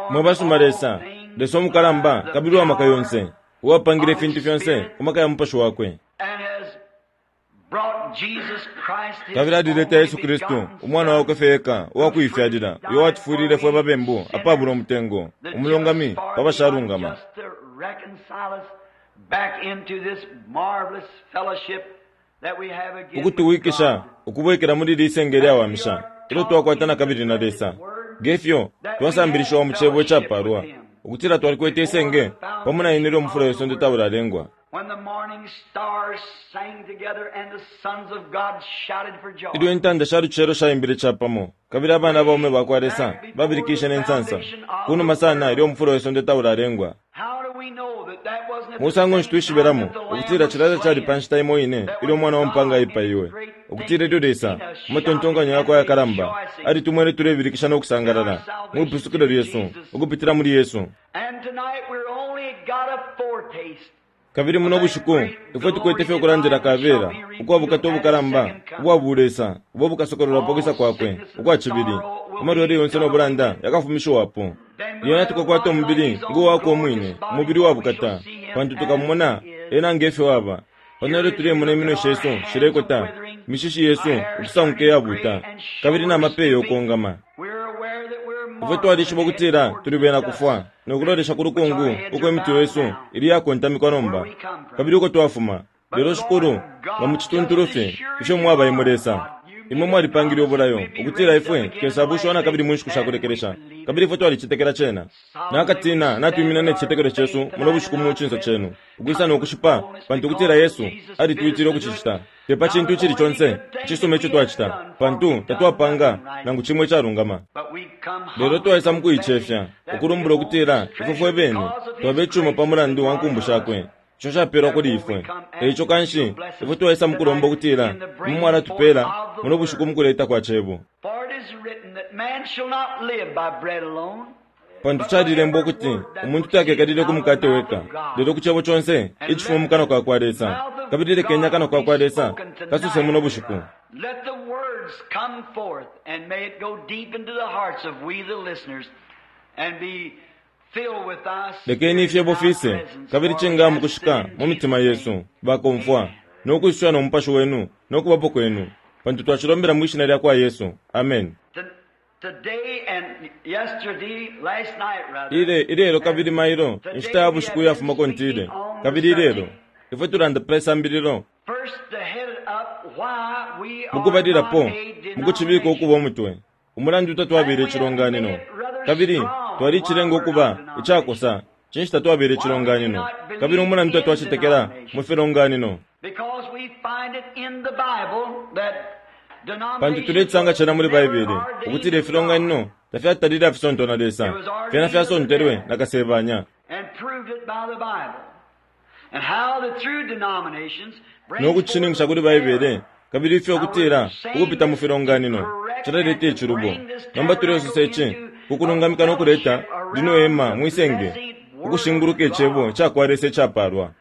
Mwe basuma Lesa, Lesa umukalamba kabili uwa maka yonse, uwapangile ifintu fyonse ku maka ya Mupashi wakwe, kabili alileta Yesu Kristu, Umwana wakwe fye eka uwa kuifyalila, uyo watufwilile fwe babembu apabula umutengo, umulungami pa bashalungama. Ukutuwikisha ukubwekela muli ili isenge lyawamisha ilyo twakwata na kabili na Lesa, nge fyo twasambilishiwa mu Cebo icapaalwa, ukutila twalikwete isenge pamo na Ine ilyo umufula we sonde taulalengwa. Ilyo intanda sha lucelo shaimbile capamo, kabili abana baume ba kwa Lesa babilikishe ne nsansa, ku numa sana ilyo umufula we sonde taulalengwa. Musango nshi twishibelamo ukutila cilya tacali pa nshita imo ine ilyo Umwana wa mpaanga aipaiwe, ukutila ilyo Lesa, mu matontonkanyo yakwe ayakalamba, alitumwene tulebilikisha no kusangalala mwi pusukilo lyesu ukupitila muli Yesu? Kabili muno bushiku ifwe tukwete fye ukulandila kabela ukwa bukata ubukalamba ubwa bulesa ubo bukasokololwa pa kwisa kwakwe ukwa cibili. Amalwele yonse no bulanda yakafumishiwapo. Lyena tukakwata umubili ngo wakwe umwine, umubili wa bukata, pantu tukamumona ena nge fyo aba. Pano ilyo tulemona iminwe shesu shilekota, imishishi yesu ukusanguka iyabuuta, kabili na mapeya ukongama. Ifwe twalishiba ukutila tuli bena kufwa no kulolesha ku lukungu uko imitwe yesu ili iyakontamikwa nomba, kabili uko twafuma. Lelo, Shikulu, nga mu cituntulu fye ifyo mwaba imwe Lesa, imwe mwalipangile ubulayo ukutila ifwe tukesabushiwa na kabili mu nshiku sha kulekelesha, kabili ifwe twalicetekela cena. Nakatina natwimina ne cicetekelo cesu muno bushiku mu cinso cenu, ukwisa no kushipa, pantu ukutila Yesu alitwitile ukucicita, te pa cintu icili conse icisuma ico twacita, pantu tatwapanga nangu cimo icalungama. Lelo twaisa mu kuicefya, ukulumbula ukutila ifwe fwe bene twaba icuma pa mulandu wa nkumbu shakwe, ico capelwa kuli ifwe. E ico kanshi, ifwe twaisa mu kulomba ukutila Imwe mwalatupela muno bushiku mukuleta kwa Cebo. Pantu calilembwa ukuti, Umuntu takekalile ku mukate weka, lelo ku Cebo conse icifuma mu kanwa ka kwa Lesa. Kabili lekeni akanwa ka kwa Lesa kasose muno bushiku. Lekeni ifyebo fise, kabili cinga mukushika mu mitima yesu, bakomfwa, no kwisusha no Mupashi Wenu no Kubapo Kwenu, pantu twacilombela mwi Shina lyakwa Yesu. Ameni. Ile, ilelo kabili mailo, inshita ya bushiku iyafumako ntile, kabili ilelo, ifwe tulanda pe sambililo. Mukubalilapo, mukucibika ukuba umutwe, Umulandu tatwabela icilonganino, kabili twalicilenga ukuba icakosa, cinshi tatwabela icilonganino, kabili umulandu tatwacetekela mu filonganino? Pantu tulecisanga cena muli Baibele, ukutila ifilonganino tafyatalile afisontwa na Lesa, fyena fyasontelwe na Kasebanya. No kucishininkisha kuli Baibele, kabili ifyo ukutila ukupita mu filonganino cilaleta icilubo. Nomba tulesosa ici ku kulungamika no kuleta lino hema mwi senge ukushinguluka Icebo cakwa Lesa icapaalwa,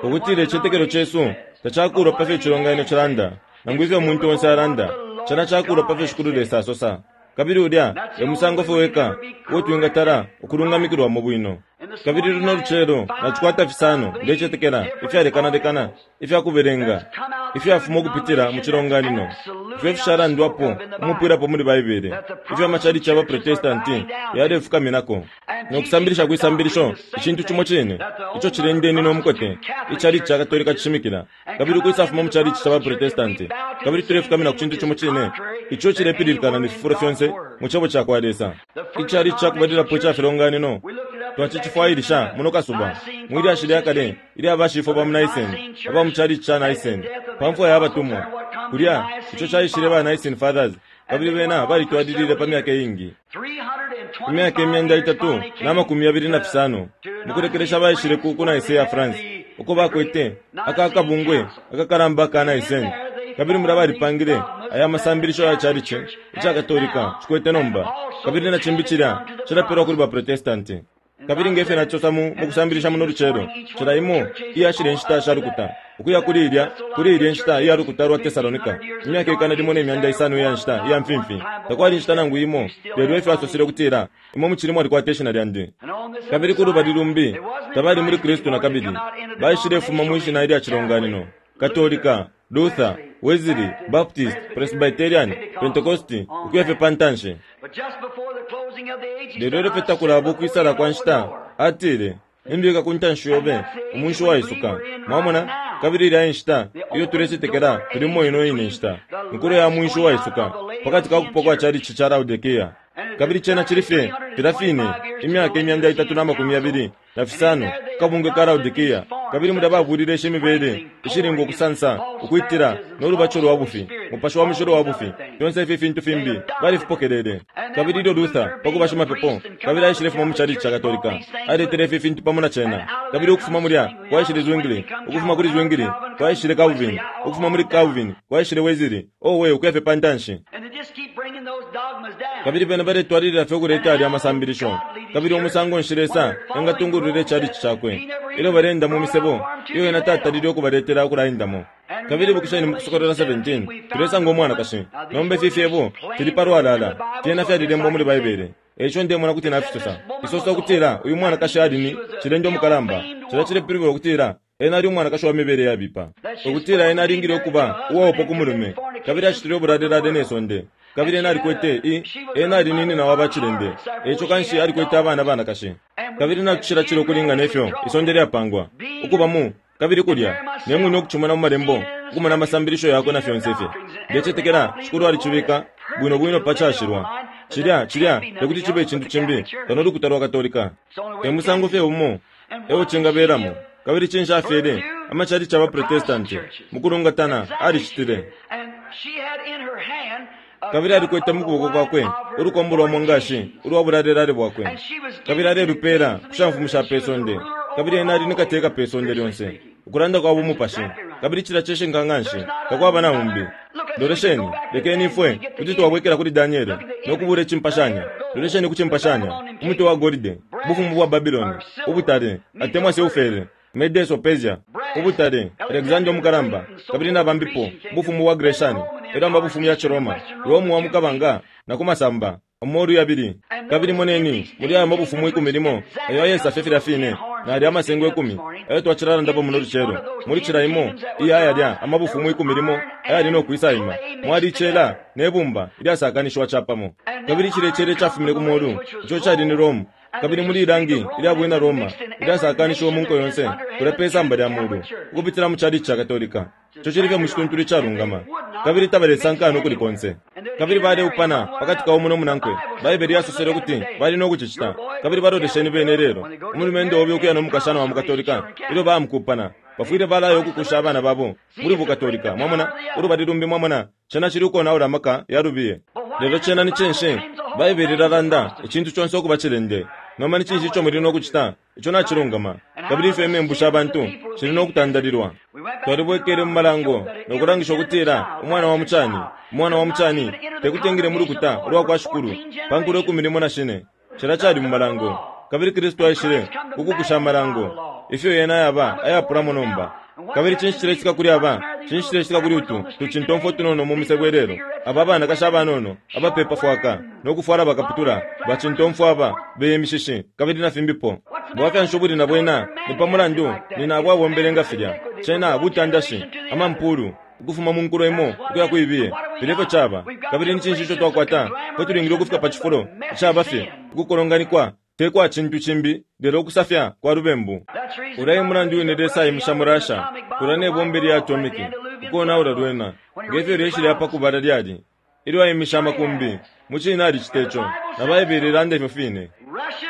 ukutila icitetekelo cesu tacakuulwa pa fyo icilonganino cilanda nangu ifyo umuntu onse alanda, cena cakuulwa pa fyo Shikulu Lesa asosa. Kabili ulya e musango fye weka uo twingatala ukulungamikilwamo bwino. Kabili luno lucelo nacikwata fisano, ndecetekela, ifyalekanalekana ifya kubelenga ifyafuma ukupitila mu cilonganino ifyo ifishalandwapo umupwilapo muli Baibele, ifyo amacalici ya baProtestanti yalefukaminako no kusambilisha kwi sambilisho icintu cimo cine ico cilendeni no mukote icalici ca Katolika cishimikila, kabili ukwisafuma mu calici ca baProtestanti, kabili tulefukamina ku cintu cimo cine ico cilepililikana ne fifulo fyonse mu Cebo ca kwa Lesa. Icalici ca kubalilapo ica filonganino twacicifwailisha muno kasuba mwi lyashi lya kale ilya bashifwe ba mu Nicene aba mu calici ca Nicene pa mfwa ya batumwa. Kulya, ico caishile ba Nicene Fathers, kabili bena balitwalilile pa myaka iingi. Imyaka 325 mukulekelesha baishile ku, ku Nicaea, France, uko bakwete aka kabungwe akakalamba aka Nicene. Kabili mulya balipangile aya masambilisho ya calici ica Katolika cikwete nomba, kabili na cimbi cilya cilapelwa kuli ba Protestanti. Kabili nge fyo nacisosa mu mukusambilisha muno lucelo, cila imo iya shilye nshita sha lukuta, ukuya kuli ilya, kuli ilye nshita iya lukuta lwa Tesalonika, imyaka ikana limo ne myanda isano iya nshita iya mfimfi, takwali inshita nangu imo, lelo efyo asosele ukutila, Imwe mucili mwalikwata ishina lyandi. Kabili ku lubali lumbi, tabali muli Kristu nakabili, baishilefuma mwi shina ilya cilonganino, Katolika, Luther, Wesley, Baptist, Presbyterian, Pentecosti, ukuya fye pa ntanshi. Lelo ilyo fye takulaba ukwisala kwa nshita, atile, Nimbika ku ntanshi yobe umunshi uwaisuka. Mwamona? Kabili ilya e nshita iyo tulecetekela tulimo ino ine nshita, inkulo ya mwinshi uwaisuka, pakati ka kupwa kwa chalichi ca Laodikea. Kabili cena cili fye filya fine, imyaka 325 ku kabungwe ka Laodikea. Kabili mulya babulile ishi mibele ishili ngo kusansa, ukwitila, no lubaco lwa bufi, Mupashi wa Mushilo wa bufi, fyonse ifi fintu fimbi, balifipokelele. Kabili ilyo Luther, pa kuba shimapepo, kabili aishile fuma mu chalichi ca Katolika, aletele ifi fintu pamo na cena. Kabili ukufuma mulya kwaishile Zwingli, ukufuma kuli Zwingli kwaishile Calvin, ukufuma muli Calvin kwaishile Wesley, owe, ukuya fye pa ntanshi. Kabili bena baletwalilila fye ukuleta yalya amasambilisho. Kabili umusango nshi Lesa engatungulwila ichalichi Cakwe ilyo baleenda mu misebo iyo Ena tatalile ukubaletela ukulaendamo? Kabili ibukisheni mu Kusokolola 17, tulesanga umwanakashi. Nomba ifi fyebo fili palwalala, fyena fyalilembwa muli Baibele. E ico ndemona kuti nafisosa. Isosa ukutila uyu mwanakashi ali ni cilende umukalamba. Cilya cilepilibula ukutila Ena ali umwanakashi wa mibele yabipa, ukutila ena alingile ukuba uwaupwa ku mulume, kabili acitile ubulalelale ne sonde. Kabili ena alikwete i, ena ali ni nina wa bacilende, eico kanshi alikwete abana banakashi. Kabili natucila cila ukulinga ne fyo isonde lyapangwa ukuba mu, kabili kulya, ne mwine ukucimona mu Malembo, ukumona amasambilisho yakwe na fyonse fye. Ndecetekela Shikulu alicibika bwino bwino pa cashilwa. Cilya, cilya tekuti cibe icintu cimbi kano lukuta lwa Katolika. E musango fye umo eo cingabelamo. Kabili cinshi afyele? Amacalici aba Protestanti, mukulungatana, alicitile. Kabili alikwete mu kuboko kwakwe ulukombo lwa mwangashi ulwa bulalelale bwakwe, kabili alelupela ku shamfumu sha pe sonde, kabili ena ali ni kateka pe sonde lyonse, ukulanda kwa bumupashi. Kabili cilya cishinka nganshi, takwaba na umbi. Lolesheni, lekeni ifwe kuti twabwekela kuli Daniele no kubula icimpashanya. Lolesheni ku cimpashanya, umutwe wa golide, ubufumu bwa Babiloni, ubutale, atemwa silfere, Medes-o-Persia, ubutale, Alexander Umukalamba, kabili na bambipo, ubufumu bwa Greshani, elyo amabufumu ya ciRoma, Rome wa mu kabanga na ku masamba, amolu yabili. Kabili moneni, muli aya mabufumu ikumi limo, ayo ayesa fye filya fine, na yalya amasengo ikumi ayo twacilalandapo muno lucelo, muli cila imo iya yalya amabufumu ikumi limo ayali no kwisaima, mwali icela ne bumba ilyasakanishiwa capamo. Kabili cilya icela icafumine ku molu, ico cali ni Rome, kabili muli ilangi ilya bwina Roma ilyasakanishiwa mu nko yonse kulya pe samba lya mulu, ukupitila mu chalichi ca Katolika. Ico cili fye mu cituntulu icalungama. Kabili tabalesankana ukuli konse. Kabili baleupana pakati ka umo no munankwe. Baibele yasosele ukuti bali no kucicita. Kabili balolesheni bene ilelo. Umulumendo obe ukuya no mukashana wa mu Katolika, ilyo baya mukupana, bafwile balaya ukukusha abana babo muli buKatolika. Mwamona? Ulubali lumbi, mwamona, cena cili ukonaula amaka ya lubiye. Lelo cena ni cinshi? Baibele ilalanda icintu conse ukuba cilende. Nomba ni cinshi ico muli no kucita? Ico nacilungama. Kabili ifyo imembu sha bantu shili no kutandalilwa. Twalibwekele mu Malango no kulangisha ukutila umwana wa mucani, umwana wa mucani, te kuti engile mu lukuta ulwa kwa Shikulu pa nkulo ikumi limo na shine. Cilya cali mu Malango. Kabili Kristu aishile ku kukusha Amalango, ifyo yena yaba ayapulamo nomba. Kabili cinshi cilecitika kuli aba? Cinshi cilecitika kuli utu tucintomfwa utunono mu misebo ilelo? Aba abanakashi abanono abapeepa fwaka no kufwala bakaputula, bacintomfwa aba beye imishishi, kabili na fimbipo. Bwafya nshi ubuli na bwena? Ni pa mulandu nina abo abombele nga filya. Cena butandashi, amampuulu, ukufuma mu nkulo imo ukuya ku ibiye. Filya efyo caba. Kabili ni cinshi ico twakwata? Ifwe tulingile ukufika pa cifulo icaba fye ukukolonganikwa te kwa cintu cimbi lelo ukusafya kwa lubembu. Ulya e mulandu wine Lesa aimisha mu Russia kulya ne bomba ilya atomiki ukonaula lwena, nge fyo ilyeshi lya pa kubala lyali ilyo aimishe amakumbi. Mucine alicita ico, na Baibele ilanda ifyo fine.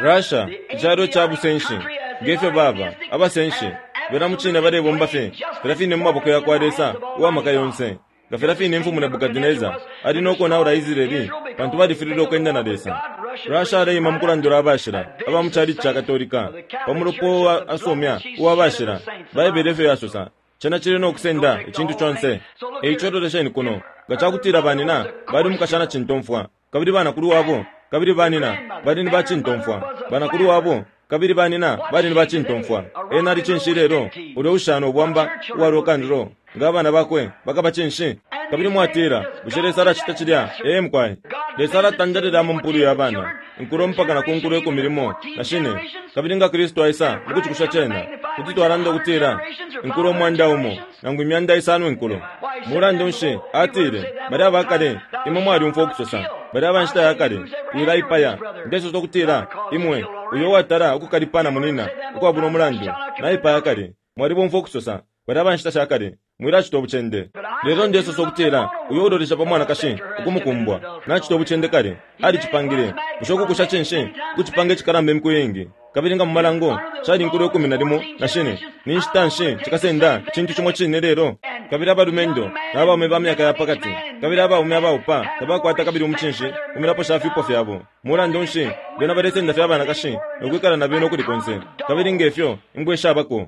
Russia, icalo ca busenshi, nge fyo baba, abasenshi, bena mucine balebomba fye filya fine mu maboko yakwa Lesa uwa maka yonse. Nga filya fine Imfumu Nebukadinesa ali no konaula Israele pantu balifililwe ukwenda na Lesa, Russia aleima mu kulandula abashila aba mu calici ca Katolika pa mulopa uo asumya uwa bashila. Baibele efyo yasosa. Cena cili no kusenda icintu conse. E ico lolesheni kuno, nga ca kutila banina bali umukashana cintomfwa, kabili banakulu wabo, kabili banina bali ni bacintomfwa, banakulu wabo. Kabili banina bali ni bacintomfwa. Ena ali cinshi ilelo? Ulya ushana ubwamba uwa rock and roll. Nga abana bakwe bakaba cinshi? Kabili mwatila, Bushe Lesa alacita cilya? Ee, mukwai. Lesa alatandalila amampulu ya bana, inkulo mpaka na ku nkulo ikumi limo na shine. Kabili nga Kristu aisa mukucikusha cena, kuti twalanda ukutila inkulo 100, nangu 500 inkulo. Mulandu nshi, atile, balya abakale, imwe mwalyumfwa ukusosa, balya aba nshita ya kale, Wilaipaya. Ndesosa ukutila, imwe, uyo uwatala ukukalipa na munina ukwabula umulandu, naipaya kale. Mwalibomfwa ukusosa, balya aba nshita sha kale, Mwilacita ubucende. Lelo ndesosa ukutila uyo ulolesha pa mwanakashi ukumukumbwa, nacita ubucende kale. Alicipangile. Bushe ukukusha cinshi? Kucipanga icikalamba imiku iingi. Kabili nga mu malango cali inkulo ikumi na limo na shine, ni nshita nshi cikasenda icintu cimo cine lelo? Kabili abalumendo na baume ba myaka ya pa kati, kabili abaume abaupa tabakwata kabili umucinshi ku milapo sha fyupo fyabo. Mulandu nshi, bena balesenda fye abanakashi no kwikala na bena ukuli konse, kabili nge fyo imbwa ishabako.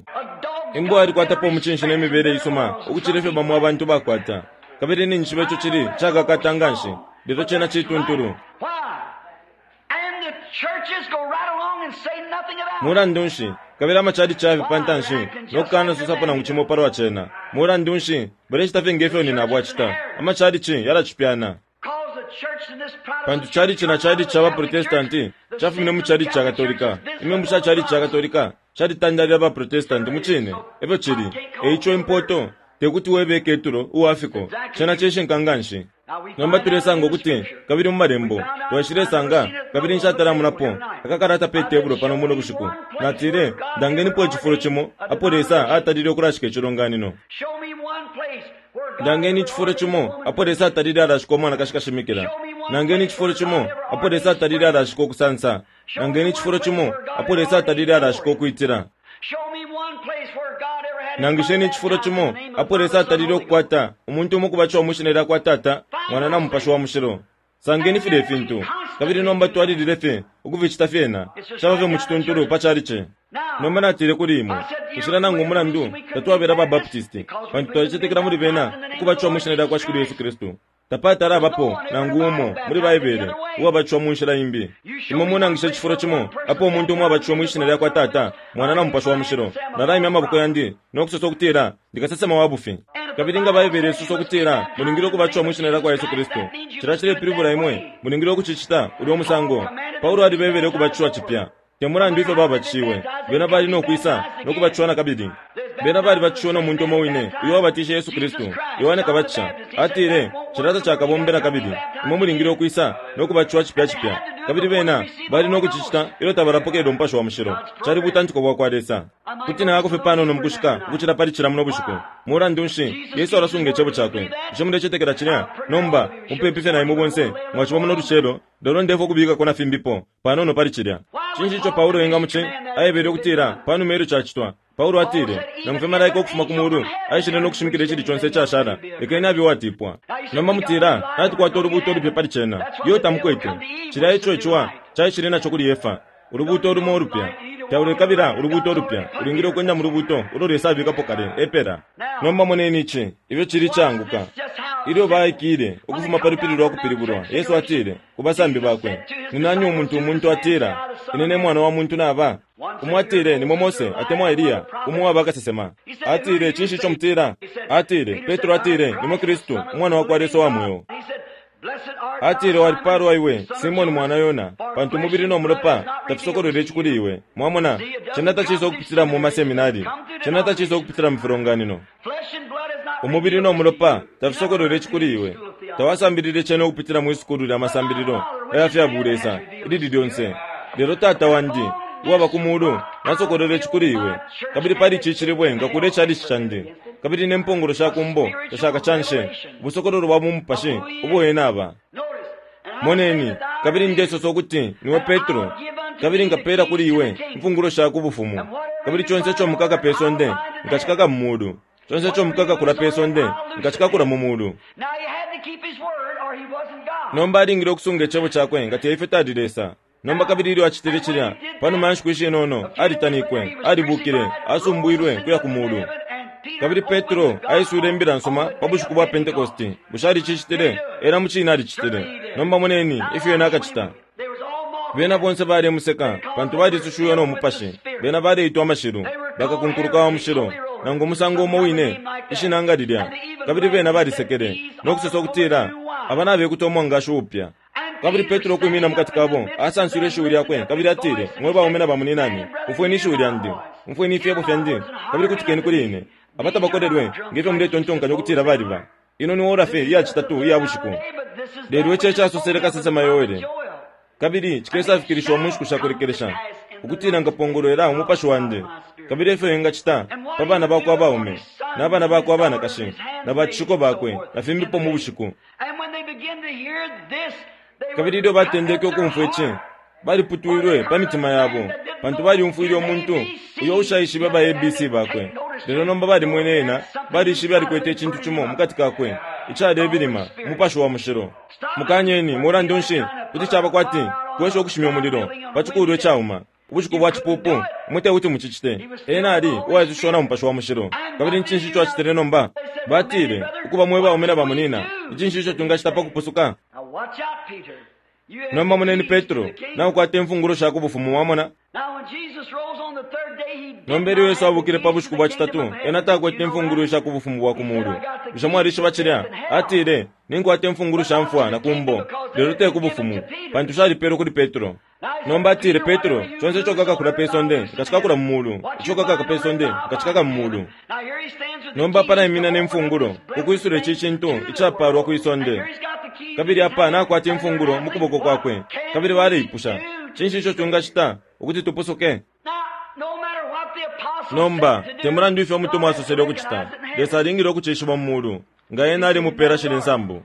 Imbwa yalikwatapo umucinshi ne mibele isuma ukucila ifyo bamo abantu bakwata. Kabili ninjishiba ico cili cakakata nganshi, lelo cena cituntulu. Mulandu nshi, kabili amachalichi ayafi pa ntanshi no kukana sosapo nangu cimo palwa cena. Mulandu nshi, balecita fye nge fyo nyinabo acita. Amachalichi yalacipyana. Pantu chalichi na chalichi ca baProtestanti cafumine mu chalichi ca Katolika. Imembu sha chalichi ca Katolika shalitandalila baProtestanti. Mucine, efyo cili. E ico impoto te kuti webe iketulo uwa fiko. Cena cishinka nganshi. Nomba tulesanga ukuti, kabili mu Malembo, twaishilesanga, kabili nshatalamonapo akakalata pe tebulo pano muno bushiku. Natile, Ndangenipo icifulo cimo apo Lesa atalile ukulashika icilonganino. Ndangeni icifulo cimo apo Lesa atalile alashika umwanakashi kashimikila. Nangeni icifulo cimo apo Lesa atalile alashika ukusansa. Nangeni icifulo cimo apo Lesa atalile alashika ukwitila. Nangisheni icifulo cimo apo Lesa atalile ukukwata umuntu umo ukubatishiwa mwi shina lya kwa Tata, Mwana na Mupashi wa Mushilo. Sangeni filya ifintu, kabili nomba twalilile fye ukuficita fyena. Caba fye mu cituntulu pa chalichi. Nomba natile kuli imwe, inshila nangu umulandu tatwabela ba Baptisti, pantu twalicetekela muli bena ukubatishiwa mwi Shina lyakwa Shikulu Yesu Kristu. Tapatala abapo nangu umo muli Baibele uwabatishiwa mu nshila imbi. Imwe munangishe icifulo cimo apo umuntu umo abatishiwe mwi Shina lyakwa Tata, Mwana na Mupashi wa Mushilo, nalaimya amaboko yandi no kusosa ukutila ndi kasesema wa bufi. Kabili nga Baibele isosa ukutila mulingile ukubatishiwa mwi Shina lyakwa Yesu Kristu, cilya cilepilibula imwe mulingile ukucicita ulyo musango. Paulo alibebele ukubatishiwa cipya. Te mulandu ifyo babatishiwe, bena bali no kwisa no kubatishiwa na kabili. Bena balibatishiwe no muntu umo wine uyo wabatishe Yesu Kristu, Yohane Kabatisha. Atile, Cilya tacakabombe na kabili. Imwe mulingile ukwisa no kubatishiwa cipya cipya. Kabili bena bali no kucicita ilyo tabalapokelela Umupashi wa Mushilo. Cali butantiko bwakwa Lesa. Kuti nayako fye panono mukushika ukucila pali cila muno bushiku. Mulandu nshi, Yesu alasunga Icebo Cakwe. Bushe mulecetekela cilya? Nomba, mupepi fye na imwe bonse mwaciba muno lucelo, lelo ndefwa ukubikako na fimbipo panono pali cilya. Cinshi ico Paulo engamuci aebele ukutila panuma ilyo cacitwa? Paulo atile, Nangu fye malaika ukufuma ku mulu aishile no kushimikila icili conse icashala, lekeni abe uwatipwa. Nomba mutila, Natukwata ulubuuto ulupya pali cena. Iyo tamukwete. Cilya eco iciwa caishile naco kuli Efa, ulubuuto lumo ulupya. Taulekabila ulubuuto ulupya, ulingile ukwenda mu lubuuto ulo Lesa abikapo kale, epela. Nomba moneni ici, ifyo cili icaanguka. Ilyo baikile ukufuma pa lupili lwa kupilibulwa, Yesu atile ku basambi bakwe, Ni nani umuntu umuntu atila ine ne Mwana wa muntu naba? Umo atile, Nimwe Mose, atemwa Eliya, umo uwa bakasesema. Atile, Cinshi ico mutila? Atile, Petro atile, Nimwe Kristu, Umwana wa kwa Lesa uwa mweo. Atile, Walipaalwa iwe, Simone mwana Yona, pantu umubili no mulopa tafisokolwele ici kuli iwe. Mwamona, cena tacisa ukupitila mu maseminari. Cena tacisa ukupitila mu filonganino. Umubili no mulopa tafisokolwele ici kuli iwe. Tawasambilile cena ukupitila mwi sukulu lya masambililo aya fya bulesa ilili lyonse. Lelo Tata Wandi uwaba ku Mulu nasokolola ici kuli iwe. Kabili pali ici cilibwe nkakula icalici candi, kabili ne mpongolo sha ku mbo tashakacanshe. Ubusokololo bwa bumupashi ubo Ena aba. Moneni, kabili ndesosa ukuti niwe Petro, kabili nkapeela kuli iwe imfungulo sha ku bufumu, kabili conse ico mukaka pe sonde, nkacikaka mu mulu, conse ico mukakakula pe sonde, nkacikakula mu mulu. Nomba alingile ukusunga icebo cakwe nga te ifyo tali Lesa. Nomba kabili ilyo acitile cilya, panuma ya nshiku ishinono, alitanikwe, alibukile, asumbwilwe kuya ku mulu. Kabili Petro aiswile Imbila nsuma pa bushiku bwa Pentekoste. Bushe alicicitile? Ena mucine alicitile. Nomba moneni ifyo ena akacita. Bena bonse balemuseka, pantu balisushiwe no Mupashi. Bena baleitwa amashilu, bakakunkuluka wa mushilo, nangu umusango umo wine, ishina nga lilya. Kabili bena balisekele, no kusosa ukutila, Aba nabekuta umwangashi uupya. Kabili Petro ukwimina mukati kabo, asanswile ishiwi lyakwe, kabili atile, Mwe baume na bamuninane, umfweni ishiwi lyandi, umfweni ifyebo fyandi, kabili kutikeni kuli ine. Aba tabakolelwe, nge fyo muletontonkanya ukutila baliba. Ino ni ora fye iya citatu iya bushiku. Lelo ici e casosele kasesema Yoele, kabili cikesafikilishiwa mu nshiku sha kulekelesha, ukutila nkapongolwela umupashi wandi, kabili efyo engacita pa bana bakwe abaume, na bana bakwe abanakashi, na bacishiko bakwe, na fimbipo mu bushiku. Kabili ilyo batendeke ukumfwa ici, baliputwilwe pa mitima yabo, pantu balyumfwile umuntu uyo ushaishibe ba ABC bakwe. Lelo nomba balimwene ena, balishibe alikwete icintu cimo mukati kakwe icalebilima, Umupashi wa Mushilo. Mukanyeni, mulandu nshi, kuti caba kwati kwesha ukushimya umulilo pa cikulwa icauma. Ubushiku bwa cipupu, imwe tekuti mucicite. Ena ali uwaisushiwa na Mupashi wa Mushilo. Kabili ni cinshi ico acitile nomba? Batile, Ukuba mwe baume na bamunina, ni cinshi ico twingacita pa kupusuka? Nomba moneni Petro, naukwata imfungulo sha ku Bufumu. Mwamona? Nomba ilyo Yesu abukile pa bushiku bwa citatu, ena takwete imfungulo isha ku Bufumu bwa ku Mulu. Bushe mwalishiba cilya? Atile, Ninkwata imfungulo sha mfwa na ku mbo, lelo te ku Bufumu, pantu shalipelwe kuli Petro. Nomba atile, Petro, conse ico ukakakula pe sonde, nkacikakula mu mulu, ico ukakaka pe sonde, nkacikaka mu mulu. Nomba apa naimina ne mfungulo, ku kwisula ici cintu icapaalwa kwi sonde. Kabili apa nakwata imfungulo mu kuboko kwakwe. Kabili baleipusha, Cinshi ico twingacita ukuti tupusuke? Nomba, te mulandu ifyo umutumwa asosele ukucita, Lesa alingile ukucishiba mu mulu, nga ena alimupeela shilya insambu.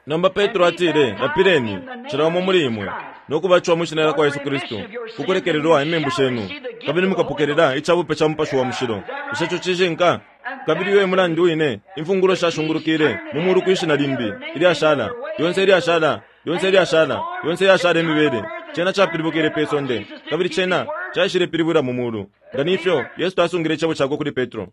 Nomba Petro atile, Lapileni, cila umo muli imwe, no kubatishiwa mwi Shina lyakwa Yesu Kristu, ku kulekelelwa imembu shenu, kabili mukapokelela icabupe ca Mupashi wa Mushilo. Bushe ico cishinka? Kabili uyo e mulandu wine imfungulo shashungulukile mu mulu kwi shina limbi ilyashala, lyonse ilyashala, lyonse ilyashala, yonse iyashala imibele. Cena capilibukile pe sonde, kabili cena caishilepilibwila mu mulu. Nga ni fyo, Yesu tasungile icebo cakwe kuli Petro.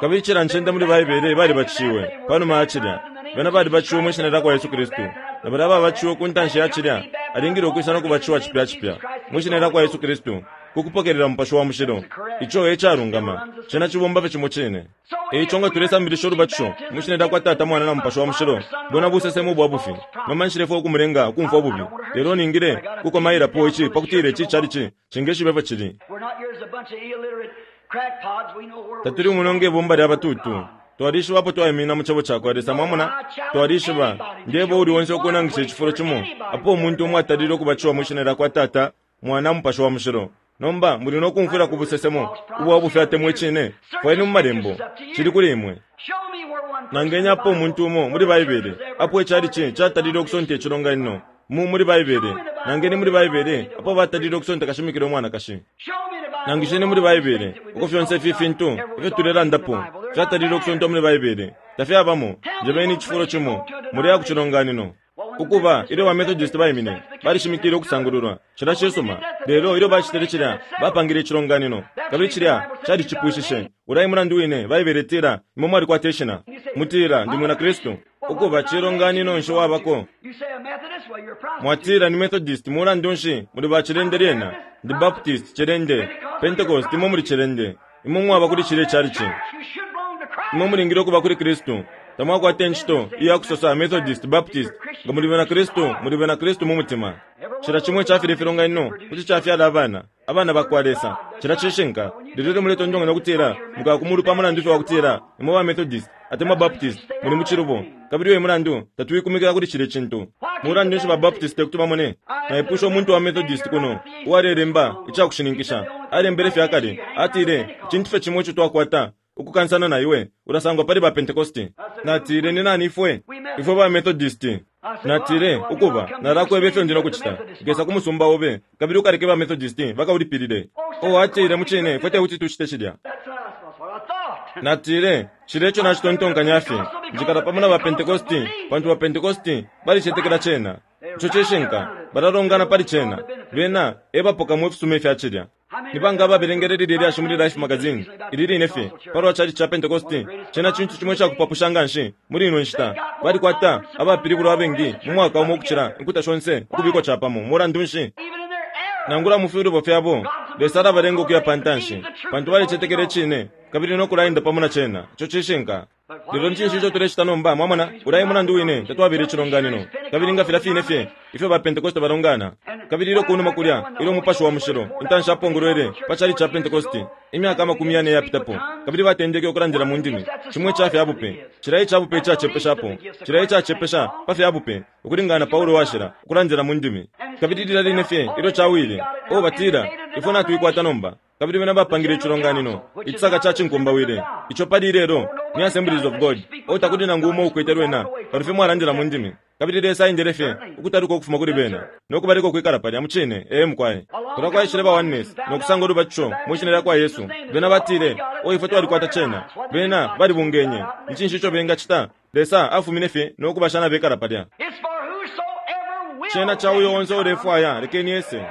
Kabili cila ncende muli Baibele balibatishiwe panuma ya cilya. Bena balibatishiwe mwi Shina lyakwa Yesu Kristu. Na balya ababatishiwe ku ntanshi ya cilya alingile ukwisa no kubatishiwa cipya cipya mwi Shina lyakwa Yesu Kristu ku kupokelela Mupashi wa Mushilo. Ico e calungama. Cena cibomba fye cimo cine. E ico nga tulesambilisha ulubatisho mwi Shina lyakwa Tata, Mwana, na Mupashi wa Mushilo, bwena busesemo ubwa bufi. Nomba nshilefwaya ukumulenga ukumfwa ububi, lelo ningile ukukomailapo ici pakutila ici chalichi cingeshiba ifyo cili. Tatuli muno nge bumba lya batutu. Twalishiba apo twaiminina mu Cebo cakwa Lesa. Mwamona? Twalishiba. Ndeba uuli onse ukunangisha icifulo cimo apo umuntu umo atalile ukubatishiwa mwi Shina lyakwa Tata, Mwana, Mupashi wa Mushilo. Nomba muli no kumfwila ku busesemo ubwa bufi atemwa Icine? Fwayeni mu Malembo. Cili kuli imwe. Nangeni apo umuntu umo muli Baibele apo ichalichi catalile ukusonta icilonganino mu muli Baibele. Nangeni muli Baibele apo batalile ukusonta kashimikila umwanakashi. Nangisheni muli Baibele uko fyonse ifi fintu ifyo tulelandapo fyatalile ukusontwa muli Baibele. Tafyabamo. Njebeni icifulo cimo mulya ku cilonganino. Ukuba, ilyo ba Methodist baimine, balishimikile ukusangululwa. Cilya cisuma. Lelo ilyo bacitile cilya, bapangile icilonganino, kabili cilya calicipwishishe. Ulya e mulandu wine Baibele itila, Imwe mwalikwata ishina. Mutila, Ndi mwina Kristu. Ukuba, cilonganino nshi wabako? Mwatila, Ni Methodist. Mulandu nshi, muli ba cilende lyena. Ndi Baptist, cilende. Pentecost, imwe muli cilende. Imwe mwaba kuli cilye chalichi. Imwe mulingile ukuba kuli Kristu. Tamwakwata incito iya kusosa Methodist, Baptist. Nga muli bena Kristu, muli bena Kristu mu mutima. Cila cimo ica filye filonganino kuti cafyala abana, abana bakwa Lesa. Cilya cishinka. Lelo ilyo muletontonkanya ukutila mukaya ku mulu pa mulandu fye wa kutila imwe ba Methodist atemwa Baptist, muli mu cilubo. Kabili uyo e mulandu tatuikumikila kuli cilye cintu. Mulandu nshi ba Baptist tekuti bamone? Naipwishe umuntu wa Methodist kuno uwalelemba icakushininkisha. Alembele fye akale. Atile, Icintu fye cimo ico twakwata ukukansana na iwe, ulasangwa pali ba Pentecosti. Natile, Ni nani ifwe? Ifwe ba Methodist. Natile, Ukuba, nalakweba ifyo ndi no kucita. Nkesa ku musumba obe, kabili ukaleke ba Methodist bakaulipilile. Oh, atile, mucine, ifwe tekuti tucite cilya. Natile, Cilya eco nacitontonkanya fye. Njikala pamo na ba Pentecosti, pantu ba Pentecosti balicetekela cena. Ico cishinka. Balalongana pali cena. Bena e bapokamo ifisuma ifya cilya. Ni banga ababelengele lilye lyashi muli Life magazine ili line fye palwa chalichi ca Pentecosti? Cena cintu cimo icakupapusha nganshi muli ino nshita. Balikwata abapilibulwa abengi mu mwaka umo ukucila inkuta shonse ukubikwa capamo. Mulandu nshi? Nangula mu filubo fyabo, Lesa alabalenga ukuya pantanshi, pantu balicetekela Icine kabili no kulaenda pamo na Cena. Ico cishinka. Lelo ni cinshi ico tulecita nomba? Mwamona? Ulya e mulandu wine tatwabela icilonganino. Kabili nga filya fine fye ifyo ba Pentekoste balongana, kabili ilyo kunuma kulya, ilyo Umupashi wa Mushilo intanshi apongolwele pa chalichi ca Pentekoste, imyaka amakumi yane iyapitapo, kabili batendeke ukulandila mu ndimi, cimo ica fya bupe, cilya ica bupe icacepeshapo, cilya icacepesha pa fya bupe, ukulingana na Paulo Washila, ukulandila mu ndimi. Kabili lilya line fye ilyo cawile, oh, batila, Ifwe natuikwata nomba. Kabili bena bapangile icilonganino, icisaka ca cinkumbawile, ico pali ilelo ni Assemblies of God. Oh, takuli nangu umo ukwete lwena, kano fye mwalandila mu ndimi. Kabili Lesa aendele fye ukutaluka ukufuma kuli bena, no kubaleka ukwikala palya. Mucine. Ee, mukwai. Kulya kwaishile ba Oneness, no kusanga ulubatisho mwi Shina lyakwa Yesu. Bena batile, Oh, ifwe twalikwata cena. Bena balibungenye. Ni cinshi ico benga cita? Lesa afumine fye no kubasha nabekala palya. Cena ca uyo onse ulefwaya, lekeni ese.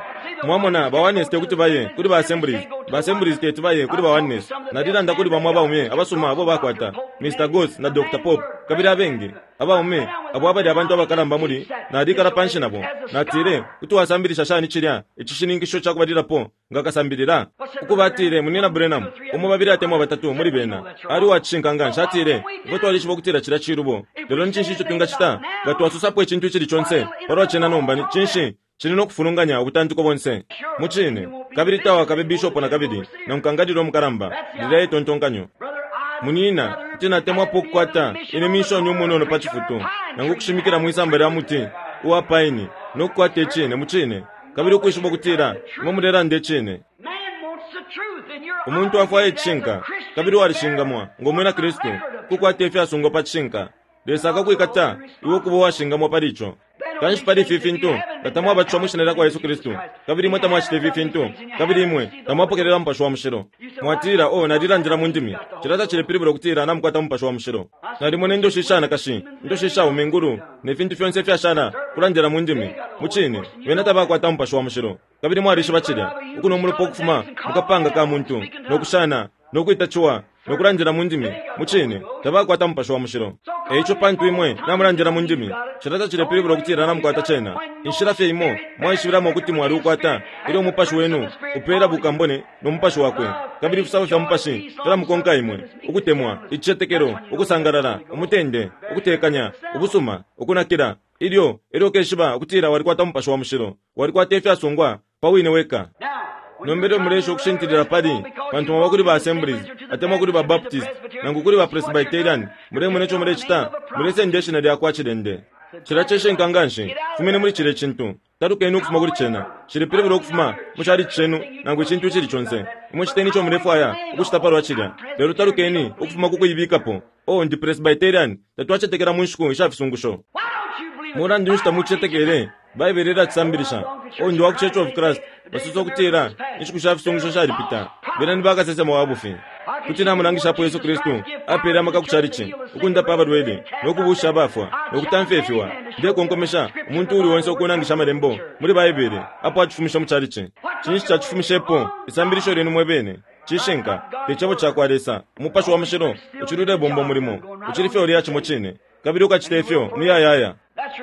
Mwamona, ba Oneness tekuti baye kuli ba Assemblies, ba Assemblies teti baye kuli ba Oneness. Nalilanda kuli bamo abaume abasuma abo bakwata, Mr. Goss na Dr. Pope, kabili abengi, abaume abo abali abantu abakalamba muli, nalikala panshi nabo. Natile, Kuti wasambilisha shani cilya icishininkisho cakubalilapo? Nga kasambilila? Ukuba, atile, Munyina Branham, umo, babili atemwa batatu muli bena, ali uwa cishinka nganshi. Atile, Ifwe twalishiba ukutila cilya cilubo, lelo ni cinshi ico twingacita? Nga twasosapo icintu icili conse palwa cena nomba, ni cinshi, cili no kufulunganya ubutantiko bonse. Mucine. Kabili tawakabe bishopo nakabili, nangu kangalila umukalamba. Lilya e tontonkanyo. Munyina, kuti natemwapo ukukwata ine minshoni umunono pa cifutu, nangu ukushimikila mwisamba lya muti uwa paini, no kukwata icine, mucine. Kabili ukwishiba ukutila imwe mulelanda icine. Umuntu afwaya icishinka, kabili walishingamwa, ngo mwina Kristu, kukwata ifyasungwa pa cishinka. Lesa akakwikata iwe ukuba uwashingamwa pali ico. Kanshi pali ifi fintu, nga tamwabatishiwa mwi Shina lyakwa Yesu Kristu, kabili imwe tamwacita ifi fintu, kabili imwe tamwapokelela Mupashi wa Mushilo. Mwatila, Oh, nalilandila mu ndimi. Cilya tacilepilibula ukutila namukwata Mupashi wa Mushilo. Nalimona indoshi ishanakashi, indoshi ishaume ingulu, ne fintu fyonse ifyashala, ukulandila mu ndimi. Mucine, bena tabakwata Mupashi wa Mushilo. Kabili mwalishiba cilya, ukunwa umulopa ukufuma mukapanga ka muntu, no kushana, no kwita ciwa, no kulandila mu ndimi, mucine, tabakwata Mupashi wa Mushilo. E ico pantu imwe namulandila mu ndimi, cilya tacilepilibula ukutila namukwata Cena. Inshila fye imo mwaishibilamo ukuti mwaliukwata, ilyo Umupashi wenu upela bukambone no Mupashi Wakwe, kabili ifisabo fya Mupashi filamukonka imwe, ukutemwa, icicetekelo, ukusangalala, umutende, ukutekanya, ubusuma, ukunakila. Ilyo, elyo ukeshiba ukutila walikwata Mupashi wa Mushilo, walikwata ifyasungwa pa wine weka. Nomba ilyo muleesha ukushintilila pali, pantu mwaba kuli ba Assemblies, atemwa kuli ba Baptist, nangu kuli ba Presbyterian, mulemona ico mulecita? Mulesenda ishina lyakwa cilende. Cilya cishinka nganshi. Fumeni muli cilye cintu. Talukeni ukufuma kuli cena. Cilepilibula ukufuma mu chalichi cenu nangu icintu icili conse. Imwe citeni ico mulefwaya ukucita palwa cilya, lelo talukeni ukufuma ku kuibikapo. Oh, ndi Presbyterian. Tatwacetekela mu nshiku isha fisungusho. Mulandu nshi tamucicetekele? Baibele ilacisambilisha. Oh, ndi wa ku Church of Christ. Basosa ukutila inshiku sha fisungusho shalipita. Bena ni bakasesema wa bufi. Kuti namulangishapo Yesu Kristu apele amaka ku chalichi, ukundapa abalwele, no kubuusha abafwa, no kutamfya ifiwa. Ndekonkomesha umuntu uuli onse ukunangisha Amalembo muli Baibele apo acifumishe mu chalichi. Cinshi cacifumishepo? Isambilisho lyenu mwe bene. Cishinka, te Cebo cakwa Lesa. Umupashi wa Mushilo ucili ulebomba umulimo. Ucili fye ulya cimo cine, kabili ukacita ifyo umuyayaya.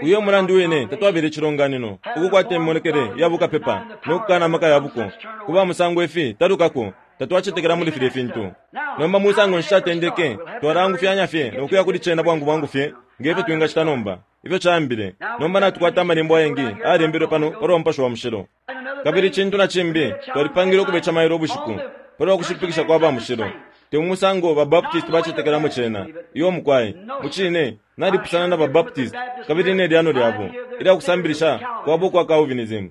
Uyo e mulandu wine tatwabela icilonganino, ukukwata imimonekele ya bukapepa no kukana amaka ya buko. Ku ba musango ifi talukako, tatwacetekela muli filye fintu. Nomba musango nshi catendeke? Twalaangufyanya fye no kuya kuli cena bwangu bwangu fye nge fyo twingacita nomba, ifyo caambile. Nomba natukwata Amalembo ayengi ayalembelwe pano palwa Mupashi wa Mushilo. Kabili icintu na cimbi, twalipangile ukubeca mailo ubushiku, palwa kushipikisha kwa ba mushilo. Te mu musango ba Baptist bacetekelamo cena. Iyo, mukwai. Mucine, nalipusana na ba Baptist kabili ne lyano lyabo ilya kusambilisha kwabo ukwa Calvinism.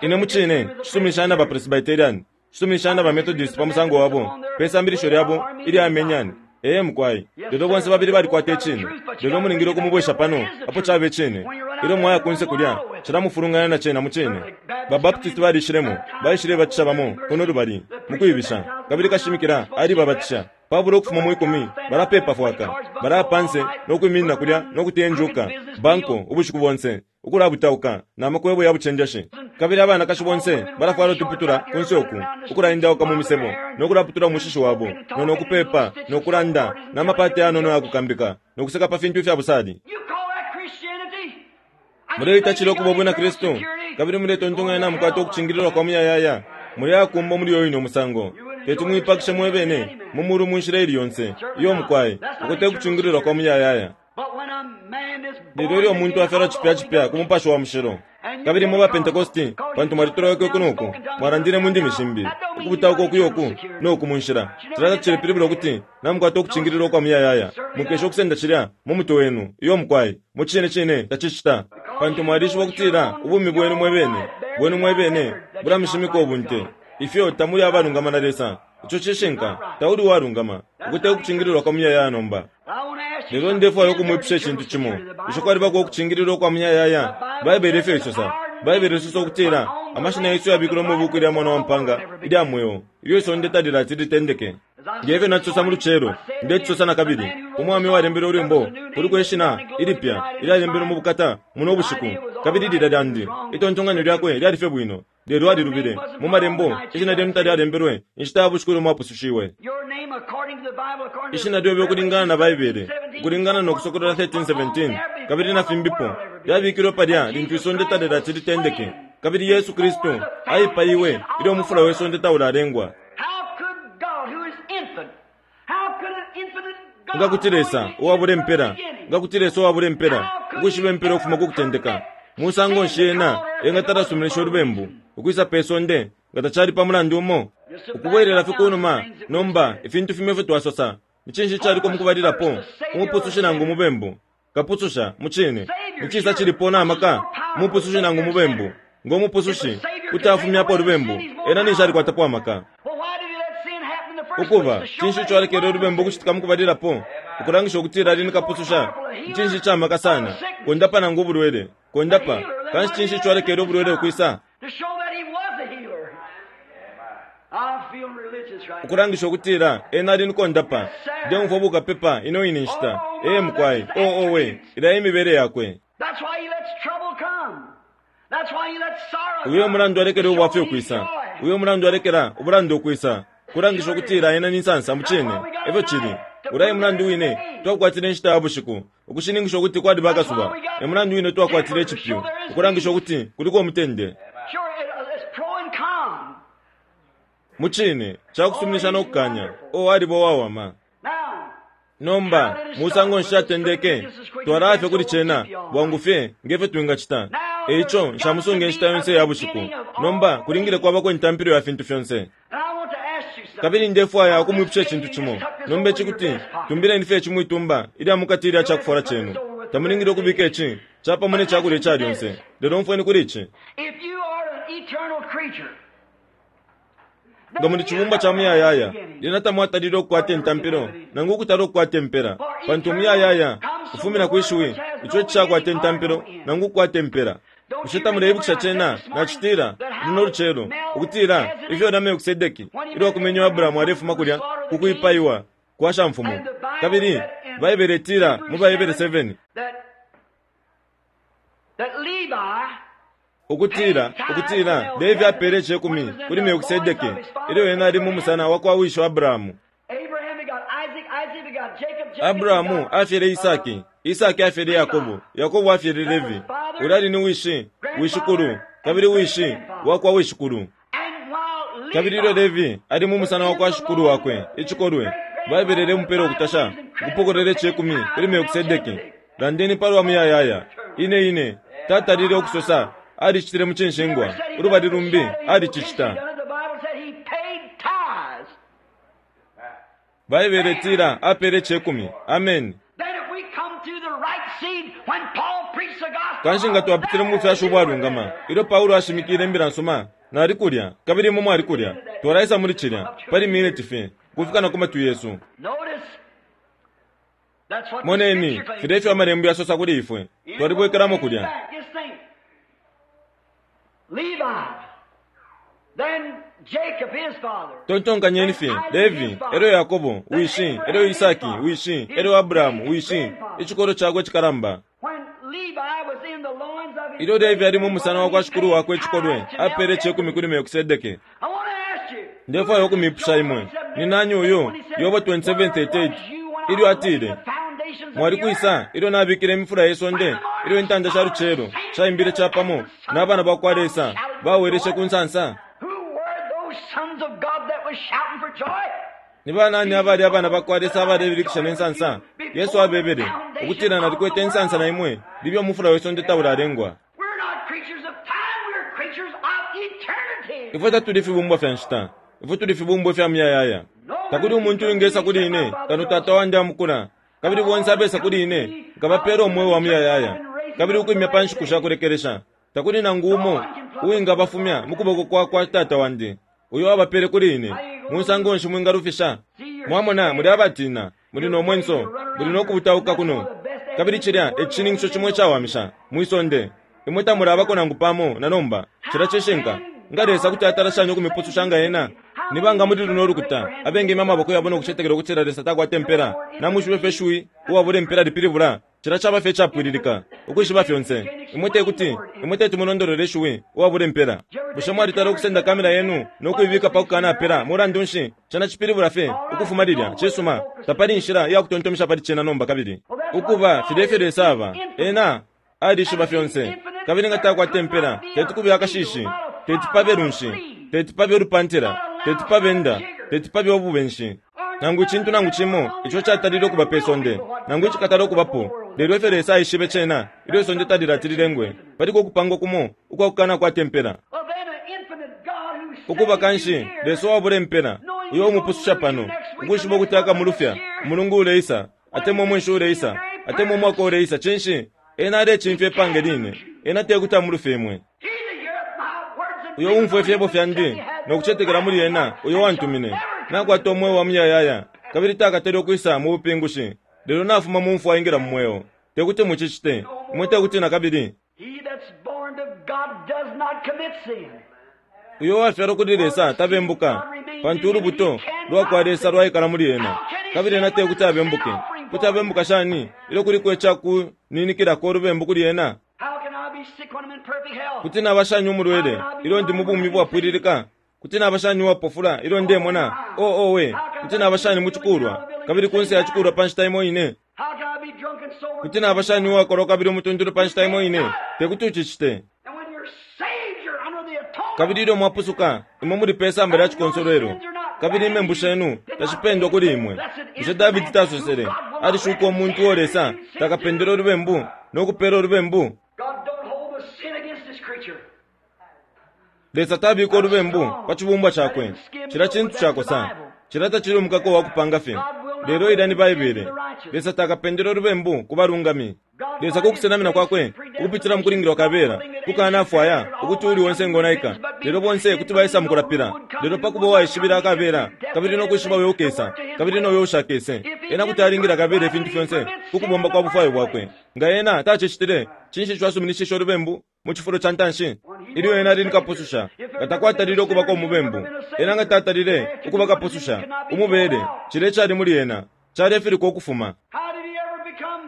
Ine mucine nshisuminishanya na ba Presbyterian, nshisuminishanya na ba Methodist pa musango wabo, pe sambilisho lyabo ilya Armenian. Ee, mukwai. Lelo bonse babili balikwata Icine. Lelo mulingile ukumubwesha pano apo caba Icine. Ilyo mwaya kunse kulya, cilamufulunganya na cena mucine. Ba Baptist balishilemo, baishilebatisha bamo kuno lubali, mukwibisha. Kabili kashimikila alibabatisha. Pabula ukufuma mwikumi balapeepa fwaka, balaya panse no kwiminina kulya no kuteya injuka, banko, ubushiku bonse. ukulabutauka na makwebo ya bucenjeshi. Kabili abanakashi bonse balafwala utuputula kunse uku, ukulaendauka mu misebo, no kulaputula umushishi wabo, no no kupepa, no kulanda, na mapate yanono ya kukambika, no kuseka pa fintu ifya busali. You call that Christianity? Muleita cilo kuba ubwina Kristu, kabili muletontonkanya na mukwata ukucingililwa kwa muyayaya. Muleakumba muli uyo ine musango. Teti muipakishe mwebene mu mulu mu nshila ili yonse iyo mukwai, uko te kucingililwa kwa muyayaya. But when a man is Lelo born ilyo umuntu again afyalwa of the cipya Holy cipya ku Ghost, mupashi wa mushilo. Kabili mwe bapentekosti, pantu mwalitoloweke kuno uku, mwalandile mu ndimi shimbi, ukubutauka ukuya uku no ku mu nshila. Cilya tacilepilibula ukuti namukwata ukucingililwa kwa muyayaya. Mukesha ukusenda cilya mu mutwe wenu, iyo mukwai, mu cine cine tacicita. Pantu mwalishiba ukutila ubumi bwenu mwebene, bwenu mwebene, bulamishimika ubunte. Ifyo tamuli abalungama na Lesa. Ico cishinka, tauli uwalungama, ukute ukucingililwa kwa muyayaya nomba. I want to ask you Lelo something. ndefwaya Is there ukumwipusha eternal icintu cimo. security? The Bushe Bible kwalibako says so. ukucingililwa kwa muyayaya? Baibele efyo isosa. Baibele isosa ukutila amashina yesu yabikilwe mu buku lya mwana wa mpanga ilya mweo, ilyo isonde talilati litendeke. Ngefyo nacisosa mu lucelo, ndecisosa na kabili. Umwami walembele ulwimbo, kuliko ishina ilipya ilyalembelwe mu bukata muno bushiku, kabili lilya lyandi. Itontonkanyo lyakwe lyali fye bwino, lelo alilubile. Mu malembo, ishina lyenu talyalembelwe inshita ya bushiku ilyo mwapusushiwe. Your name according to the Bible, according to Ishina lyobe ukulingana na Baibele, ukulingana no Kusokolola 13:17, kabili na fimbipo, lyabikilwe palya lintu isonde talilati litendeke. Kabili Yesu Kristu aipaiwe ilyo umufula we sonde taulalengwa. How could God, who is infinite, how could an infinite God, Nga kuti Lesa knowing the uwabula end from the impela, beginning, nga kuti Lesa uwabula impela, ukwishiba impela ukufuma ku kutendeka. Musango nshi ena engatalasuminisha ulubembu ukwisa pe sonde nga tacali pa mulandu umo? Ukubwelela fye kunuma nomba ifintu fimo ifyo twasosa. Ni cinshi caliko mukubalilapo, umupusushi nangu umubembu? Kapususha, mu cine. Ni cisa cilipo na maka, umupusushi nangu umubembu? Ngo umupusushi kuti afumyapo ulubembu, ena ninshi alikwatapo amaka. Well, why did he let sin happen in the first Ukuba, place? To show cinshi that ico he alekele was ulubembu ukucitika mukubalilapo? Ukulangisha ukutila ali ni kapususha. Cinshi ca maka sana, kondapa nangu ubulwele, kondapa. Kanshi cinshi ico alekele ubulwele ukwisa? To show that he was a healer. I feel religious right now. Ukulangisha ukutila ena ali ni kondapa. Ndemfwa bukapepa ino ine nshita. Ee mukwai, oo owe, ilya imibele yakwe. That's why he lets trouble come. That's why he lets sorrow Uyo come. mulandu alekele To show ubwafya he's ukwisa. joy. Uyo mulandu alekela ubulanda ukwisa. Kulangisha ukutila ena ni nsansa mu cine. Efyo cili. Ulaye mulandu wine twakwatile inshita ya bushiku. Ukushininkisha ukuti kwaliba akasuba. E mulandu wine twakwatile icipyu. Ukulangisha ukuti kuliko umutende. Sure, it's pro and con. Mu cine, cakusuminisha no kukanya. O aliba uwawama. Now, Nomba, musango nshi atendeke, twalafye kuli cena, bwangu fye, ngefyo twingacita. Eico, nshamusunge inshita yonse ya bushiku. Nomba, kulingile kwabako intampilo ya fintu fyonse. and I want to ask you something. Kabili ndefwaya ukumwipusha icintu cimo. Nomba ici kuti, tumbileni fye ici mwitumba, ilya mukati ilya cakufwala cenu. Tamulingile ukubika ici, capamo ne cakulya ica lyonse. Lelo umfweni kuli ici. If you are an eternal creature, Nga muli cibumbwa ca muyayaya, lyena tamwatalile ukukwata intampilo, nangu ukutala ukukwata impela. Pantu umuyayaya ufumina kwi shiwi, ico icishakwata intampilo, nangu ukukwata impela. Bushe tamuleibukisha cena, nacitila, luno lucelo, ukutila, ifyo na Melkisedeki, ilyo akumenye Abrahamu alefuma kulya, ku kwipaiwa kwa shamfumu. Kabili, Baibele itila, mu Baibele 7, that, that Levi ukutila, ukutila, Levi apele icekumi kuli Melkisedeki, ilyo ena ali mu musana wa kwa wisho Abrahamu. Abraham begot Isaac, Isaac begot Jacob, Jacob Abrahamu begot, afyele Isaki, Isaki afyele Yakobo, Yakobo afyele Levi. Ulali ni wishi, wishikulu, kabili wishi wakwa wishikulu. And while Levi Kabili ilyo Levi ali mu musana wakwa shikulu wakwe, icikolwe, Baibele lemupela ukutasha, ukupokelela icekumi kuli Melkisedeki. Landeni palwa muyayaya. Ine ine, tatalile ukusosa, alicitile mu cinshingwa, ulubali lumbi alicicita. The Bible said he paid tithes. Baibele itila apele icekumi. Amen. Then if we come through the right seed when Paul preached the gospel, Kanshi nga twapitile mu bufyashi ubwalungama, ilyo Paulo ashimikile imbila nsuma, nali kulya, kabili imwe mwali kulya. Twalaisa muli cilya, pali miniti fye, kufika na ku matwi yesu. Notice that's what the Moneni, scripture claims. filya ifyo amalembo yasosa kuli ifwe, twalibwekelamo kulya. Back, Just think. Levi, then Jacob his father. Tontonkanyeni fye, Levi, elyo Yakobo, wishi, elyo Isaki, wishi, elyo Abrahamu, wishi, icikolo cakwe cikalamba. When Levi was in the loins of his Ilyo Levi ali mu musana wa kwa shikulu wakwe icikolwe, apeele icekumi kuli Melkisedeke. Ndefwaya ukumipusha imwe, ni nani uyu? Yobo 27:38 Ilyo atile, Mwali kwisa ilyo nabikile imifula ye sonde, ilyo intanda sha lucelo shaimbile capamo, na bana ba kwa Lesa baweleshe ku nsansa? Ni banani abali abana ba kwa Lesa abalebilikisha ne nsansa? Yesu abebele ukutila, Nalikwete insansa na imwe libye umufula we sonde taulalengwa. Ifwe tatuli fibumbwa fya nshita, ifwe tuli fibumbwa ifya muyayaya. Takuli umuntu uwingesa kuli ine kano Tata wandi amukula, kabili bonse abesa kuli ine nkabapeela umweo wa muyayaya, kabili ukwimya pa nshiku sha kulekelesha. Takuli nangu umo uwingabafumya mu kuboko kwa kwa Tata wandi, uyo abapeele kuli ine. Musango nshi mwingalufisha? Mwamona, muli abatiina, muli no mwenso, muli no kubutauka kuno. Kabili cilya e cishininkisho cimo icawamisha mwi sonde. Imwe tamulabako nangu pamo na nomba. Cilya cishinka. Nga Lesa kuti atala shani ukumipususha nga Ena? Ni banga muli luno lukuta abengimya amaboko yabo no kucetekela ukutila Lesa takwata impela? Namwishiba ifyo ishiwi uwabula impela lipilibula? Cilya caba fye icapwililika, ukwishiba fyonse. Imwe te kuti, imwe teti mulondolole ishiwi uwabula impela. Bushe mwalitala ukusenda kamera yenu no kuibika pa kukanapela? Mulandu nshi, cena cipilibula fye ukufuma lilya. Cisuma, tapali inshila iya kutontomesha pali cena nomba kabili. Ukuba, filya efyo Lesa aba. Ena alishiba fyonse. Kabili nga takwata impela, teti kube akashishi, teti pabe lunshi, teti pabe ulupantila, teti pabe nda, teti pabe ububenshi, nangu icintu nangu cimo ico catalile ukuba pe sonde, nangu icikatala ukubapo. Lelo ifyo Lesa aishibe cena ilyo isonde talilati lilengwe, paliko ukupangwa kumo ukwa kukanakwata impela. Ukuba kanshi, Lesa uwabula impela, uyo umupususha pano, ukwishiba ukuti akamulufya umulungu uleisa, atemwa umwenshi uleisa, atemwa umwaka uleisa, cinshi? Ena alecimfya ipange line. Ena tekuti amulufye imwe. Uyo uumfwa ifyebo fyandi no kucetekela muli ena uyo wantumine, nakwata umweo wa muyayaya, kabili takatale ukwisa mu bupingushi, lelo nafuma mu mfwa aingila mu mweo. Tekuti mucicite. Imwe tekuti nakabili. Uyo uwafyalwa kuli Lesa tabembuka, pantu ulubuto lwa kwa Lesa lwaikala muli ena, kabili ena te kuti abembuke. Kuti abembuka shani ilyo kuliko ica kuninikilako ulubembu kuli ena? Kuti naba shani umulwele ilyo ndi mu bumi bwapwililika? Kuti naba shani uwapofula ilyo ndemona? Oh, owe! Kuti naba shani mu cikulwa kabili kunse ya cikulwa pa nshita imo ine? Kuti naba shani uwakolwa kabili umutuntulu pa nshita imo ine? Te kuti ucicite. Kabili ilyo mwapusuka, imwe muli pe samba lya cikonsolwelo, kabili imembu shenu tashipendwa kuli imwe. Bushe Dabidi tasosele, Alishuka umuntu uo Lesa takapendele ulubembu no kupeela ulubembu? Lesa tabika ulubembu pa cibumbwa cakwe. Cilya cintu cakosa. Cilya tacili umukako wa kupanga fye. Lelo ilya ni Baibele. Lesa takapendele ulubembu ku balungami. Lesa ku kusenamina kwakwe, ukupitila mu kulingilwa kabela, kukanafwaya ukuti uuli onse engonaika, lelo bonse kuti baisa mu kulapila. Lelo pa kuba uwaishibila kabela, kabili no kwishiba uyo ukesa, kabili no uyo ushakese, ena kuti alingila kabela ifintu fyonse ku kubomba kwa bufwayo bwakwe. Nga ena tacicitile, cinshi ico asuminishishe ulubembu mu cifulo ca ntanshi? Ilyo ena ali ni Kapususha, nga takwatalile ukubako umubembu. Ena nga tatalile ukuba Kapususha, umubele, cilya icali muli ena, calefilikwa ukufuma.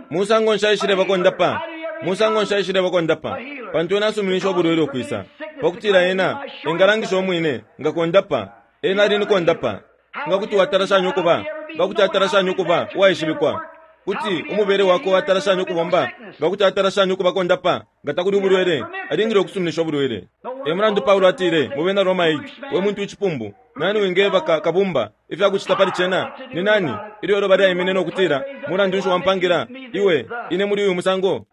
Musango nshi aishileba kondapa? Musango nshi aishileba kondapa? Pantu ena asuminishe ubulwele ukwisa, pa kutila ena engalangisha umwine nga kondapa. Ena ali ni kondapa. Nga kuti watala shani ukuba, nga kuti atala shani ukuba uwaishibikwa? Kuti umubele wakwe watala shani ukubomba? Nga kuti atala shani ukuba kondapa nga takuli ubulwele? Alingile ukusuminisha ubulwele. E mulandu Paulo atile mu Bena Roma 8, We muntu icipumbu, nani wingeba ka, kabumba ifya kucita pali cena? Ni nani? Ilyo iloba lyaimine no kutila, Mulandu nshi wampangila iwe ine muli uyu musango?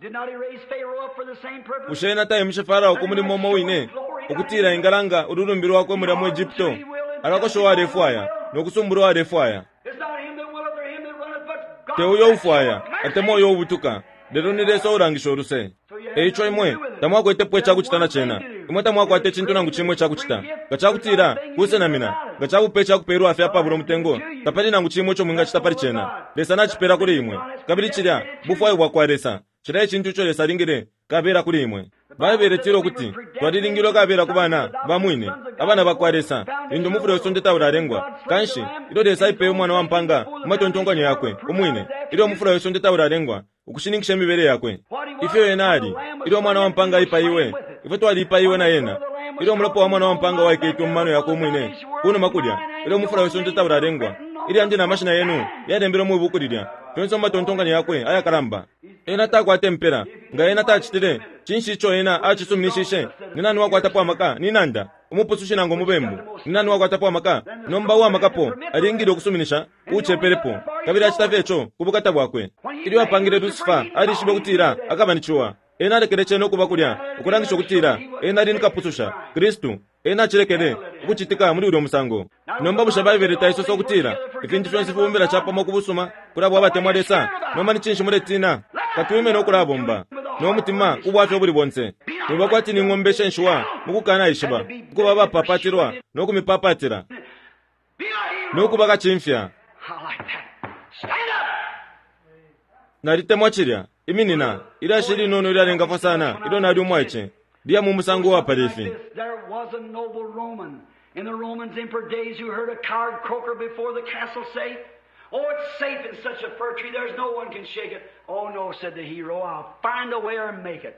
Bushe ena taimishe Farao ku mulimo umo wine, ukutila engalanga ululumbi lwakwe mulya mu Egypto? Alakosha uwalefwaya, no kusumbula uwalefwaya. Te uyo ufwaya, atemwa uyo ubutuka, lelo ni Lesa uulangisha uluse. E ico imwe tamwakwetepo ica kucita na cena. Imwe tamwakwata icintu nangu cimo ica kucita. Nga ca kutila kusenamina, nga ca bupe ica kupelwa fye apabula umutengo, tapali nangu cimo ico mwingacita pali cena. Lesa nacipela kuli imwe. Kabili cilya bufwayo bwakwa Lesa. Cilya e cintu ico Lesa alingile kabela kuli imwe. Baibele itila ukuti twalilingilwe kabela ku bana ba mwine, abana ba kwa Lesa, lintu umufula we sonde taulalengwa. Kanshi, ilyo Lesa aipeye Umwana wa mpaanga mu matontonkanyo yakwe umwine, ilyo umufula we sonde taulalengwa, ukushininkisha imibele yakwe, ifyo Ena ali. Ilyo Mwana wa mpanga aipaiwe, ifwe twaliipaiwe na Ena. Ilyo umulopa wa Mwana wa mpanga waiketwe mu mano Yakwe Umwine, kunuma kulya, ilyo umufula we sonde taulalengwa, ilyandi na mashina yenu yalembelwe mwi Buku lilya, fyonse mu matontonkanyo Yakwe ayakalamba. Ena takwata impela. Nga Ena tacitile, cinshi ico Ena acisuminishishe? Ni nani uwakwatapo amaka? Ni nanda, umupusushi nangu umubembu? Ni nani uwakwatapo amaka? Nomba uwamakapo alingile ukusuminisha uucepelepo, kabili acita fye ico ku bukata bwakwe. Ilyo apangile Lusifa, alishibe ukutila akaba ni ciwa. Ena alekele cena ukuba kulya, ukulangisha ukutila Ena ali ni Kapususha, Kristu. Ena acilekele ukucitika muli ulyo musango. Nomba bushe Baibele taisosa ukutila ifintu fyonse fibombela capamo ku busuma kuli abo abatemwa Lesa? Nomba ni cinshi muletina? Katwime no kulabomba no mutima ku bwafya ubuli bonse. Mwiba kwati ni ng'ombe ishenshiwa mu kukanaishiba, ukuba abapapatilwa no kumipapatila no kuba kacimfya. Nalitemwa cilya. Iminina. Ilyashi ilinono ilyalengafwa sana ilyo nali umwaice. Liya mu musango uwapala ifi. There was a noble Roman in the Romans emperor days who heard a coward croaker before the castle say, Oh, it's safe in such a fir tree, there's no one can shake it. Oh, no, said the hero, I'll find a way or make it.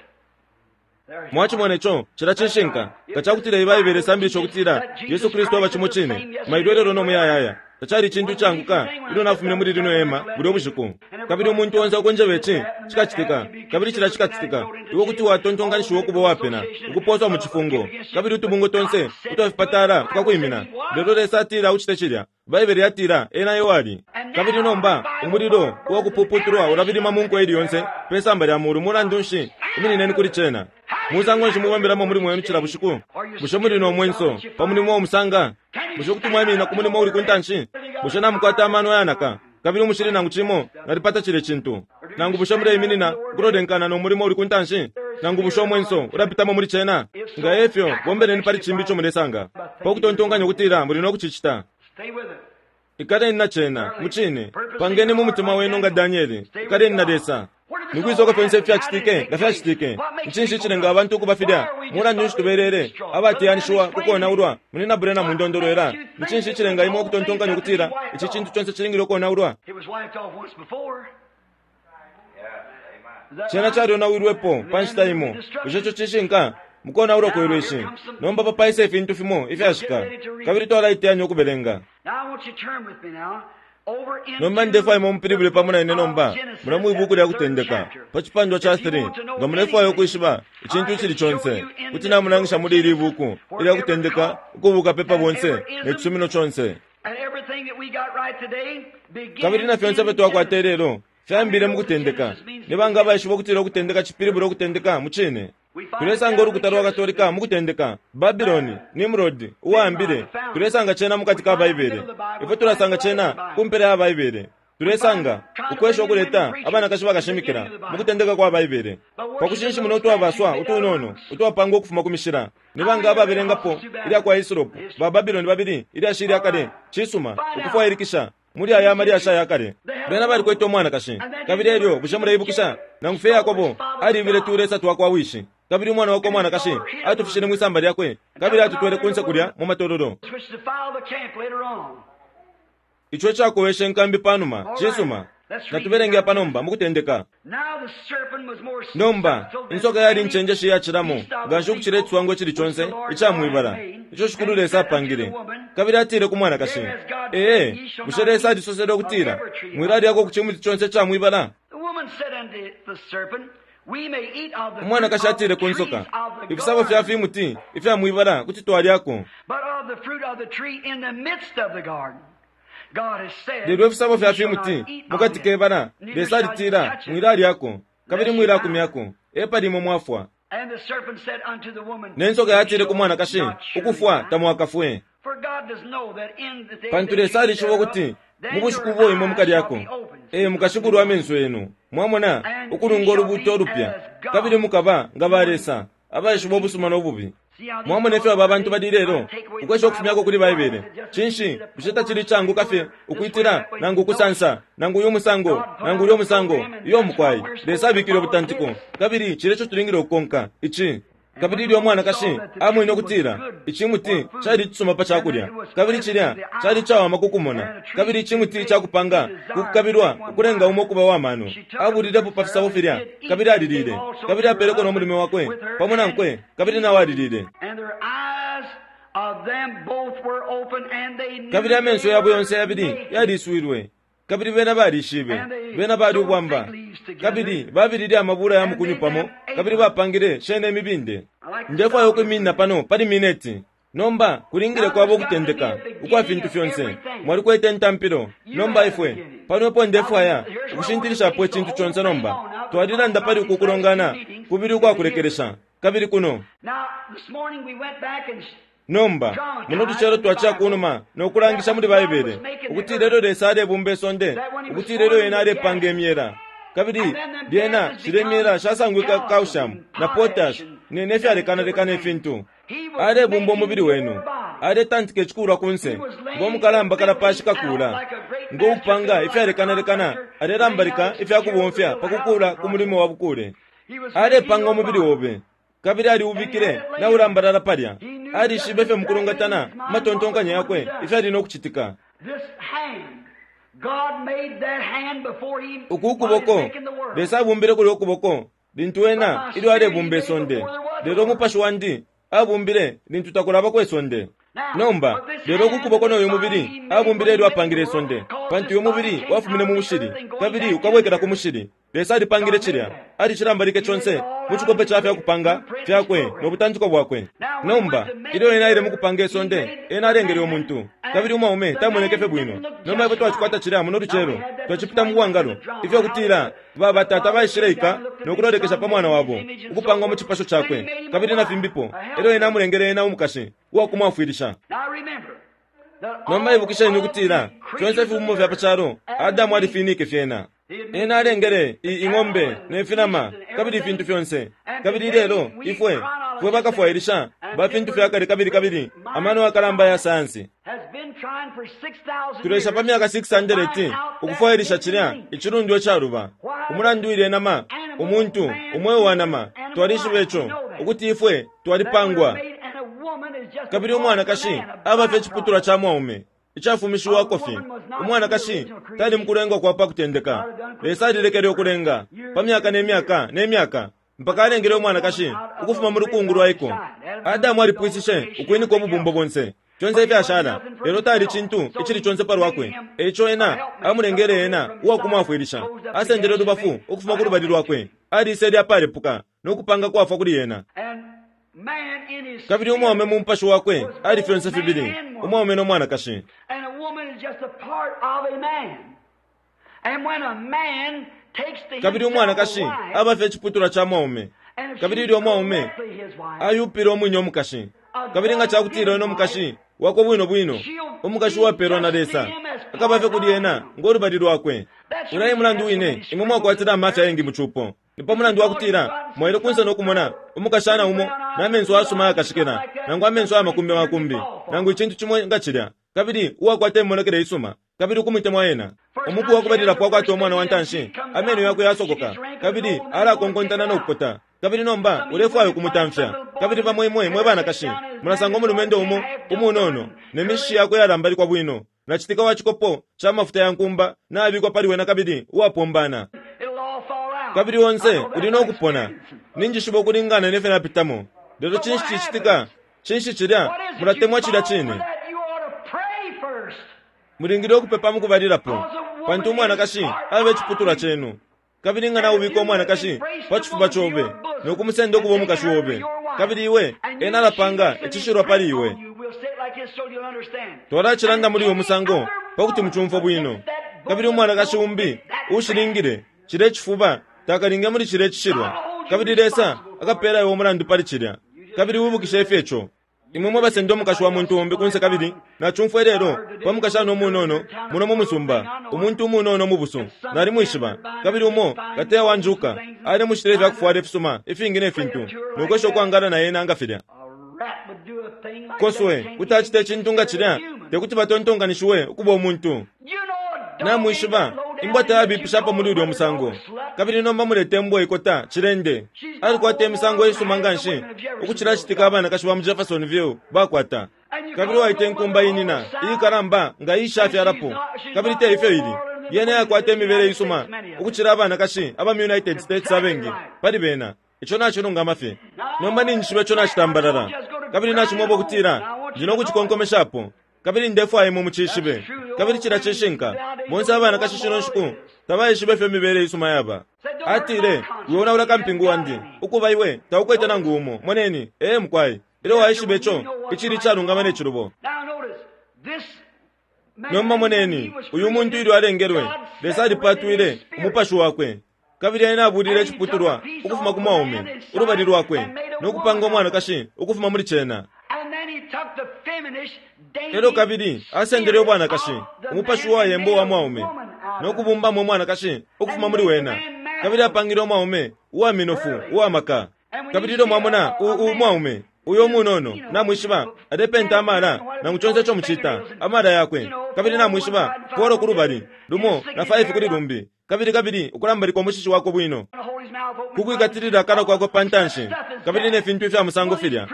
There he Mwacimona ico, cila cishinka. Nga ca kutila iyi Baibele isambilisha ukutila Yesu Kristu aba cimo cine, mailo ilelo no muyayaya, tacali icintu icaanguka ilyo nafumine muli lino hema bulya bushiku. Kabili umuntu onse ukunjeba ici cikacitika, kabili cilya cikacitika, iwe kuti watontonkanishiwa ukuba uwapena, ukupooswa mu cifungo, kabili utubungwe tonse utwa fipatala tukakwimina. Lelo Lesa atila ucite cilya. Baibele yatila ena eo ali. Kabili nomba umulilo uwa kupuputulwa ulabilima mu nko ili yonse pe samba lya mulu. Mulandu nshi, iminineni kuli cena. Musango nshi mubombelamo umulimo wenu cila bushiku? Bushe muli no mwenso pa mulimo uo musanga? Bushe kuti mwaiminina ku mulimo uuli ku ntanshi? Bushe namukwata amano ayanaka kabili umushili nangu cimo? Nalipata cilye cintu. Nangu bushe muleiminina ukulolenkana no mulimo uuli ku ntanshi? Nangu bushe umwenso ulapitamo muli cena? Nga e fyo, bombeleni pali cimbi ico mulesanga, pa kutontonkanya ukutila muli no kucicita. Stay with it. Ikaleni na cena, mucine. Pangeni mu mutima wenu nga Daniele. Ikaleni na Lesa. Ni kwisa uko fyonse ifi fyacitike nga fyacitike? Ni cinshi icilenga abantu ukuba filya? Mulandu nshi tubelele abateyanishiwa ku konaulwa? Munyina Branham mundondolwela. Ni cinshi icilenga imwe ukutontonkanya ukutila ici cintu conse cilingile ukonaulwa? It was wiped off once before. Is that Cena right? calyonawilwepo pa nshita imo. Bushe ico cishinka? Mukonaulwa kwe lweshi. Nomba apa paisa ifintu fimo ifyashika, kabili twalaiteyanya ukubelenga. Now I want you to turn with me now over into Nomba ndefwaya imwe mupilibule pamo na ine nomba, the book of mula mwi Genesis, buku lya the third Kutendeka, chapter. pa cipandwa ca If you 3. want to know Nga mulefwaya anything, ukwishiba icintu I icili can show conse, you in kuti this namulangisha book muli ili buku where ilya every Kutendeka cult uko bukapepa and bonse every ne ism cisumino conse. and everything that we got right today begins Kabili na fyonse ifyo in twakwata Genesis. ilelo fyambile mu Kutendeka. Ni banga abaishiba ukutila Ukutendeka cipilibula ukutendeka mu cine? Tulesanga ulukuta lwa Katolika mu Kutendeka, Babiloni, Nimrod, uwaambile. Tulesanga cena mu kati ka Baibele. Ifwe tulasanga cena ku mpela ya Baibele. Tulesanga ukwesha ukuleta abanakashi bakashimikila mu kutendeka kwa Baibele. Pa kushinshimuna utwabaswa utunono utwapangwa ukufuma ku mishila. Ni banga ababelengapo ilya kwa Hislop, ba Babiloni babili, ilyashi ilya kale, cisuma, ukufwailikisha muli aya malyashi aya kale. Bena balikwete umwanakashi. Kabili elyo, bushe muleibukisha? Nangu fye Yakobo alibile tulesa twa kwa wishi. Kabili umwana wakwe umwanakashi atufishile mwi samba lyakwe, kabili atutwele kunse kulya mu matololo. Which defiled the camp later on. Ico icakoweshe inkambi panuma. Cisuma. Natubelenge apa nomba mu Kutendeka. Now the serpent was more Nomba, subtle than insoka yali any incenjeshi iyacilamo beast of nga nshi the ukucila field iciswango icili which conse the Lord ica God mwi had bala, made, ico Shikulu and Lesa said unto apangile. the woman, Kabili atile ku mwanakashi, There has God said, Ee, Ye shall bushe not Lesa eat alisosele of ukutila, every tree of Mwilalyako ku cimuti conse ica mwi bala? The woman said unto the serpent, We may eat of the fruit Umwanakashi of the atile ku trees nsoka, of the Ifisabo fya garden, fimuti ifya mwi bala kuti twalyako, but of the fruit of the tree in the midst of the garden. God has said, lelo ifisabo fya Ye shall not fimuti eat mu of kati it, ke bala, neither Lesa shall you alitila, touch it, Mwilalyako, kabili lest you die. mwilakumyako, epali imwe mwafwa. And the serpent said unto the woman, Ne nsoka Ye yatile ku shall mwanakashi, not surely Ukufwa die. tamwakafwe. For God does know that in the day Pantu that you Lesa eat alishiba thereof, ukuti mu then bushiku your ubo imwe eyes shall mukalyako, be opened. ee mukashibulwa amenso yenu, mwamona, And ye ukulunga shall ulubuuto be ulupya, as God, kabili mukaba nga ba knowing Lesa, abaishiba ubusuma no bubi. See how these Mwamona ifyo fellows aba bantu today bali try ilelo, to take away the ukwesha ukufumyako Bible kuli why Baibele. is it just Cinshi, the bushe tacili poor icanguka fye this way, ukwitila, that way? nangu No. ukusansa, nangu uyu musango, God put nangu out ulya a musango, program, and iyo that's why mukwai. we're Lesa supposed to abikile follow ubutantiko, this. kabili cilya ico tulingile ukukonka, ici. Kabili ilyo umwanakashi amwene ukutila icimuti cali icisuma pa cakulya, kabili cilya cali icawama ku kumona, kabili icimuti icakupanga ku kukabilwa ukulenga umo ukuba wa mano, abulilepo pa fisabo filya, kabili aliliile, kabili apeleko no mulume wakwe pamo nankwe, kabili nao aliliile. Kabili amenso yabo yonse yabili yaliswilwe, kabili bena balishibe bena bali ubwamba, kabili babilile amabula ya mukunyu pamo, kabili bapangile shene imibinde. Ndefwaya ukwiminina pano pali mineti. Nomba kulingile kwaba ukutendeka ukwa fintu fyonse. Mwalikwete intampilo. Nomba ifwe pano epo ndefwaya ukushintilishapo icintu conse nomba. Twalilanda pali uku kulongana kubili ukwakulekelesha, kabili kuno. Nomba, muno lucelo twaciya kunuma no kulangisha muli Baibele ukuti ilelo Lesa alebumba isonde, ukuti ilelo Ena alepanga imyela. Kabili lyena shilye myela shasangwike calcium na potash ne, ne fyalekanalekana ifintu. Alebumba umubili wenu. Aletantika icikulwa kunse, ngo mukalamba kalapashi kakula, ngo upanga ifyalekanalekana, alelambalika ifya kubomfya pa kukula ku mulimo wa bukule. Alepanga umubili obe. Kabili aliubikile naulambalala palya. Alishibe ifyo mukulungatana matontonkanyo yakwe ifyali no kucitika. Uku ukuboko, Lesa abumbile kulya ukuboko lintu Ena ilyo alebumba isonde, lelo umupashi wandi abumbile lintu takulabako isonde. Nomba, lelo uku kuboko no uyu mubili abumbile ilyo apangile isonde, pantu uyu mubili wafumine mu mushili kabili ukabwekela ku mushili. Lesa alipangile cilya, alicilambalike conse mu cikope ca fya kupanga fyakwe no butantiko bwakwe. Nomba, ilyo Ena aile mukupanga isonde, Ena alengele umuntu, kabili umwaume tamoneke fye bwino. Nomba ifwe twacikwata cilya muno lucelo, twacipita mu bwangalo, ifyo kutila ba batata baishileika no kulolekesha pa mwana wabo, ukupangwa mu cipasho cakwe, kabili na fimbipo. Elyo Ena amulengele ena umukashi uwa kumwafwilisha. Nomba ibukisheni ukutila fyonse ifibumbwa fya pa calo, Adamu alifinike fyena. Ena alengele i, ing'ombe ne finama kabili ifintu fyonse. Kabili ilelo ifwe fwe bakafwailisha ba fintu fya kale kabili kabili amano yakalamba ya sayansi tulesha pa myaka 600 ukufwailisha cilya icilundwa icaluba. Umulandu ilye nama, umuntu, umweo wa nama, twalishiba ico ukuti ifwe twalipangwa. Kabili umwanakashi aba fye iciputulwa ca mwaume icafumishiwako fye. Umwanakashi tali mukulengwa kwa pa kutendeka. Lesa alilekele ukulenga pa myaka ne myaka ne myaka mpaka alengele umwanakashi ukufuma mu lukungu lwaiko. Adamu alipwishishe ukwinika ububumbo bonse, fyonse ifyashala, lelo tali cintu icili conse pa lwakwe. E ico ena amulengele ena uwakumwafwilisha. Asendele ulubafu ukufuma ku lubali lwakwe, alisele apalepuka no kupanga kwafwa kuli ena. Kabili umwaume mu mupashi wakwe ali fyonse fibili, umwaume no mwanakashi. Kabili umwanakashi aba fye iciputulwa ca mwaume. Kabili ilyo umwaume ayupile umwine umukashi, kabili nga ca kutila wene umukashi wakwe bwino bwino, umukashi uwapeelwa na Lesa, akaba fye kuli ena ngo lubali lwakwe. Ulya e mulandu wine imwe mwakwatila amafya ayengi mu cupo. Ni pa mulandu wa kutila mwaile kunse no kumona umukashana umo na menso ayasuma ayakashikila, nangu amenso aya makumbi makumbi, nangu icintu cimo nga cilya, kabili uwakwata imimonekele isuma, kabili ukumutemwa ena. Umuku wa kubalilapo akwata umwana wa ntanshi, ameno yakwe yasokoka, kabili alakonkontana no kukota, kabili nomba ulefwaya ukumutamfya. Kabili bamo imwe mwe banakashi mulasanga umulumendo umo umunono ne mishishi yakwe yalambalikwa bwino, na citika wa cikopo ca mafuta ya nkumba nabikwa pali wena kabili uwapombana. Kabili onse uli no kupona. Ninjishiba ukulingana ne fyo napitamo. Lelo cinshi cicitika? Cinshi cilya? Mulatemwa cilya cine. Mulingile ukupepa mukubalilapo, pantu umwanakashi abe ciputulwa cenu. Kabili nga naubika umwanakashi pa cifuba cobe no kumusenda ukuba umukashi obe, kabili iwe ena alapanga icishilwa pali iwe. Twalacilanda muli uyu musango pa kuti mucumfwe bwino. Kabili umwanakashi umbi uushilingile cilya cifuba takalinge muli cilya cishilwa, kabili Lesa akapeela iwe umulandu pali cilya. Kabili wibukishe ifyo ico. Imwe mwe basenda umukashi wa muntu umbi kunse kabili nacumfwa ilelo pa mukashana umunono muno mu musumba, umuntu umunono umubusu, nalimwishiba, kabili umo kateya wa njuka alimushitile ifya kufwala ifisuma ifingi ne fintu, no kwesha ukwangala na ena nga filya. Koswe kuti acita icintu nga cilya, te kuti batontonkanishiwe ukuba umuntu. Namwishiba, imbwa tayabipishapo muli ulyo musango. Kabili nomba mulete imbwa ikota, cilende. Alikwata imisango isuma nganshi ukucila citika abanakashi ba mu Jeffersonville bakwata. Kabili waita inkumba inina iikalamba nga iishafyalapo, kabili te ifyo ili. Yena yakwata imibele isuma ukucila abanakashi aba mu United States abengi pali bena. Ico nacilungama fye. Nomba ninjishiba ico nacitambalala, kabili nacimweba ukutila ndi no kucikonkomeshapo, kabili ndefwaya imwe mucishibe. Kabili cilya cishinka. Bonse abanakashi shino nshiku tabaishiba ifyo imibele isuma yaba. Atile, Wionaula kampingu wandi. Ukuba iwe taukwete nangu umo. Moneni. Ee, mukwai. Ilyo waishiba ico icili icalungama ne cilubo. Nomba moneni, uyu muntu ilyo alengelwe, Lesa alipatwile umupashi wakwe, kabili ena abulile iciputulwa ukufuma ku mwaume, ulubali lwakwe, no kupanga umwanakashi ukufuma muli cena. Elyo kabili asendele ubwanakashi, umupashi uwayemba uwa mwaume, no kubumbamo umwanakashi ukufuma muli wena, kabili apangile umwaume uwa minofu uwa maka. Kabili ilyo mwamona u, u mwaume uyo umunono, namwishiba, alepenta amala, nangu conse ico mucita, amala yakwe, kabili namwishiba, folo kulubali lumo na 5 kuli lumbi, kabili kabili ukulambalika umushishi wakwe bwino, kukwikatilila akanwa kwakwe pa ntanshi, kabili ne fintu ifya musango filya.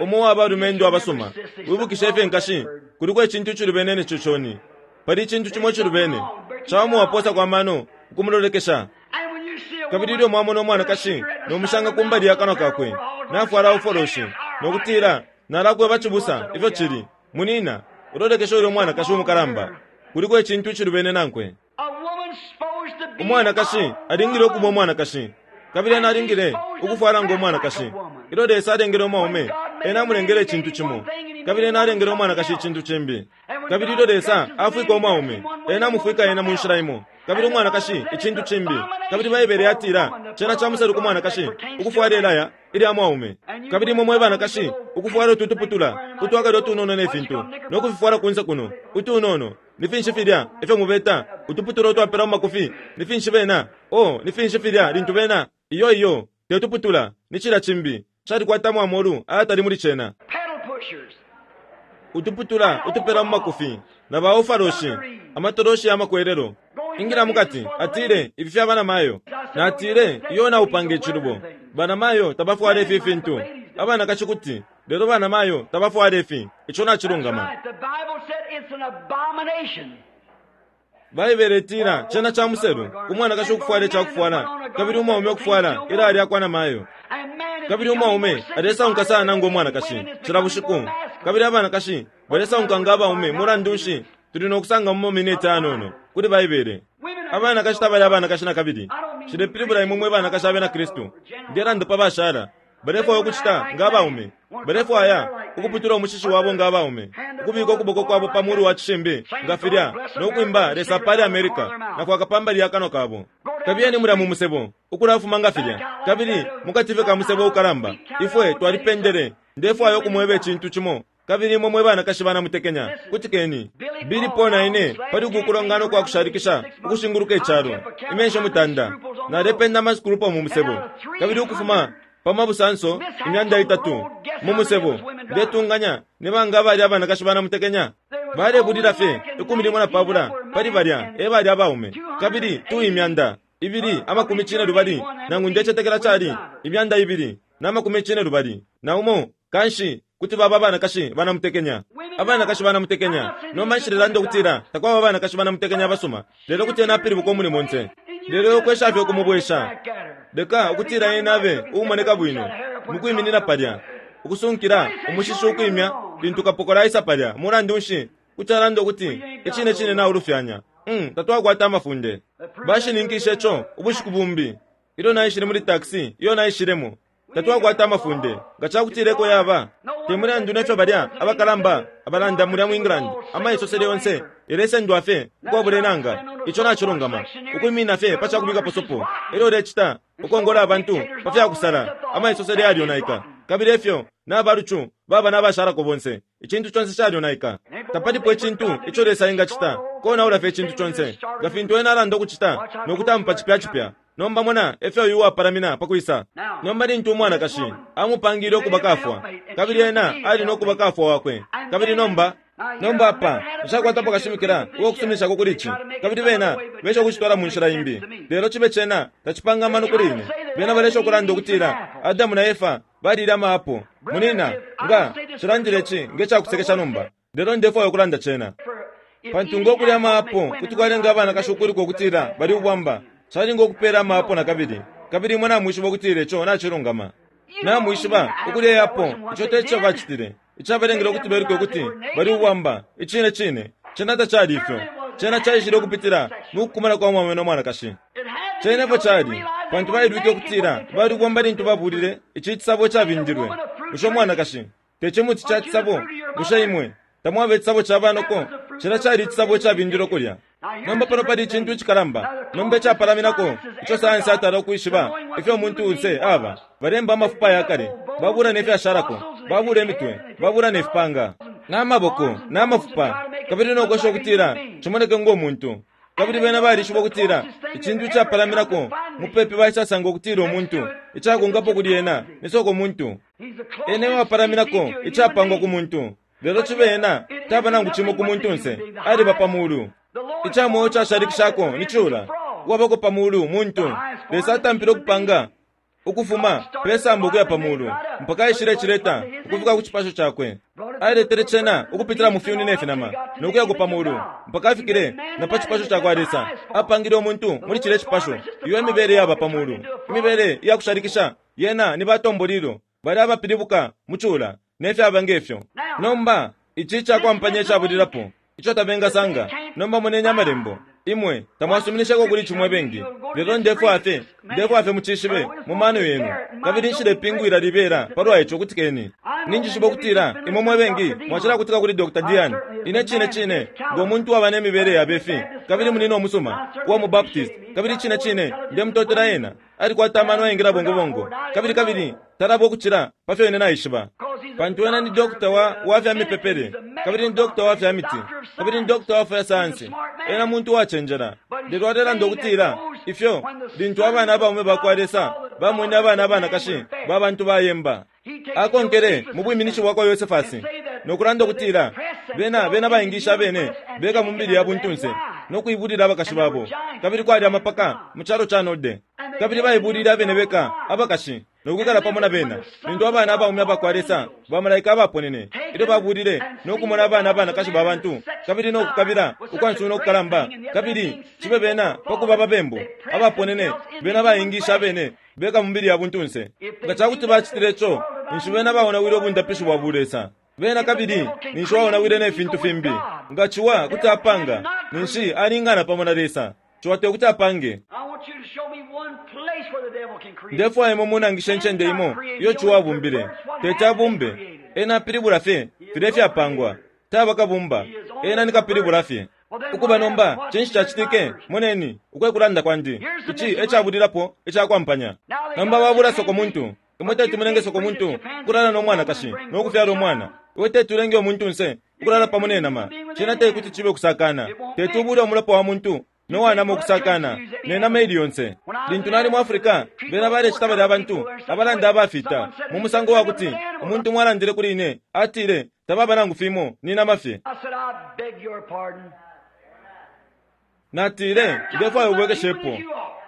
Umo uwa balumendo abasuma, wibukishe ifyo nkashi, kuliko icintu icilubene ne coconi. Pali icintu cimo icilubene. Cawama wapoosako amano ukumulolekesha. Kabili ilyo mwamona umwanakashi no mushanga ku mbali ya kanwa kakwe, nafwala ufoloshi, no kutila, Nalakweba cibusa ifyo cili, munina, ulolekeshe ulya umwanakashi umukalamba. Kuliko icintu icilubene nankwe. Umwanakashi alingile ukuba umwanakashi, kabili ena alingile ukufwala ngo mwanakashi. Ilyo Lesa alengele umwaume, Ena amulengele icintu cimo, kabili Ena alengele umwanakashi icintu cimbi. Kabili ilyo Lesa afwika umwaume, Ena amufwika ena mu nshila imo, kabili umwanakashi icintu cimbi. Kabili Baibele yatila, Cena ca muselu ku mwanakashi ukufwala ilaya ilya mwaume. Kabili imwe mwe banakashi ukufwala utu tuputula utwakale utunono ne fintu, no kufifwala kunse kuno, utunono. Ni finshi filya ifyo mubeta utuputula utwapela mu makufi? Ni finshi bena? Oh, ni finshi filya lintu bena? Iyo, iyo, te tuputula, ni cilya cimbi. Calikwatamo amolu ayatali muli cena. Utuputula utupela mu makufi, na ba ofaloshi, amatoloshi ya makwelelo. Ingila mukati, atile, ifi fya banamayo. Natile, Iyo naupanga icilubo. Banamayo tabafwala ifi fintu. Abanakashi kuti, lelo banamayo tabafwala ifi. Ico nacilungama. Baibele itila cena ca muselu ku mwanakashi ukufwala ica kufwala kabili umwaume ukufwala ilaya lya kwa namayo. Kabili umwaume alesaunka sana ngo mwanakashi cila bushiku, kabili abanakashi balesaunka nga abaume. Mulandu nshi, tuli no kusanga mu maminiti ayanono kuli Baibele. Abanakashi tabali abanakashi na kabili. Nshilepilibula imwe mwe banakashi Abena Kristu. Ndelanda pa bashala. Balefwaya ukucita nga abaume. Balefwaya ukuputula umushishi wabo nga abaume, ukubika ukuboko kwabo pa mulu wa cishimbi nga filya, no kwimba Lesa apale America, na kwaka pa mbali ya kanwa kabo. Kabiyeni mulya mu musebo, ukulafuma nga filya, kabili mukati fye ka musebo ukalamba. Ifwe twalipendele. Ndefwaya ukumweba icintu cimo. Kabili imwe mwe banakashi banamutekenya, kutikeni. Billy Paul na ine pali uku kulongana ukwa kushalikisha ukushinguluka icalo, imyeshi mutanda, nalependa amasukulupo mu musebo, kabili ukufuma pa mabusanso 300 mu musebo, ndetunganya ni banga abali abanakashi banamutekenya? Balebulila fye 15 pali balya e bali abaume, kabili 2,280 nangu ndecetekela cali 2,021. Kanshi kuti baba abanakashi banamutekenya. Abanakashi banamutekenya. Nomba nshilelanda ukutila takwaba abanakashi banamutekenya abasuma, lelo kuti ena apilibuka umuli monse. Lelo ukwesha fye ukumubwesha, leka ukutila ena abe uumoneka bwino mukwiminina palya, ukusunkila umushishi ukwimya lintu kapokola aisa palya. Mulandu nshi, kuti alanda ukuti, Icine cine naulufyanya. Um, tatwakwata amafunde. Bashininkishe co ubushiku bumbi ilyo naishile muli taxi iyo naishilemo. Tatwakwata amafunde. Nga ca kutila eko yaba, te mulandu ne fyo balya abakalamba abalanda mulya mu England, amaisosele yonse yalesendwa fye ukwabula inanga. Ico nacilungama. Ukwiminina fye pa ca kubikapo sopo, elyo ulecita ukongola abantu pa fya kusala, amaisosele yalyonaika. Kabili efyo na balucu baba na bashalako bonse. Icintu conse calyonaika. Tapalipo icintu ico Lesa engacita, konaula fye icintu conse, nga fintu Ena alanda ukucita, no kutampa cipya cipya. Nomba mona efyo uyu uwapalamina pa kwisa. Nomba lintu umwanakashi amupangile ukuba kafwa, kabili ena ali no kuba kafwa wakwe. Kabili nomba. Nomba apa, nshakwatapo kashimikila uwa kusuminishako kuli ici, kabili bena besha ukucitwala mu nshila imbi. Lelo cibe cena tacipanga amano kuli ine. Bena balesha ukulanda ukutila Adamu na Efa balile ama apo. Munina, nga nshilandile ici nge cakusekesha nomba, lelo ndefwaya ukulanda cena. Pantu ngo kulya ama apo kuti kwalenga abanakashi ukwiluka ukutila bali ubwamba, calinga ukupela ama apo nakabili. Kabili imwe namwishiba ukutila ico nacilungama. Namwishiba, ukulya apo, ico te co bacitile. Icabalengele ukuti beluke ukuti bali ubwamba, icine cine, cena tacali ifyo. Cena caishile ukupitila mu kukumana kwa mwaume no mwanakashi. Cena efyo cali, pantu bailwike ukutila bali ubwamba lintu babulile ici cisabo icabindilwe. Bushe umwanakashi te cimuti ca cisabo? Bushe imwe tamwaba icisabo ca banoko? Cena cali icisabo icabindilwe kulya. Nomba pano pali icintu icikalamba nomba icapalaminako ico sayansi atala ukwishiba ifyo umuntunse aba. Balemba amafupa aya kale, babula ne fyashalako, babula imitwe, babula ne fipanga, na maboko, na mafupa, kabili no kwesha ukutila cimoneke ngo muntu. Kabili bena balishiba ukutila icintu icapalaminako mupepi baisasanga ukutila umuntu, icakonkapo kuli ena ni soko muntu. Ena e wapalaminako icapangwa ku muntu. Lelo cibe ena taba nangu cimo ku muntunse, aliba pa mulu. Ica mweo cashalikishako ni cula, uwabako pa mulu muntu. Lesa atampile ukupanga ukufuma pe samba ukuya pa mulu, mpaka aishile cileta ukufika ku cipasho cakwe. Aletele cena ukupitila mu fyuni ne finama, no kuyako pa mulu, mpaka afikile na pa cipasho ca kwa Lesa. Apangile umuntu muli cilya cipasho. Iyo emibele yaba pa mulu, imibele iya kushalikisha. Yena ni batombolilo, balya abapilibuka mu cula, ne fyaba nge fyo. Nomba, ici icakwampanya icabulilapo ico tabengasanga. Nomba moneni Amalembo. Imwe tamwasuminisheko kuli ici mwe bengi, lelo ndefwaya fye, ndefwaya fye mucishibe mu mano yenu. Kabili nshilepingwila libela palwa ico. Kutikeni. Ninjishiba ukutila imwe mwe bengi mwacilakutika kuli Dr. Dian. Ine cine cine, ngo muntu uwaba ne mibele yabe fi, kabili munina umusuma uwa mu Baptist, kabili cine cine ndemutotela ena. Alikwata amano ayengila bongo bongo, kabili kabili talaba ukucila pa fyo ine naishiba. Pantu ena ni dokota wa, wa fya mipepele, kabili ni dokota wa fya miti, kabili ni dokota wa fya sayansi. Ena muntu uwacenjela. Lelo alelanda ukutila, ifyo, lintu abana abaume ba kwa Lesa bamwene abana abanakashi ba bantu bayemba, akonkele mu bwiminishi bwa kwa Yosefasi, no kulanda ukutila, Bena, bena baingishe abene beka mu mibili ya buntunse, no kuibulila abakashi babo. Kabili kwali amapaka mu calo ca Node. Kabili baibulile abene beka abakashi, no kwikala pamo na bena. Lintu abana abaume aba kwa Lesa, bamalaika abaponene, ilyo babulile no kumona abana abanakashi ba bantu, kabili no kukabila ukwa nsuna ukukalamba, kabili cibe bena pa kuba ababembu abaponene, bena baingishe abene beka mu mibili ya buntunse. Nga ca kuti bacitile co, ninshi bena baonawile ubundapishi bwa bulesa. Bena kabili ninshi waonawile ne fintu fimbi. Nga ciwa kuti apanga, ninshi alingana pamo na Lesa. Ciwa te kuti apange. Ndefwaya imwe munangishe incende imo iyo ciwa abumbile. Teti abumbe. Ena apilibula fye filya ifyapangwa. Taba kabumba. Ena ni kapilibula fye. Ukuba nomba, cinshi cacitike? Moneni, uku e kulanda kwandi. Ici e cabulilapo ica kwampanya. Nomba babula sokomuntu. Imwe teti mulenge sokomuntu ukulala no mwanakashi no kufyala umwana. Iwe teti ulenge umuntunse ukulala pamo ne nama. Cena te kuti cibe ukusakana. Teti ubule umulopa wa muntu no wa nama ukusakana ne nama ili yonse. Lintu nali mu Africa, bena balecita balya bantu abalanda abafita mu musango wa kuti umuntu umo alandile kuli ine, atile, Tababa nangu fimo, ni nama fye. Natile, Ndefwaya ubwekeshepo.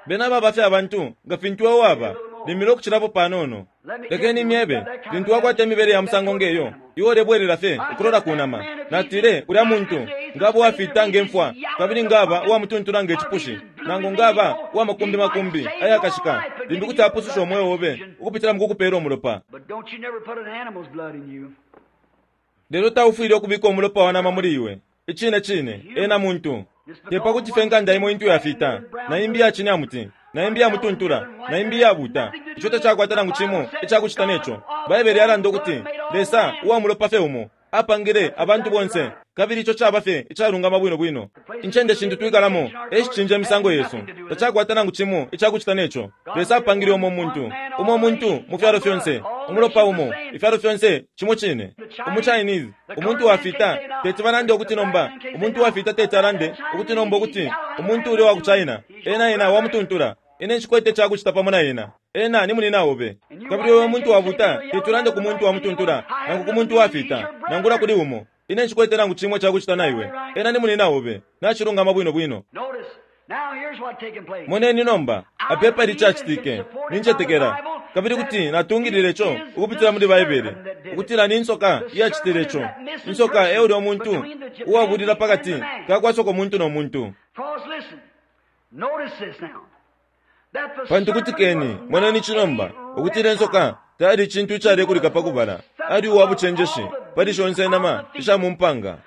Bena baba fye abantu nga fintu iwe waba, limbi no kucilapo panono. Lekeni imyebe, lintu wakwata imibele ya musango nge yo, iwe ulebwelela fye ukulola ku nama. Natile, Ulya muntu nga aba uwafita nge mfwa, kabili nga aba uwamutuntula nge cipushi, nangu nga aba uwa makumbi makumbi ayakashika, limbi kuti apususha umweo obe ukupitila mu kukupela umulopa. Lelo taufwile ukubika umulopa wa nama muli iwe. Icine cine, ena muntu. Te pa kuti fye nkanda imo intu yafita, na imbi iya cinyamuti, na imbi iya mutuntula, na imbi iyabuuta, ico tacakwata nangu cimo ica kucita ne co. Baibele yalanda ukuti, Lesa, uwa mulopa fye umo, apangile abantu bonse, kabili ico caba fye icalungama bwino bwino. Incende shintu twikalamo e shicinja imisango yesu. Tacakwata nangu cimo ica kucita ne co. Lesa apangile umo muntu, umo muntu mu fyalo fyonse, umulopa umo, ifyalo fyonse cimo cine. Umu Chinese, umuntu wafita, teti balande ukuti nomba, umuntu wafita teti alande ukuti nomba ukuti umuntu ulya wa ku China, ena ena wamutuntula. Ine nshikwete icakucita pamo na ena. Ena ni munina obe. Kabili uyo muntu wabuta teti ulande ku muntu wamutuntula, nangu ku muntu wafita, nangula kuli umo. Ine nshikwete nangu cimo icakucita na iwe. Ena ni munina obe. Nacilungama bwino bwino. Moneni nomba, apa epali icacitike. Nincetekela, kabili kuti natungilila ico ukupitila muli Baibele, ukutila ni nsoka iyacitile ico. Insoka e ulya muntu uwabulila pakati ka kwa sokomuntu no muntu. Pantu kutikeni, moneni ici nomba, ukutila insoka tayali icintu icalekulika pa kubala, ali uwa bucenjeshi pali shonse inama isha mu mpanga.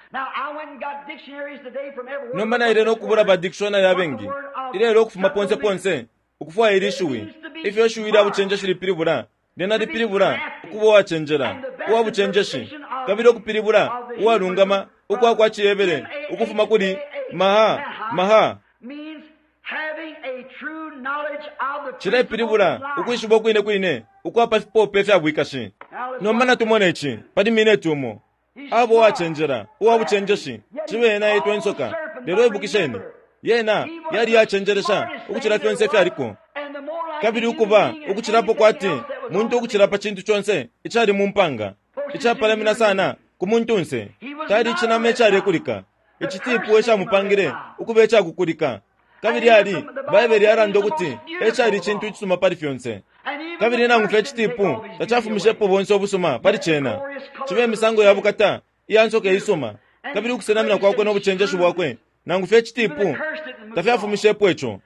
Nomba naile no kubula ba dictionary abengi ilelo ukufuma ponse ponse ukufwaya ili shiwi, ifyo ishiwi lya bucenjeshi lipilibula. Lyena lipilibula ukuba uwacenjela, uwa bucenjeshi, kabili ukupilibula uwalungama ukwa kwa ciHebere ukufuma kuli maha, maha. Cilepilibula ukwishiba ukwine kwine ukwa pa fipope fya bwikashi. Nomba natumone ici pali mineti umo. Aba uwacenjela, uwa bucenjeshi, cibe ena etwa insoka. Lelo ibukisheni, yena yali iyacenjelesha ukucila fyonse ifyaliko. Kabili ukuba ukucilapo kwati muntu ukucila pa cintu conse icali mu mpanga, icapalamina sana ku muntunse. Tali icinama icalekulika. Icitiipu ecamupangile ukuba icakukulika. Kabili ali, Baibele yalanda ukuti e cali icintu icisuma pali fyonse. Kabili nangu fye icitiipu tacafumishepo bonse ubusuma pali cena. Cibe imisango ya bukata iya nsoka iisuma, kabili ukusenamina kwakwe no bucenjeshi bwakwe, nangu fye icitiipu tafyafumishepo ico.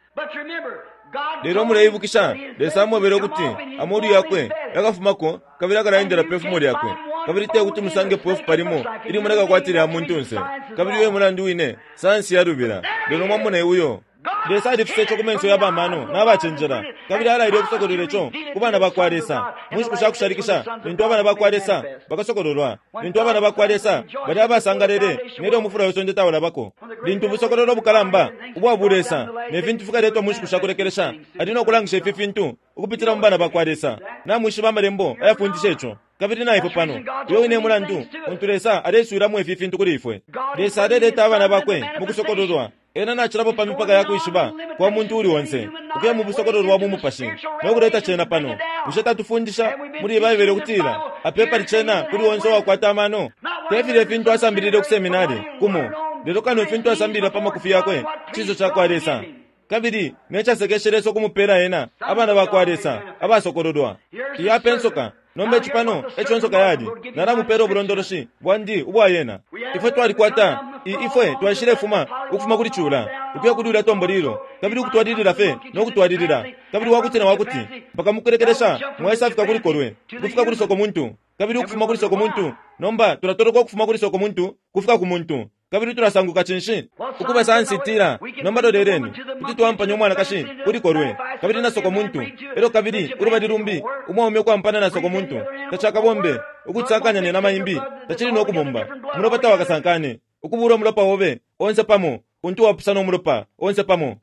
Lelo muleibukisha, Lesa amwebele ukuti amolu yakwe yakafumako kabili akalaendela pe fumo lyakwe, kabili te kuti musangepo ifupa limo ilimoneka kwati lya muntunse. Kabili uyo e mulandu wine sayansi yalubila. Lelo mwamona uyo. Lesa alifisa ico ku menso ya ba mano na bacenjela, kabili alaile ukusokolola ico ku bana ba kwa Lesa mu nshiku sha kushalikisha, lintu abana ba kwa Lesa bakasokololwa, lintu abana ba kwa Lesa bali abasangalele nelyo umufula we sonde taulabako, lintu ubusokololo bukalamba ubwa bulesa ne fintu fikaletwa mu nshiku sha kulekelesha, ali no kulangisha ifi fintu ukupitila mu bana ba kwa Lesa. Namwishiba Amalembo ayafundisha ico. Kabili na ifwe pano, uyo wine e mulandu untu Lesa aleswilamo ifi fintu kuli ifwe. Lesa aleleta abana Bakwe mu kusokololwa. Ena nacilapo pa mipaka ya kwishiba kwa muntu uuli onse, ukuya mu busokololo bwa bumupashi, no kuleta cena pano. Bushe tatufundisha muli Baibele ukutila, Apa epali cena kuli onse uwakwata amano? Te filya ifintu asambilile ku seminari, kumo, lelo kano ifintu asambilila pa makufi yakwe, cinso cakwa Lesa. Kabili ne casekeshe Lesa ukumupela ena abana bakwa Lesa abasokololwa. Iyi apa insoka. Nomba ici pano eco nsoka yali. Nalamupela ubulondoloshi bwandi ubwa yena. Ifwe twalikwata i, ifwe twaishilefuma ukufuma kuli cula, ukuya kuli ulya tombolilo, kabili ukutwalilila fye no kutwalilila, kabili wakuti na wakuti, mpaka mukulekelesha mwaisafika kuli kolwe, ukufika kuli sokomuntu, kabili ukufuma kuli sokomuntu. Nomba tulatoloka ukufuma kuli sokomuntu kufika ku muntu. Kabili tulasanguka cinshi? Ukuba sayansi itila, Nomba loleleni, kuti twaampanya umwanakashi kuli kolwe, kabili na sokomuntu, elyo kabili ulubali lumbi umwaume ukwampana na sokomuntu. Tacakabombe. Ukucisakanya ne nama imbi, tacili no kubomba. Umulopa tawakasankane. Ukubula umulopa obe onse pamo, untu wapusana umulopa onse pamo.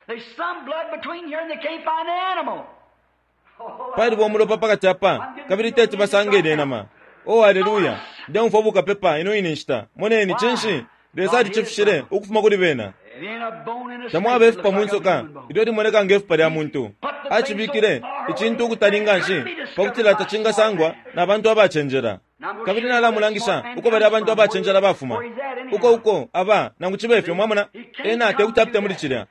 Paliba umulopa pakati apa, kabili teti basange ilye nama. Oh, aleluya! Ndeumfwa bukapepa ino ine nshita. Moneni, cinshi? Lesa alicifishile ukufuma kuli bena. Tamwaba ifupa mu nsoka ilyo limoneka nge fupa lya muntu. Acibikile icintu ukutali nganshi pakutila tacingasangwa na bantu abacenjela. Kabili nalamulangisha uko balya bantu abacenjela bafuma, uko uko aba, nangu cibe fyo, mwamona, ena tekuti apite muli cilya.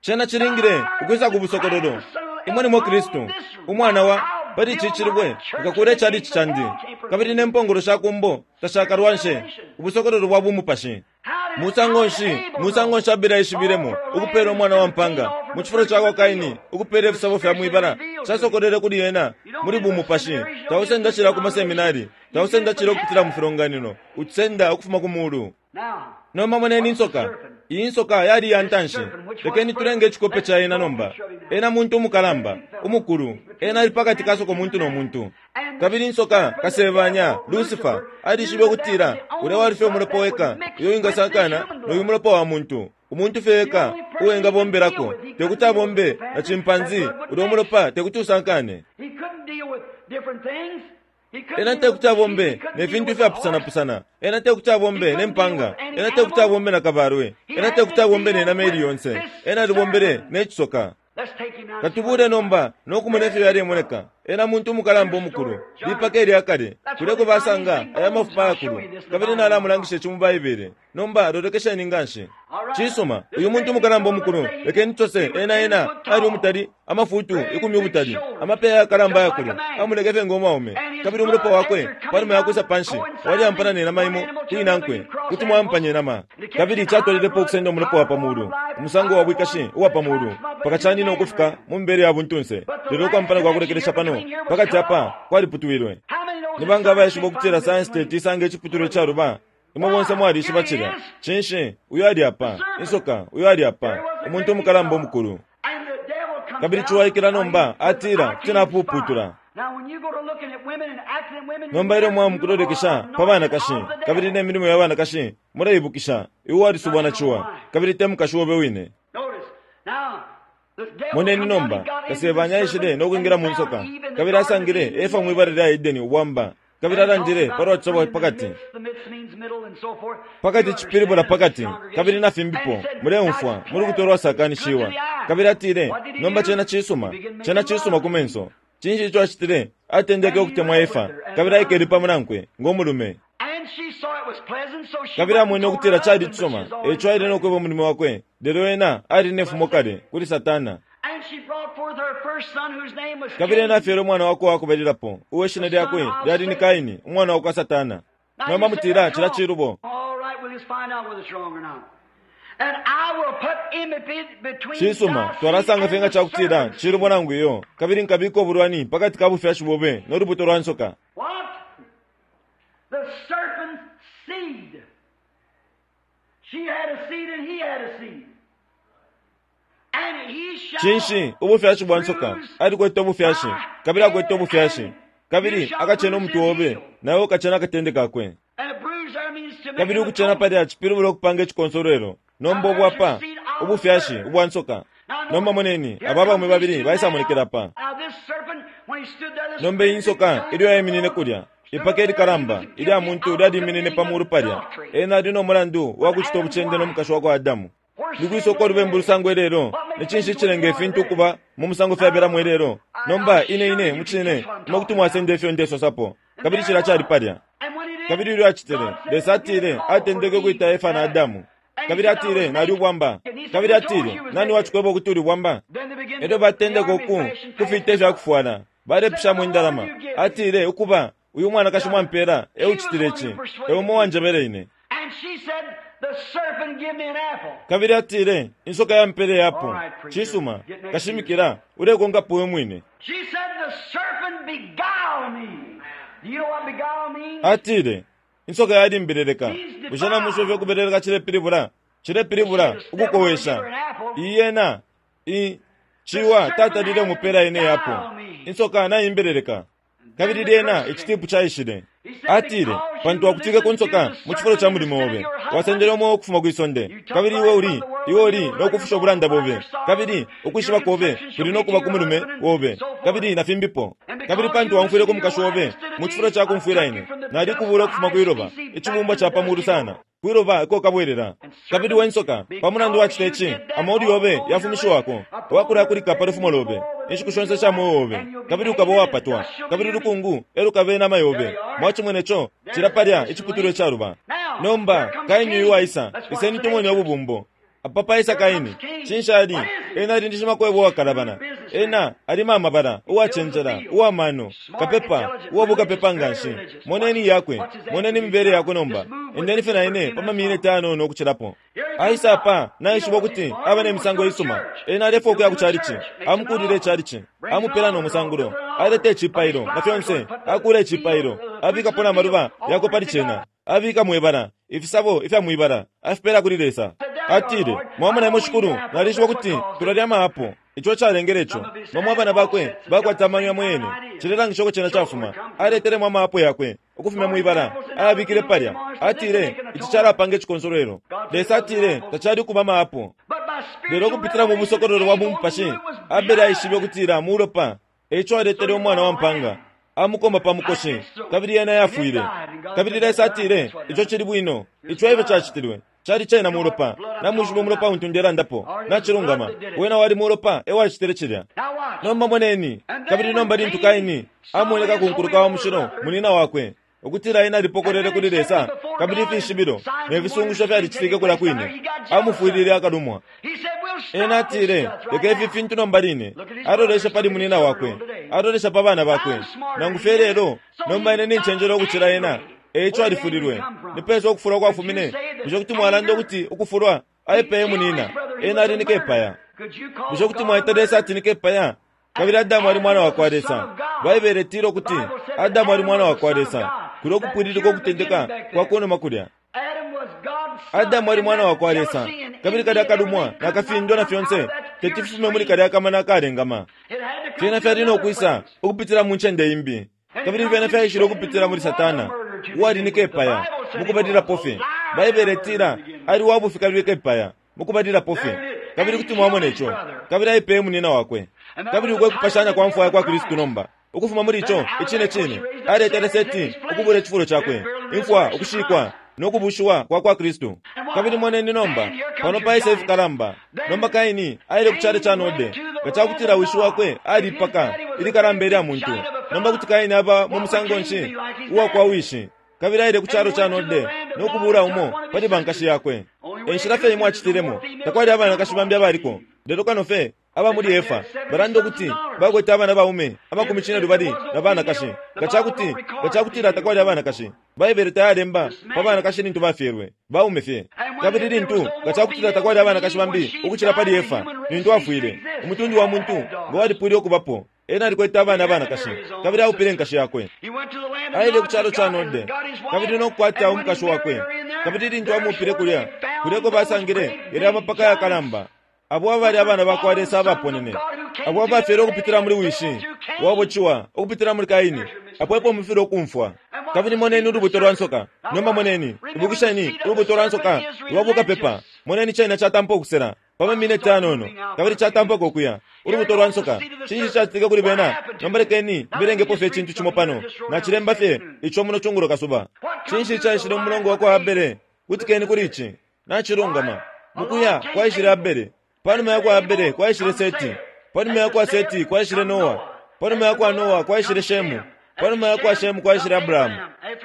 Cena cilingile ukwisa ku busokololo. Imwe nimwe Kristu, Umwana wa, pali ici cilibwe nkakuula icalici candi, kabili ne mpongolo sha ku mbo tashakalwanshe. Ubusokololo bwa bumupashi. Musango nshi, musango nshi Abele aishibilemo ukupeela umwana wa mpaanga mu cifulo ca kwa Kaini ukupeela ifisabo fya mwi bala? Casokolwele kuli ena muli bumupashi. Tausenda cilya ku maseminari. Tausenda cilya ukupitila mu filonganino. Ucisenda ukufuma ku Mulu. Nomba moneni insoka. Iyi nsoka yali iya ntanshi. Lekeni tulenge icikope ca yena nomba. Ena muntu umukalamba, umukulu. Ena ali pakati ka sokomuntu no muntu. Kabili insoka, kasebanya, Lucifer, alishibe ukutila ulya wali fye umulopa weka uyo wingasakana no yu mulopa wa muntu. Umuntu fye eka uo engabombelako, tekuti abombe na chimpanzee, ulya umulopa tekuti usankane. Ena tekuti abombe ne fintu ifyapusanapusana. Ena tekuti abombe ne mpanga. Ena tekuti abombe na kabalwe. Ena tekuti abombe ne nama ili yonse. Ena alibombele ne cisoka. Katubule nomba no kumona ifyo yalemoneka. Ena muntu umukalamba umukulu, lipaka ilya kale, kulya uko basanga aya mafupa ayakulu. Kabili nalamulangisha ici mu Baibele. Nomba lolekesheni nganshi. Cisuma, uyu muntu umukalamba umukulu, lekeni tusose, ena, ena ali umutali, amafutu ikumi ubutali, amapeya ayakalamba ayakulu, amoneke fye ngo mwaume. Kabili umulopa wakwe, panuma yakwisa panshi, walyampana ne nama imo ku inankwe, kuti mwaampanya inama. Kabili catwalilepo ukusenda umulopa wa pa mulu, umusango wa bwikashi uwa pa mulu, mpaka canina ukufika mu mibele ya buntunse. Lelo ukwampana kwa kulekelesha pano, pakati apa, kwaliputwilwe. Ni banga abaishiba ukutila sayansi teti isange iciputulwa icaluba? Imwe bonse mwalishiba cilya. Cinshi, uyu ali apa, insoka, uyu ali apa, umuntu umukalamba umukulu. Kabili ciwa aikila nomba, atila, Kuti napuputula. Nomba ilyo mwaya mukulolekesha pa banakashi, kabili ne milimo ya banakashi, muleibukisha, iwe walisubwa na ciwa, kabili te mukashi obe wine. Moneni nomba, Kasebanya aishile no kwingila mu nsoka, kabili asangile Efa mwi bala lya Edeni ubwamba, kabili alandile palwa cisabo pakati. Pakati cipilibula pakati, kabili na fimbipo, muleumfwa, mu lubuto lwasakanishiwa. Kabili atile, Nomba cena cisuma, cena cisuma ku menso. Cinshi ico acitile? Atendeke ukutemwa Efa, kabili aikele pamo nankwe, ngo mulume. Kabili amwene ukutila cali icisuma, e ico aile no kweba umulume wakwe, lelo ena ali ne fumo kale, kuli Satana. Kabili ena afyele umwana wakwe uwa kubalilapo, uo ishina lyakwe lyali ni Kaini, umwana wakwa Satana. Nomba mutila, Cilya cilubo. Cisuma, twalasanga fye nga ca kutila cilubo nangu iyo, kabili nkabika ubulwani pa kati ka bufyashi bobe no lubuto lwa nsoka. Cinshi? Ubufyashi bwa nsoka. Alikwete ubufyashi, kabili akwete ubufyashi. Kabili akacena umutwe obe, na iwe ukacena akatende kakwe. Kabili ukucena palya cipilibula ukupanga icikonsolwelo. Nomba ubu apa, ubufyashi ubwa nsoka. Nomba moneni, aba abaume babili baisamonekela apa. Nomba iyi nsoka, ilyo yaiminine kulya, ipaka ilikalamba ilya muntu lyaliminine pa mulu palya. Ena ali no mulandu wa kucita ubucende no mukashi wa kwa Adamu. Ni kwisa uko ulubembu lusangwa ilelo? Ni cinshi icilenga ifintu ukuba mu musango fyabelamo ilelo? Nomba, ine, ine, mucine, imwe kuti mwasenda ifyo ndesosapo. Kabili cilya cali palya. Kabili ilyo acitile, Lesa atile, atendeke ukwita Efa na Adamu. Kabili atile, Nali ubwamba. Kabili atile, Nani wacikweba ukuti uli bwamba? Elyo batendeka uku, kufita ifya kufwala, balepishamo indalama. Atile, Ukuba, uyu mwanakashi mwampela e ucitile ici. E umo uwanjebele ine. Kabili atile, Insoka yampele iapo. Cisuma, kashimikila, ulekonkapo we mwine. Atile, Insoka yalimbeleleka. Bushe namwishiba ifyo ukubeleleka cilepilibula? Cilepilibula ukukowesha. Iyi yena, i, ciwa tatalile umupela ine iapo. Insoka naimbeleleka. Kabili lyena icitipu caishile. Atile, Pantu wakutwike ku nsoka mu cifulo ca mulimo obe, wasendele umweo ukufuma kwi sonde, kabili iwe uli, iwe uli no kufusha ubulanda bobe, kabili ukwishiba kobe kuli no kuba ku mulume obe, kabili na fimbipo. Kabili pantu waumfwile ku mukashi obe mu cifulo ca kumfwila ine, nalikubula ukufuma kwi loba, icibumbwa ca pa mulu sana, kwi loba eko ukabwelela. Kabili we nsoka, pa mulandu wacita ici, amolu yobe yafumishiwako, wakulakulika pa lufumo lobe inshiku shonse sha mweo obe, kabili ukaba uwapatwa, kabili ulukungu e lukaba inama yobe. Mwacimwene co, cilya palya iciputulwa icaluba. Nomba, Kaini uyu uwaisa, iseni tumone ububumbo. Apa paisa Kaini. Cinshi ali? Ena ali ni shimakwebo uwakalabana. Ena ali mamabala, uwacenjela, uwa mano, kapepa, uwa bukapepa nganshi. Moneni iyakwe, moneni imibele yakwe nomba. Endeni fye na ine pa mamineti ayanono ukucilapo. Aisa apa, naishiba ukuti aba ne misango isuma. Ena alefwaya ukuya ku chalichi. Amukuulila ichalichi. Amupela no musangulo. Aleta icipailo, na fyonse. Akuula icipailo. Abikapo na maluba yakwe pali cena. Abika mwibala, ifisabo ifya mwibala, afipela kuli Lesa. Atile, Mwamona imwe Shikulu, nalishiba ukuti tulalya ama apo. Ico ecalengele ico. Bamo abana bakwe bakwata amano yamo yene. Cilelangisha uko cena cafuma. Aletelemo ama apo yakwe, ukufumya mwibala, ayabikile palya. Atile, Ici calapanga icikonsolwelo. Lesa atile tacali ukuba ama apo. Lelo ukupitila mu busokololo bwa bumupashi, Abele aishibe ukutila mulopa. Eico aletele umwana wa mpanga. Amukoma pa mukoshi, kabili yena yafwile. Kabili Lesa atile, Ico cili bwino. Ico efyo cacitilwe. Cali cena mulopa. Namwishiba umulopa untu ndelandapo. Nacilungama. Wena wali mulopa e wacitile cilya. Nomba moneni, kabili nomba lintu Kaini amoneka ku nkuluka wa mushilo munina wakwe, ukutila ena alipokolele kuli Lesa, kabili ifishibilo ne fisungusho fyalicitike kulya kwine, amufwilile akalumwa. Ena atile, leka ifi fintu nomba line. Alolesha pali munina wakwe, alolesha pa bana bakwe, nangu fye lelo, nomba ine nincenjela ukucila ena. E ico alifulilwe. Ni pesa ukufulwa kwafumine? Bushe kuti mwalanda ukuti ukufulwa aipeye munina? Ena ali ni kepaya. Bushe kuti mwaita Lesa ati ni kepaya? Kabili Adamu ali mwana wa kwa Lesa. Baibele itila ukuti Adamu ali mwana wa kwa Lesa. Kulya ukupwililika ukutendeka kwa kunuma kulya. Adamu ali mwana wa kwa Lesa, kabili kalya kalumwa na kafindwa na fyonse teti fifume muli kalya kamana akalengama. Fyena fyali no kwisa ukupitila mu ncende imbi, kabili fyena fyaishile ukupitila muli Satana, uwali ni kepaya mukubalilapo fye. Baibele itila ali wa bufi kabili kepaya mukubalilapo fye, kabili kuti mwamona ico. Kabili aipeye munina wakwe. Kabili uko ekupashanya kwa mfwa ya kwa Kristu nomba. Ukufuma muli ico, icine cine, aletele Seti ukubula icifulo cakwe, imfwa, ukushikwa, no kubushiwa kwa kwa Kristu. Kabili moneni nomba, pano paisa ifikalamba. Nomba Kaini aile ku calo ca Node, nga ca kutila wishi wakwe ali ipaka ilikalamba ilya muntu. Nomba kuti Kaini aba mu musango nshi uwa kwa wishi? Kabili aile ku calo ca Node no kubuula umo pali bankashi yakwe. E nshila fye imo acitilemo. Takwali abanakashi bambi abaliko, lelo kano fye aba muli Efa. Balanda ukuti bakwete abana baume amakumi cinelubali na banakashi. Nga ca kuti, nga ca kutila takwali abanakashi, Baibele tayalemba pa banakashi lintu bafyelwe, baume fye. Kabili lintu, nga ca kutila takwali abanakashi bambi ukucila pali Efa lintu afwile, umutundu wa muntu nga walipwile ukubapo. Ena alikwete abana abanakashi, kabili aupile nkashi yakwe. Aile ku calo ca Node, kabili no kukwata umukashi wakwe. Kabili lintu amuupile kulya, kulya eko basangile yalya amapaka yakalamba, abo abali abana ba kwa Lesa abaponene, abo abafyelwe ukupitila muli wishi wabo Ciwa, ukupitila muli Kaini, apo epo mufilwa ukumfwa. Kabili moneni ulubuto lwa nsoka. Nomba moneni, ibukisheni, ulubuto lwa nsoka lwa bukapepa. Moneni cena catampa ukusela pa mamineti ayanono, kabili catampako ukuya. Ulubuto lwa nsoka, cinshi cacitike kuli bena? Nomba lekeni mbelengepo fye icintu cimo pano. Nacilemba fye ico muno cungulo kasuba. Cinshi caishile mu mulongo wa kwa Abele? Kutikeni kuli ici. Nacilungama. Mukuya kwaishile Abele. Panuma ya kwa Abele kwaishile Seti. Panuma ya kwa Seti kwaishile Noa. Panuma ya kwa Noa kwaishile Shemu. Panuma ya kwa Shemu kwaishile Abrahamu.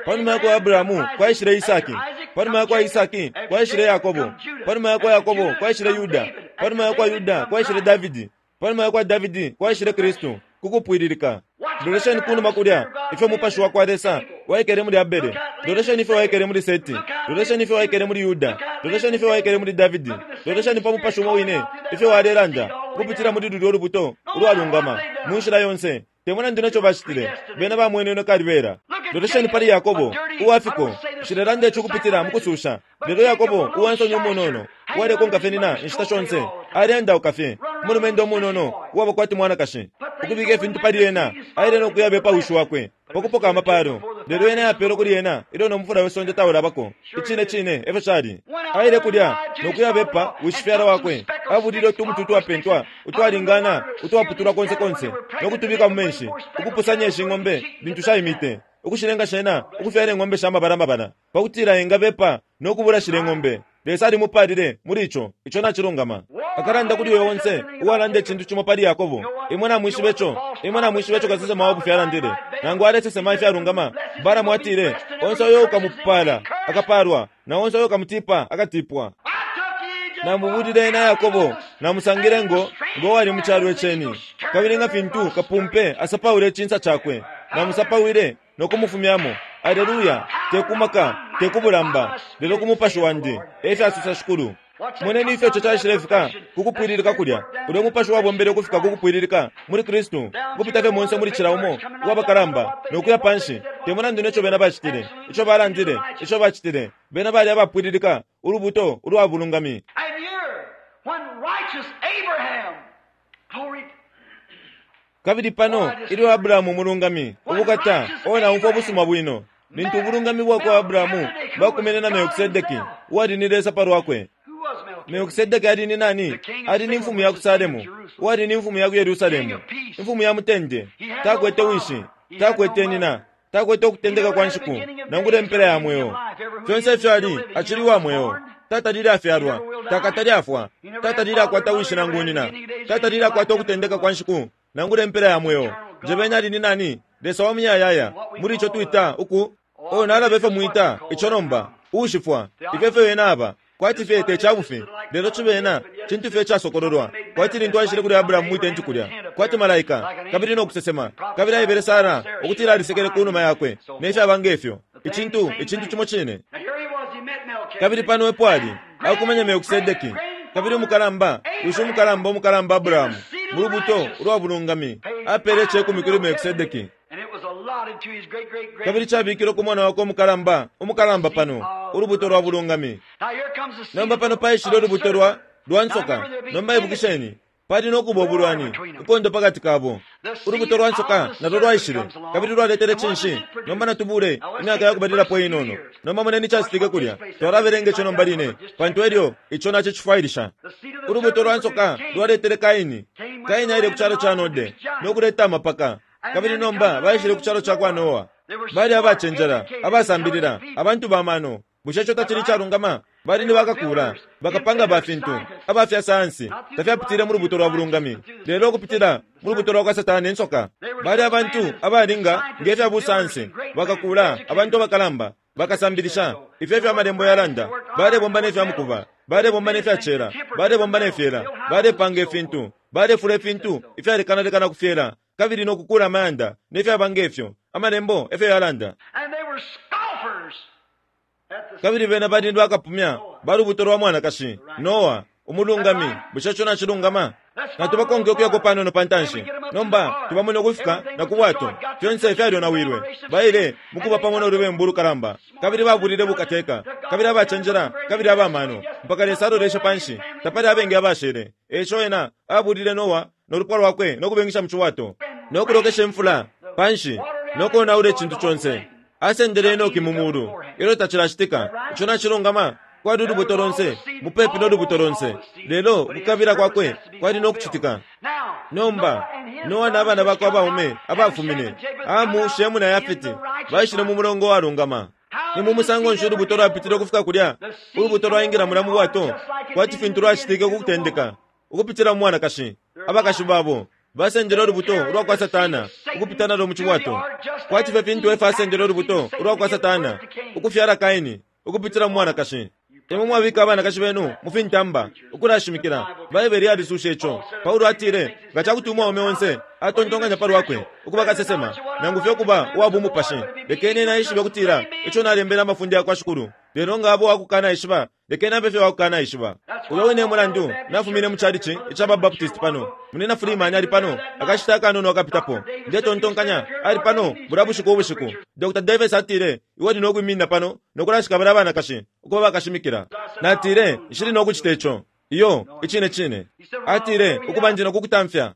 Panuma ya kwa Abrahamu kwaishile Isaki. Panuma ya kwa Isaki kwaishile Yakobo. Panuma ya kwa Yakobo kwaishile Yuda. Panuma ya kwa Yuda kwaishile Davidi. Panuma ya kwa Davidi kwaishile Kristu, ku kupwililika. Lolesheni kunuma kulya, ifyo Mupashi wa kwa Lesa waikele muli Abele. Lolesheni ifyo waikele muli Seti. Lolesheni ifyo waikele muli Yuda. Lolesheni ifyo waikele muli Davidi. Lolesheni pa Mupashi umo wine, ifyo walelanda ukupitila muli lulyo lubuto ulwalungama, mu nshila yonse. Te mulandu ne co bacitile, bena bamwenenwe kalibela. Lolesheni pali Yakobo, uwa fiko. Nshilelanda ici ukupitila mu kususha, lelo Yakobo, uwa nsoni umunono, uwalekonka fye nyina inshita shonse, aleendauka fye, umulumendo umunono uwaba kwati mwanakashi, ukubika ifintu pali ena, aile no kuyabepa wishi wakwe pa kupoka amapaalo. Lelo yena yapelwe kuli ena ilyo no mufula we sonde taulabako. Icine cine e fyo cali. Aile kulya no kuyabepa wishifyala wakwe, abulile utumuti utwapentwa utwalingana utwaputulwa konse konse no kutubika mu menshi, ukupusanya ishi ng'ombe lintu shaimite, ukushilenga shena ukufyala ing'ombe sha mabala mabala, pa kutila engabepa no kubula shilya ing'ombe. Lesa alimupaalile muli ico. Ico nacilungama. Akalanda kuli uyo onse uwalanda icintu cimo pali Yakobo. Imwe namwishiba ico. Imwe namwishiba ico kasesema wa bufi alandile. Nangu alesesema ifyalungama, Balaamu atile, Onse uyo ukamupaala, akapaalwa, na onse uyo ukamutipa, akatipwa. Namubulile ena Yakobo, namusangile ngo, ngo wali mu calo iceni. Kabili nga fintu kapumpe asapaula icinsa cakwe, namusapawile no kumufumyamo. Aleluya! Te ku maka, te ku bulamba, lelo ku Mupashi Wandi, e fyasosa Shikulu. Moneni ifyo ico caishilefika ku kupwililika kulya. Ulyo Mupashi wabombele ukufika ku kupwililika muli Kristu, ukupita fye monse muli cila umo uwa bakalamba, no kuya panshi. Te mulandu ne co bena bacitile, ico balandile, ico bacitile, bena bali abapwililika, ulubuto ulwa bulungami. And here, when righteous Abraham, glory Kabili pano, ilyo Abrahamu umulungami, ubukata, o naumfwa ubusuma bwino, lintu ubulungami bwa kwa Abrahamu bwakumene na Melkisedeki, uwali ni Lesa pa lwakwe. Melkisedeki ali ni nani? Ali ni mfumu ya ku Salemu, uwali ni mfumu ya ku Yerusalemu, imfumu ya mutende. Takwete wishi, takwete nyina, takwete ukutendeka kwa nshiku, nangula impela ya mweo. Fyonse ifyo ali, acili uwa mweo. Tatalile afyalwa, takatalile afwa, tatalile akwata wishi nangu nyina, tatalile akwata ukutendeka kwa nshiku, nangula impela ya mweo. Njebeni ali ni nani? Lesa wa muyayaya, muli ico twita uku. Oh, nalaba ifyo mwita ico nomba, uushifwa. Ifyo efyo ena aba. Kwati fye te ca bufi, lelo cibe ena cintu fye icasokololwa, kwati lintu aishile kuli Abrahamu mwi tenti kulya, kwati malaika, kabili no kusesema, kabili aebele Sara ukutila alisekele ku numa yakwe, ne fyaba nge fyo, icintu, icintu cimo cine. Kabili pano epo ali, akumanya Melkisedeki, kabili umukalamba, wishi umukalamba umukalamba Abrahamu, mu lubuto ulwa bulungami, apele icekumi kuli Melkisedeki. Kabili cabikilwe ku mwana wakwe umukalamba, umukalamba pano, ulubuto lwa bulungami. Nomba pano paishile ulubuto lwa, lwa nsoka. Nomba ibukisheni, pali no kuba ubulwani, inkondo pakati kabo. Ulubuto lwa nsoka nalo lwaishile, kabili lwaletele cinshi? Nomba natubule imyaka ya kubalilapo inono. Nomba moneni icacitike kulya. Twalabelenga ico nomba line, pantu elyo ico nacicifwailisha. Ulubuto lwa nsoka lwaletele Kaini. Kaini aile ku calo ca Node, no kuleta amapaka. Kabili nomba baishile ku calo ca kwa Noa. Bali abacenjela, abasambilila, abantu ba mano. Bushe ico tacili icalungama? Bali ni bakakuula, bakapanga ba fintu, aba fya sayansi. Tafyapitile mu lubuto lwa bulungami, lelo ukupitila mu lubuto lwa kwa Satana insoka. Bali abantu abalinga nge fya busayansi, bakakuula, abantu abakalamba, bakasambilisha, ifyo efyo Amalembo yalanda. Balebomba ne fya mukuba, balebomba ne fya cela, balebomba ne fyela, balepanga ifintu, balefula ifintu ifyalekanalekana ku fyela, kabili no kukuula amayanda, ne fyaba nge fyo. Amalembo efyo yalanda. Kabili bena bali ni bakapumya ba lubuto lwa mwanakashi, Noa, umulungami. Bushe ico nacilungama? Natubakonke ukuyako panono pa ntanshi. Nomba tubamone ukufika na ku bwato. Fyonse fyalyonawilwe. Baile mu kuba pamo no lubembu ulukalamba, kabili babulile bukateka, kabili abacenjela, kabili aba mano, mpaka Lesa aloleshe panshi, tapali abengi abashele. E ico ena abulile Noa no lupwa lwakwe no kubengisha mu cibwato, no kulokesha imfula panshi, no konaula icintu conse. Asendele Enoki mu mulu ilyo tacilacitika. Ico nacilungama. Kwali ulubuto lonse, mupepi no lubuto lonse, lelo ukukabila kwakwe kwali no kucitika. Nomba, Noa na bana bakwe abaume abafumine, Hamu, Shemu na Yafeti, baishile mu mulongo walungama. Ni mu musango nshi ulubuto lwapitile ukufika kulya? Ulubuto lwaingila mulya mu bwato, kwati fintu lwacitike ku kutendeka, ukupitila mu mwanakashi. Abakashi babo basendele ulubuto ulwa kwa Satana ukupita nalo mu cibwato, kwati fye fintu Efa asendele ulubuto ulwa kwa Satana ukufyala Kaini ukupitila mu mwanakashi. Imwe mwabika abanakashi benu mu fintamba ukulashimikila. Baibele yalisusha ico. Paulo atile, Nga ca kuti umwaume onse atontonkanya pa lwakwe ukuba kasesema, nangu fye ukuba uwa bumupashi, lekeni ena eshibe ukutila ico nalembele amafunde ya kwa Shikulu. Lelo nga aba uwa kukanaishiba, lekeni abe fye uwa kukanaishiba. Uyo wine e mulandu nafumine mu chalichi ica ba Baptist pano. Munyina Freeman ali pano akashita akanono akapitapo. Ndetontonkanya ali pano bulya bushiku ubushiku. Dr. Davis atile, Iwe uli no kwiminina pano no kulashika balya banakashi ukuba bakashimikila. Natile, Nshili no kucita ico. Iyo, icine cine. Atile, Ukuba ndi no kukutamfya.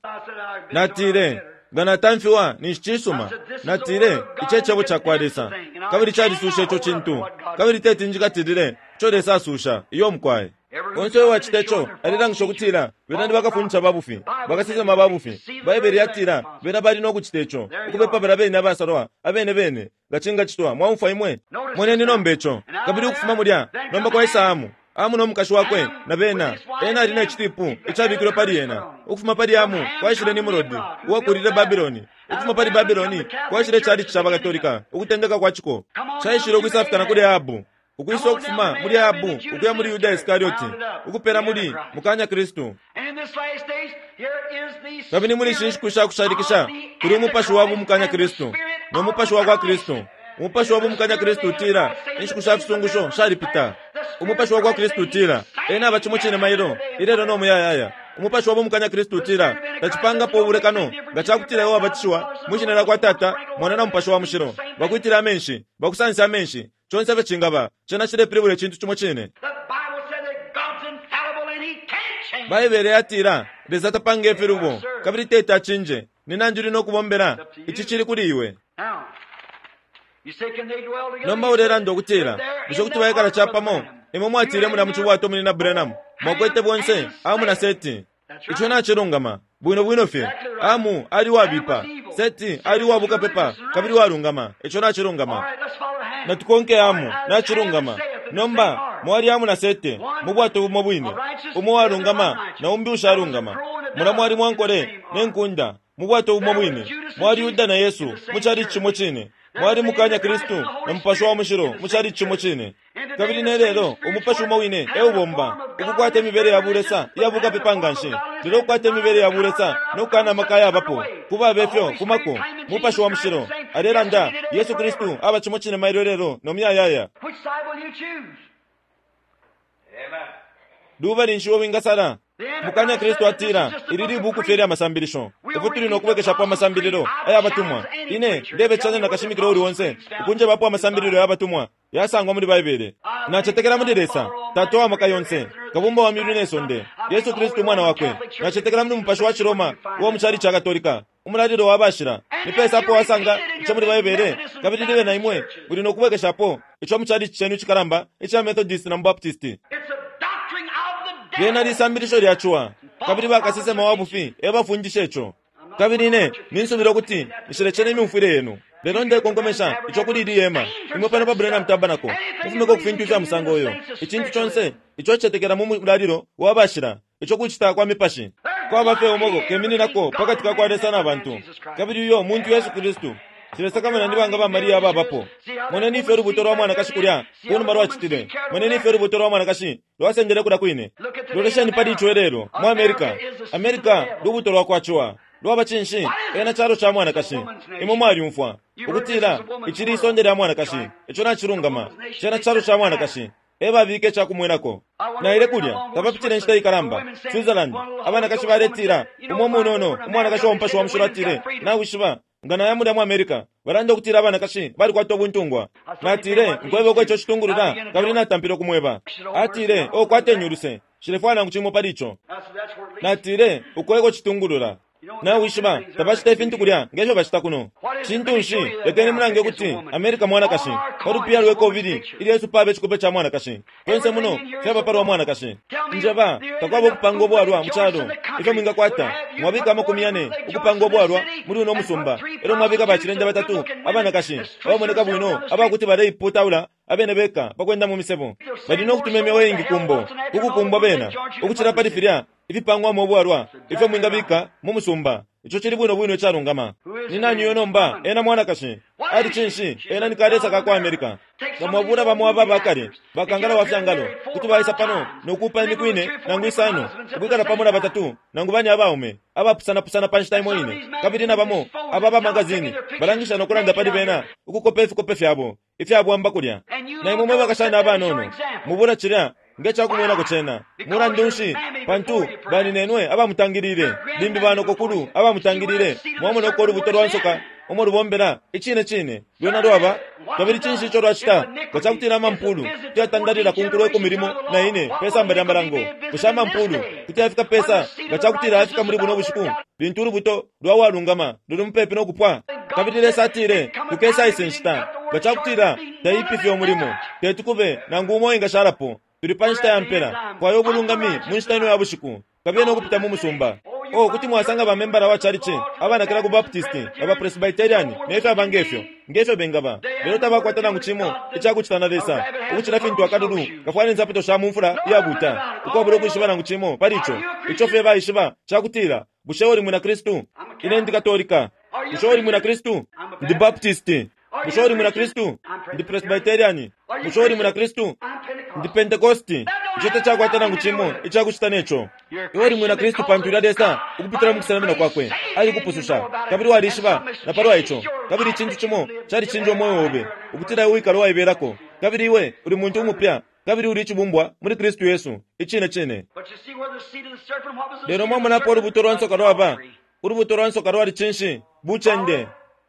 Natile, Nga natamfiwa, ninshi cisuma. Natile, Ici e Cebo cakwa Lesa, kabili calisusha ico cintu. Kabili teti njikatilile ico Lesa asusha. Iyo, mukwai. Onse uyo wacita ico alelangisha ukutila bena ni bakafundisha ba bufi, bakasesema ba bufi. Baibele yatila bena bali no kucita ico, ukubepa balya bene abasalwa abene bene, nga cingacitwa. Mwaumfwa imwe? Moneni nomba ico. Kabili ukufuma mulya, nomba kwaisa Hamu. Hamu no mukashi wakwe, na bena. Ena ali ne citipu icabikilwe pali ena. Ukufuma pali Hamu kwaishile Nimrodi, uwakulile Babiloni. Ukufuma pali Babiloni kwaishile icalici ca baKatolika, ukutendeka kwa ciko. Caishile ukwisafika na kuli Ahabu. Ukwisa ukufuma muli Ahabu ukuya muli Yuda Iskarioti, ukupela muli mukanya Kristu. Kabili muli ishi nshiku sha kushalikisha kuli umupashi wa bumukanya Kristu no mupashi wa kwa Kristu. Umupashi wa bumukanya Kristu utila, Inshiku sha fisungusho shalipita. Umupashi wa kwa Kristu utila, Ena aba cimo cine mailo, ilelo no muyayaya. Umupashi wa bumukanya Kristu utila, Tacipangapo ubulekano nga ca kutila iwe wabatishiwa mwi shina lya kwa Tata, Mwana na Mupashi wa Mushilo, bakwitile amenshi, bakusanse amenshi, conse ifyo cingaba, cena cilepilibula icintu cimo cine. Baibele yatila, Lesa tapanga ifilubo, kabili teti acinje. Ni nandi uli no kubombela? Ici cili kuli iwe. Nomba ulelanda ukutila, Bushe kuti baikala capamo? Imwe mwatile mulya mu cibwato muli na Branham, mwakwete bonse Hamu na Seti. Ico nacilungama, bwino bwino fye. Hamu ali uwabipa, Seti ali uwa bukapepa kabili uwalungama. Ico nacilungama. Natukonke Hamu, nacilungama. Nomba, mwali Hamu na Sete mu bwato bumo bwine, umo uwalungama na umbi ushalungama. Mulya mwali mwankole ne nkunda. Mu bwato bumo bwine mwali Yuda na Yesu mu chalichi cimo cine. Mwali mukanya Kristu na Mupashi wa Mushilo mu chalichi cimo cine. Kabili ne lelo umupashi umo wine e ubomba, ukukwata imibele ya bulesa iya bukapepa nga nshi, lelo ukukwata imibele ya bulesa no kukana amaka ayabapo. Ku babe fyo fumako. Mupashi wa Mushilo alelanda, Yesu Kristu aba cimo cine mailo lelo no muyayaya. Which side will you choose? Lubali nshi uo wingasala? Mukanya Kristu atila, ili libuku fye lya masambilisho. Ifwe tuli no kubwekeshapo amasambililo aya batumwa. Ine ndebecanya na kashimikila uuli onse ukunjebapo amasambililo ya batumwa yasangwa muli Baibele. Nacetekela muli Lesa, Tata wa maka yonse, Kabumba wa myulu ne sonde, Yesu Kristu Umwana wakwe. Nacetekela muli Mupashi wa Ciroma uwa mu calici ca Katolika, umulalilo wa bashila. Ni pesa apo wasanga ico muli Baibele, kabili libe na imwe muli no kubwekeshapo ico mu calici cenu icikalamba ica Methodist na mu Baptist. It's a doctrine of the Lyena devil. lisambilisho lya ciwa, kabili bakasesema wa bufi e bafundisha ico. Kabili ine ninsubila ukuti nshilecena imyumfwile yenu, lelo ndekonkomesha ico kuli ili hema, imwe pano pa Branham Tabernacle, mufumeko ku fintu ifya musango uyo. Icintu conse ico cicetekela mu mulalilo wa bashila, ico kucita kwa mipashi. Kwaba fye umo kemininako pa kati ka kwa Lesa na bantu, kabili uyo muntu Yesu Kristu. Nshilesakamana ni banga ba Mariya ababapo. Moneni ifyo ulubuto lwa mwanakashi kulya ku numa lwacitile. Moneni ifyo ulubuto lwa mwanakashi lwasendele kulya kwine. Lolesheni pali ico ilelo mu America. America lubuto lwa kwa ciwa. Lwaba cinshi? Ena calo ca mwanakashi. Imwe mwalyumfwa ukutila ici lisonde lya mwanakashi. Ico nacilungama. Cena calo ca mwanakashi. E babika ica kumwenako. Naile kulya tapapitile inshita ikalamba. Switzerland, abanakashi baletila umo munono umwanakashi wa Mupashi wa Mushilo atile, nawishiba nga naya mulya mu America balanda ukutila abanakashi balikwata ubuntungwa. Natile, nkwebe uko ico citungulula, kabili natampile ukumweba. Atile, o kwateni uluse, nshilefwaya nangu cimo pali ico. I said, that's where it leads. Natile, uko eko citungulula. Nawishiba, tabacita ifintu kulya nge fyo bacita kuno. Cintu nshi? Lekeni mulange ukuti America mwanakashi. Pa lupiya lwe kobili ilyo Yesu pabe icikope ca mwanakashi. Fyonse muno fyaba palwa mwanakashi. Njeba, takwaba ukupanga ubwalwa mu calo ifyo mwingakwata. Mwabika 40 ukupanga ubwalwa muli uno musumba. Elyo mwabika bacilende batatu abanakashi abamoneka bwino abakuti baleiputaula abene beka pakwenda mu misebo. Bali no kutuma imyeo iingi kumbo, kukukumbwa bena, ukucila pali filya ifipangwamo ubwalwa ifyo mwingabika mu musumba. Ico cili bwino bwino icalungama. Ni nani uyo nomba? Ena mwanakashi. Ali cinshi? Ena ni kalesa ka kwa America. Nga mwabula bamo aba bakale, bakangala wa fyangalo, kuti baisa pano no kuupa imiku ine nangu isano, ukwikala pamo na batatu nangu bane abaume abapusanapusana pa nshita imo ine. Kabili na bamo aba ba magazini balangisha no kulanda pali bena, ukukopa ifikope fyabo ifyabwamba kulya. Na imwe mwe bakashana abanono mubula cilya nge ca kumwenako cena. Mulandu nshi? Pantu baninenwe abamutangilile, limbi banokokulu abamutangilile. Mwamona uko ulubuto lwa nsoka umo lubombela icine cine lwena lwaba. Kabili cinshi ico lwacita? Nga ca kutila amampulu kuti yatandalila ku nkulo 14 pe samba lya malango, bushe amampulu kuti yafika pesa nga ca kutila yafika muli buno bushiku, lintu ulubuto lwa walungama luli mupepi no kupwa? Kabili Lesa atile kukesa ise nshita nga ca kutila taipifye umulimo, teti kube nangu umo engashalapo. Tuli pa nshita ya mpela, fwaya ubulungami mu nshita ino ya bushiku, kabiye no kupita mu musumba. Oh, kuti mwasanga ba membala wa chalichi abanakila ku Baptist, aba Presbyterian, ne fyaba ngefyo, ngefyo bengaba. Lelo tabakwata nangu cimo icakucita na Lesa, ukucila fintu akalulu kafwala insapato sha mu mfula iyabuta, ukwabula ukwishiba nangu cimo pali ico. Ico fye baishiba cakutila, bushe uli mwina Kristu? Ine ndi Katolika. Bushe uli mwina Kristu? Ndi Baptist. Bushe uli mwina Kristu? Ndi Presbyterian. Bushe uli mwina Kristu? Ndi Pentecosti. Ico tacakwata nangu cimo icakucita neco. Iwe uli mwina Kristu pantu ulya Lesa ukupitila mu kusenamina kwakwe alikupususha, kabili walishiba na palwa ico. Kabili icintu cimo calicinja umweo obe, ukutila iwe wikala uwaibelako, kabili iwe uli muntu umupya, kabili uli icibumbwa muli Kristu Yesu. Icine cine. But you see where the seed of the serpent, what was the Lelo seed of the mwamonapo serpent? ulubuto lwa nsoka lwaba. Adultery. Ulubuto lwa nsoka lwali cinshi? Bucende.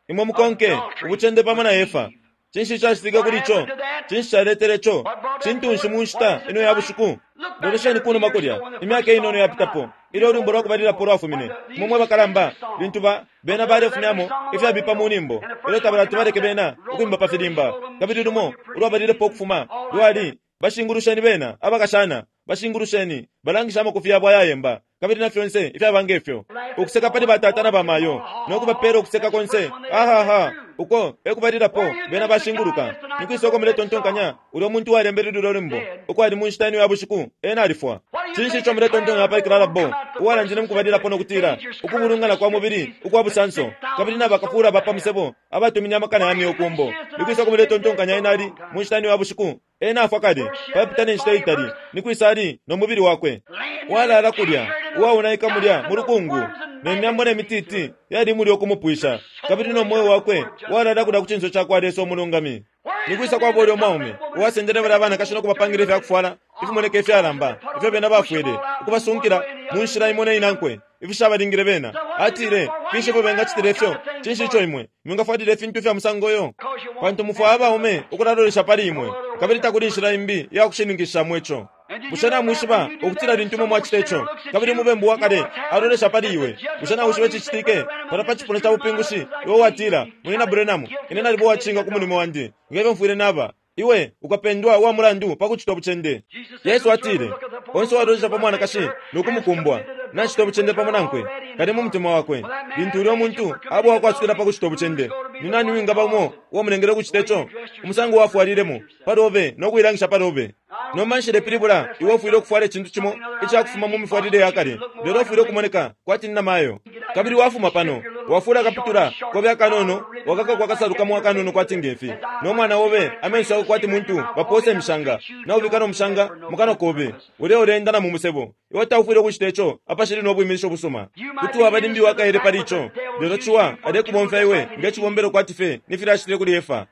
Imwe mukonke ubucende pamo na Efa. Cinshi cacitike kuli ico? Cinshi caletele ico? Cintu nshi mu nshita ino ya bushiku? Lolesheni kunuma kulya, imyaka inono yapitapo, ilyo ulwimbo lwa kubalilapo lwafumine. Imwe mwe bakalamba, lintu ba bena balefumyamo ifyabipa mu nyimbo, ilyo tabalati baleke bena ukwimba pa filimba. Kabili lumo ulwabalilepo ukufuma lwali, bashingulusheni bena abakashana, bashingulusheni, balangisha amakufi yabo ayayemba, kabili na fyonse ifyaba ngefyo. Ukuseka pali batata na bamayo, no kubapela ukuseka konse. Ahaha. Uko ekubalilapo bena bashinguluka. Nikwisa uko muletontonkanya ulyo muntu uwalembele lulyo lwimbo uko ali mu nshita ino ya bushiku? Ena alifwa. Cinshi ico muletontonkanya pali Clara Bow, uwalandile mukubalilapo no kutila, Ukubulungana kwa mubili ukwa busanso, kabili na bakafula ba pa musebo abatumine amakana ya myeo ku mbo? Nikwisa uko muletontonkanya ena ali mu nshita ino ya bushiku? Ena afwa kale, papita ne nshita itali. Nikwisa ali no mubili wakwe? Walala kulya, uwaonaika mulya mu lukungu, ne myambo ne mititi yali mulya ukumupwisha, kabili no mweo wakwe walala kulya ku cinso cakwa Lesa umulungami. Nikwisa kwaba ulyo mwaume uwasendele balya banakashi no kubapangila ifya kufwala ifimoneka ifyalamba ifyo bena bafwele, ukubasunkila mu nshila imo ne inankwe, ifishabalingile bena? Atile, Finshi ifyo bengacitila ifyo? Cinshi ico imwe mwingafwalila ifintu ifya musango yo? Pantu mufwaya abaume ukulalolesha pali imwe, kabili takuli inshila imbi iya kushininkishishamo ico. Bushe namwishiba ukutila lintu imwe mwacita ico, kabili umubembu wa kale alolesha pali iwe, bushe nawishiba icicitike? Palya pa cipuna ca bupingushi, iwe watila, Munyina Branham, ine naliba uwacinga ku mulimo wandi, nge fyo mfwile naba. Iwe ukapendwa uwa mulandu pa kucita ubucende. Yesu atile, Onse uwalolesha pa mwanakashi no kumukumbwa, nacita ubucende pamo nankwe kale mu mutima wakwe. Lintu ulyo muntu aba uwakwasukila pa kucita ubucende, ni nani uwingaba umo uwamulengele ukucite co? Umusango wafwalilemo pa lobe no kuilangisha pa lobe. Nomba nshilepilibula iwe ufwile ukufwala icintu cimo icakufuma mu mifwalile ya kale, lelo ufwile ukumoneka kwati ni namayo. Kabili wafuma pano, wafula akaputula kobe akanono, wakakako akasalu kamo akanono kwati ngefi, no mwana obe amenso yakwe kwati muntu bapoosa imishanga, naubika no mushanga mu kanwa kobe, ulya uleenda na mu musebo. Iwe taufwile ukucita ico apashili no bwiminisho busuma. Kuti waba limbi uwakaele pali ico, lelo Ciwa alekubomfya iwe nge cibombelo kwati fye ni filya acitile kuli Efa.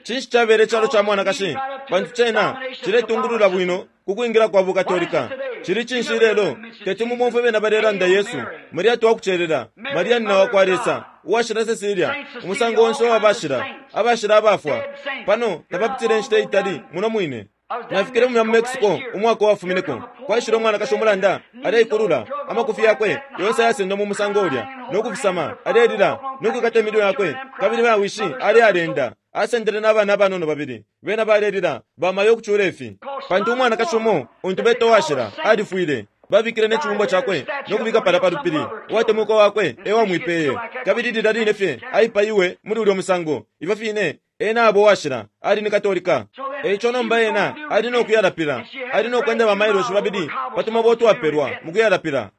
Cinshi cabela icalo ca mwanakashi? Pantu cena ciletungulula bwino ku kwingila kwa buKatolika. Cili cinshi ilelo? Teti mumomfwe bena balelanda Yesu, Maria twakucelela, Maria nina wakwa Lesa, Uwashila Cecilia, umusango onse uwa bashila, abashila abafwa. Pano tapapitile inshita itali muno mwine. Nafikile mulya mu Mexico umwaka uwafumineko. Kwaishile umwanakashi umulanda, aleikulula, amakufi yakwe yonse ayasendwa mu musango ulya, no kufisama, alelila, no kwikata iminwe yakwe, kabili ba wishi alealenda. Asendele na bana abanono babili. Bena balelila, bamayo ukucula ifi. Pantu umwanakashi umo, untu beta uwashila, alifwile. Babikile ne cibumbwa cakwe no kubika palya pa lupili. Uwatemwikwa wakwe e wamwipeye. Kabili lilya line fye aipaiwe muli ulyo musango, ifyo fine ena aba uwashila, ali ni Katolika. E ico nomba ena ali no kuyalapila. Ali no kwenda ba mailoshi babili pa tumabwe utwapelwa mu kuyalapila.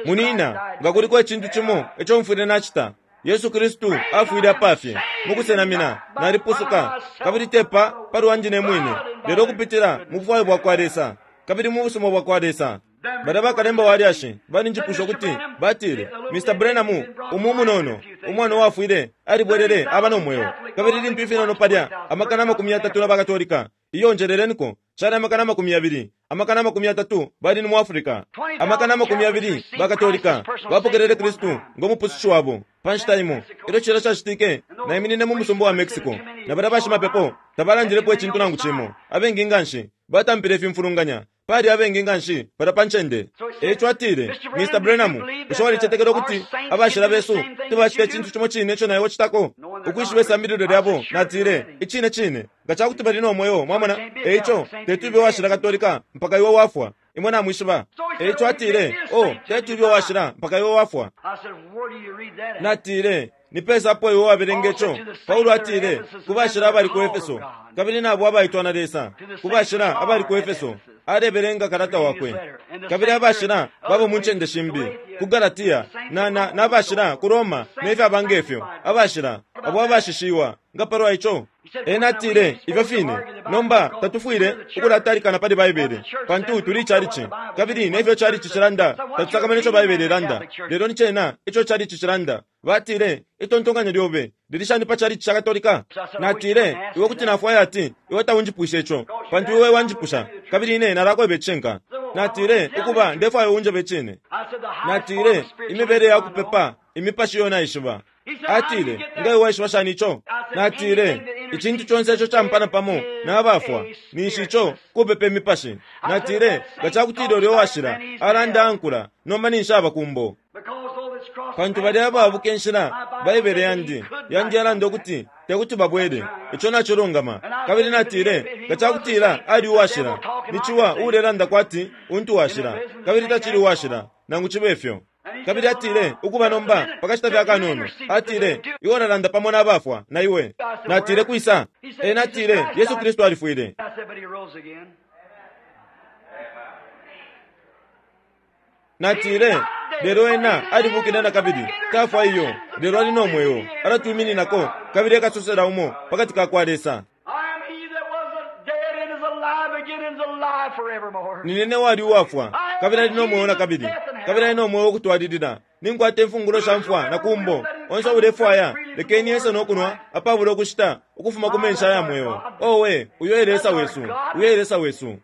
Munina, nga kuliko icintu cimo ico mfwile nacita, Yesu Kristu afwile apafye mukusenamina, nalipusuka, kabili te pa palwandi ne mwine, lelo ukupitila mu bufwayo bwakwa Lesa kabili mu busuma bwakwa Lesa. Balya bakalemba wa lyashi balinjipusha ukuti, batile, Mr. Branham, umu umunono, umwana uwafwile, alibwelele aba no mweo. Kabili lintu ifinono palya, 30,000 na ba Katolika, iyo njeleleniko, cali 20,000, 30,000 bali ni mu Africa. 20,000 ba Katolika bapokelele Kristu ngo Mupusushi wabo pa nshita imo. Ilyo cilya cacitike, naiminine mu musumba wa Mexico, na balya bashimapepo tabalandilepo icintu nangu cimo. Abengi nganshi batampile ifimfulunganya. Pali abengi nganshi palya pa ncende. E ico atile, Mr. Branham, bushe walicetekela ukuti abashila besu kuti bacita icintu cimo cine ico na iwe ucitako? Ukwishiba isambililo lyabo, natile, Icine cine, nga ca kuti bali no mweo, mwamona. E ico, teti ube uwashila Katolika mpaka iwe wafwa. Imwe namwishiba. E ico atile, Oh, teti ube uwashila mpaka iwe wafwa. Natile, Ni pesa apo iwe wabelenga ico? Paulo atile, Ku bashila abali ku Efeso, kabili na abo abaitwa na Lesa. Ku bashila abali ku Efeso, alebelenga kalata wakwe. Kabili abashila baba mu ncende shimbi, ku Galatia, na, na, na bashila ku Roma, ne fyaba nge fyo, abashila, abo abashishiwa. Nga palwa ico? Ena atile, Ifyo fine. Nomba, tatufwile ukulatalikana pali Baibele, pantu tuli chalichi. Kabili ne fyo chalichi cilanda, tatusakamene ico Baibele ilanda, lelo ni cena ico chalichi cilanda. Batile, Itontonkanyo lyobe lili shani pa chalichi ca Katolika? Natile, Iwe kuti nafwaya ati iwe taunjipwishe ico, pantu iwe wanjipusha, kabili ine nalakweba icishinka. Natile, Ukuba, ndefwaya unjebe icine. Natile, Imibele ya kupepa imipashi iyo naishiba. Atile, Nga iwe waishiba shani ico? Natile, Icintu conse ico campana pamo na bafwa, ninshi ico kupepa imipashi. Natile, Nga cakutila ulya uwashila alanda ankula, nomba ninshi aba kumbo. Pantu balya ababuka inshila, Baibele yandi, yandi yalanda ukuti te kuti babwele. Ico nacilungama. Kabili natile, Nga cakutila ali uwashila, ni ciwa uulelanda kwati untu washila, kabili tacili uwashila, nangu cibe fyo. Kabili atile, Ukuba nomba, pakashita fye akanono. Atile, Iwe ulalanda pamo na bafwa, na iwe. Natile, Kwisa? Ena atile, Yesu Kristu alifwile. Natile, Lelo Ena alibukile nakabili. Tafwa iyo, lelo ali no mweo, alatwimininako, kabili ekasosela umo pakati ka kwa Lesa. Nine ne wali uwafwa, kabili ali no mweo nakabili, kabili ali no mweo ukutwalilila. Ninkwata imfungulo sha mfwa na kumbo. Onse ulefwaya, lekeni ese no kunwa apabula ukushita ukufuma ku menshi aya mweo. Owe, uyo e Lesa wesu, uyo e Lesa wesu.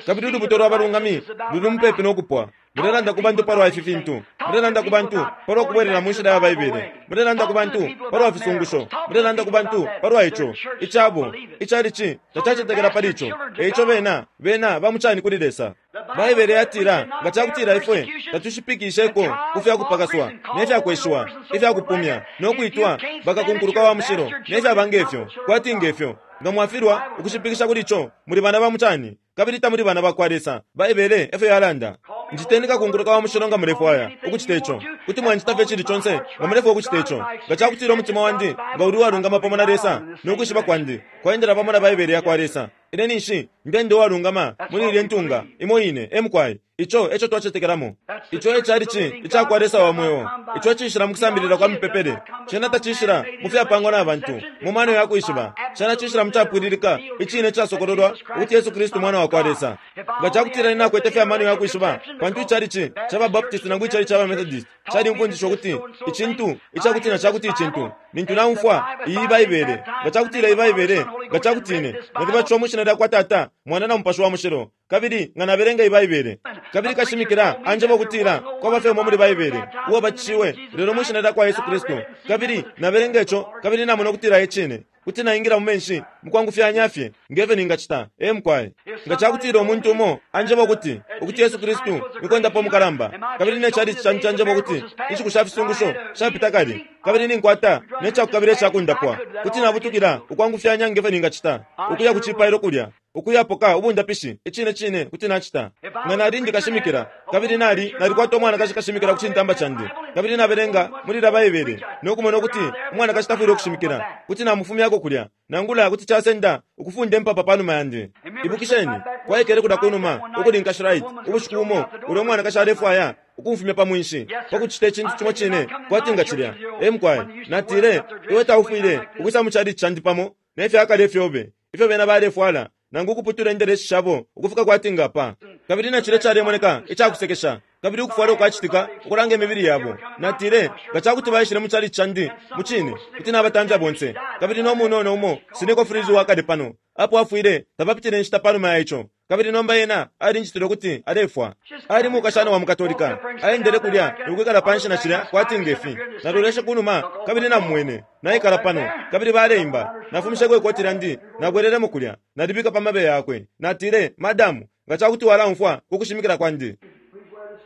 Kabili ulubuto lwa balungami luli mupepi no kupwa. Mulelanda ku bantu palwa ifi fintu. Mulelanda ku bantu palwa kubwelela mu nshila ya Baibele. Mulelanda ku bantu palwa fisungusho. Mulelanda ku bantu palwa ico. Icabo, icalici tacacetekela pali ico. E ico bena, bena ba mucani kuli Lesa. Baibele yatila, nga ca kutila ifwe tatushipikisheko ku fya kupakaswa ne fya kweshiwa, ifya kupumya, no kwitwa bakakunkuluka wa mushilo, ne fyaba nge fyo, kwati nge fyo, nga mwafilwa ukushipikisha kuli co, muli bana ba mucani, kabili tamuli bana ba kwa Lesa. Baibele e fyo yalanda. Njiteni kakunkuluka wa mushilo nga mulefwaya ukucita ico. Kuti mwanjita fye icili conse nga mulefwaya ukucita ico. Nga ca kutila umutima wandi nga uli uwalungama pamo na Lesa, no kwishiba kwandi kwaendela pamo na Baibele ya kwa Lesa, ine ninshi ndenda uwalungama muli ilye ntunga imo ine. E mukwai, ico e co twacetekelamo. Ico e calici ica kwa Lesa wa mweo. Ico ciishila mu kusambilila kwa mipepele. Cena taciishila mu fyapangwa na bantu, mu mano ya kwishiba. Cena ciishila mu capwililika, icine icasokololwa, ukuti Yesu Kristu Mwana wa kwa Lesa. Nga ca kutila ine nakwete fye amano ya kwishiba, pantu icalici ca ba Baptist nangu icalici ca ba Methodist calimfundisha ukuti icintu icakuti na cakuti icintu, lintu naumfwa iyi Baibele, nga ca kutila iyi Baibele, nga ca kuti ine nalibatishiwa mwi shina lya kwa Tata, Mwana na Mupashi wa Mushilo, kabili nga nabelenga iyi Baibele, kabili kashimikila anjeba ukutila kwaba fye umo muli Baibele uwabatishiwe lelo mwi shina lya kwa Yesu Kristu, kabili nabelenga ico kabili namona ukutila e cine, kuti naingila mu menshi mukwangufyanya fye nge fyo ningacita. Ee, mukwai. Nga ca kutila umuntu umo anjeba ukuti, ukuti Yesu Kristu ni kondapa umukalamba, kabili ne chalichi candi canjeba ukuti inshiku sha fisungusho shapita kale, kabili ninkwata ne cakukabila ica kundapwa, kuti nabutukila ukwangufyanya nge fyo ningacita, ukuya ku cipailo kulya, ukuyapoka ubundapishi. Icine cine kuti nacita. Nga nali ndi kashimikila, kabili nali, nalikwata umwanakashi kashimikila ku cintamba candi, kabili nabelenga muli ilya Baibele no kumona ukuti umwanakashi tafwile ukushimikila, kuti namufumyako kulya, nangula kuti casenda ukufunda impapa panuma yandi. Ibukisheni, kwaikele kulya kunuma ukuli Nkashi Wright, ubushiku bumo, ulya umwanakashi alefwaya ukumfumya pa mwinshi, pa kucita icintu cimo cine kwati nga cilya. Ee, mukwai. Natile, Iwe taufwile ukwisa mu chalichi candi pamo ne fya kale ifyobe ifyo bena balefwala, nangu ukuputula indelesi shabo ukufika kwati nga pa. Kabili na cilya calemoneka ica kusekesha, kabili ukufwala ukwacitika ukulanga imibili yabo. Natile, Nga ca kuti baishile mu chalichi candi, mucine, kuti nabatamfya bonse. Kabili no munono umo Sineko Freeze uwa kale pano, apo afwile tapapitile inshita panuma ya ico. Kabili nomba ena alinjitile ukuti alefwa. Ali mukashana wa mu Katolika. Aendele kulya no kwikala panshi na cilya kwati nge fi. Naloleshe kunuma kabili namumwene naikala pano, kabili baleimba. Nafumisheko ikoti lyandi, nabwelelemo kulya, nalibika pa mabeya yakwe. Natile, Madamu, nga ca kuti walaumfwa ku kushimikila kwandi,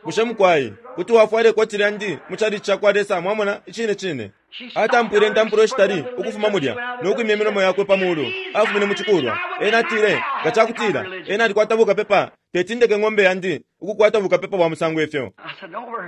bushe mukwai kuti wafwala ikoti lyandi mu chalichi ca kwa Lesa? Mwamona? Icine cine. Atampwile intampulo ishitali ukufuma mulya no kwimya imilomo yakwe pa mulu, afumine mu cikulwa. Ena atile, Nga cakutila ena alikwata bukapepa, teti ndeke ng'ombe yandi ukukwata bukapepa bwa musango ifyo.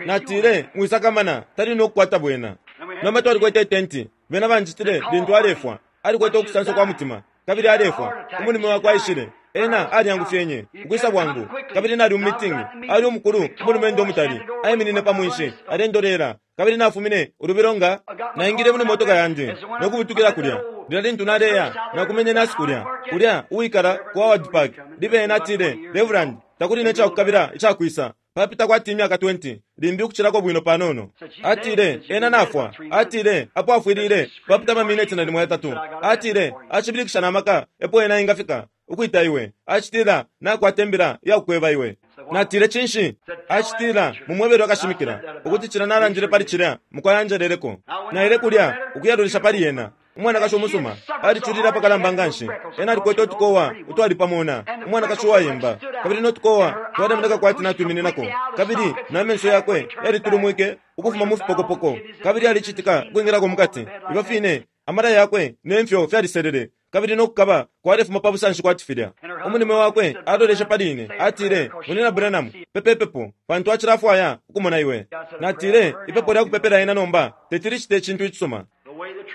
Natile, Mwisakamana, tali no kukwata bwena. Nomba twalikwete itenti. Bena banjitile lintu alefwa. Alikwete ukusansa kwa mutima, kabili alefwa. Umulume wakwe aishile. Ena alyangufyenye ukwisa bwangu, kabili nali mu mitingi. Ali umukulu, umulumendo umutali, aiminine pa mwinshi, alendolela. Kabili nafumine ulubilo nga naingile muli motoka yandi no kubutukila kulya. Lilya lintu naleya, nakumenye nasi kulya, kulya uwikala ku Howard Park. Libe ena atile, Reverend, takuli ne cakukabila icakwisa. Papita kwati imyaka 20, limbi ukucilako bwino panono. Atile, Ena nafwa. Atile, Apo afwilile, papita amamineti nalimo yatatu. Atile, Acibilikisha na maka epo ena engafika, ukwita iwe. Acitila, Nakwata imbila iya kukweba iwe. Natile, Cinshi? Acitila, Mumwebele wakashimikila, ukuti cilya nalandile pali cilya, mukwai anjeleleko. Naile kulya, ukuyalolesha pali ena. Umwanakashi umusuma, aliculile apakalamba nganshi. Ena alikwete utukowa utwali pa mona, umwanakashi uwayemba, kabili no tukowa twalemoneka kwati natwimininako, kabili na menso yakwe yalitulumwike ukufuma mu fipokopoko, kabili alicitika ukwingilako mukati. Ifyo fine, amala yakwe ne mfyo fyaliselele. Kabili no kukaba kwalefuma pa busanshi kwati filya. Umulume wakwe aloleshe pali ine, atile, Munyina Branham, pepe pepo, pantu acilafwaya ukumona iwe. Natile, Ipepo lya kupepela ena nomba teti licite icintu icisuma.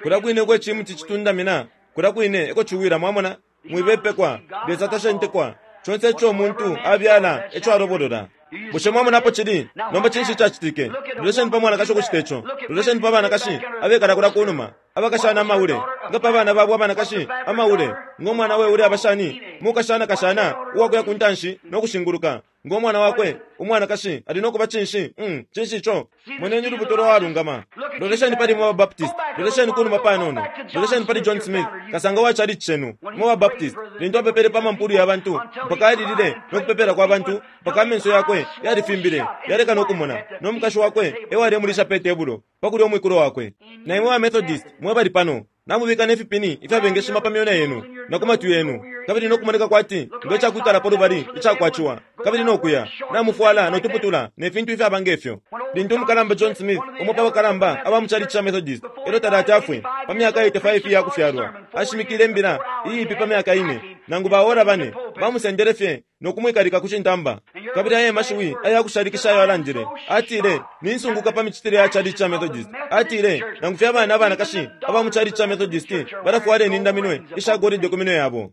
Kulya kwine uko icimuti citundamina, kulya kwine eko ciwila, mwamona. Mwibepekwa, Lesa tashentekwa. Conse ico umuntu abyala, eco alobolola. Bushe mwamona apo cili? Nomba cinshi icacitike? Lolesheni pa mwanakashi ukucita ico. Lolesheni pa banakashi abekala kulya kunuma, abakashana amaule. Nga pa bana babo abanakashi, amaule. Ngo mwana we ule abashani, mukashana kashana uwakuya ku ntanshi no kushinguluka. Ngo mwana wakwe umwanakashi ali no kuba cinshi? Cinshi ico? Moneni ulubuto lwa walungama. Lolesheni pali imwe ba Baptist. Lolesheni kunuma panono. Lolesheni pali John Smith, kasanga wa chalichi cenu, imwe ba Baptist, lintu apepele pa mampulu ya bantu, mpaka alilile no kupepela kwa bantu, mpaka amenso yakwe yalifimbile, yaleka no kumona, no mukashi wakwe e walemulisha pe tebulo, pa kulya umwikulo wakwe. Na imwe ba Methodist, mwe bali pano, namubika ne fipini ifyabengeshima pa myona yenu na ku matwi yenu, kabili no kumoneka kwati nge cakwikalapo lubali icakwaciwa, kabili no kuya namufwala no tuputula ne fintu ifyaba nge fyo. Lintu umukalamba John Smith, umo pa bakalamba aba mu chalichi ca Methodist, elyo talati afwe pa myaka 85 iya kufyalwa, ashimikile imbila iipi pa myaka ine nangu baora bane, bamusendele fye no kumwikalika ku cintamba. Kabili aya mashiwi aya kushalikisha ayo alandile, atile, Ninsunguka pa micitile ya chalichi ca Methodist. Atile, Nangu fye abana abanakashi aba mu chalichi ca Methodist balafwala inindaminwe isha golide ku minwe yabo.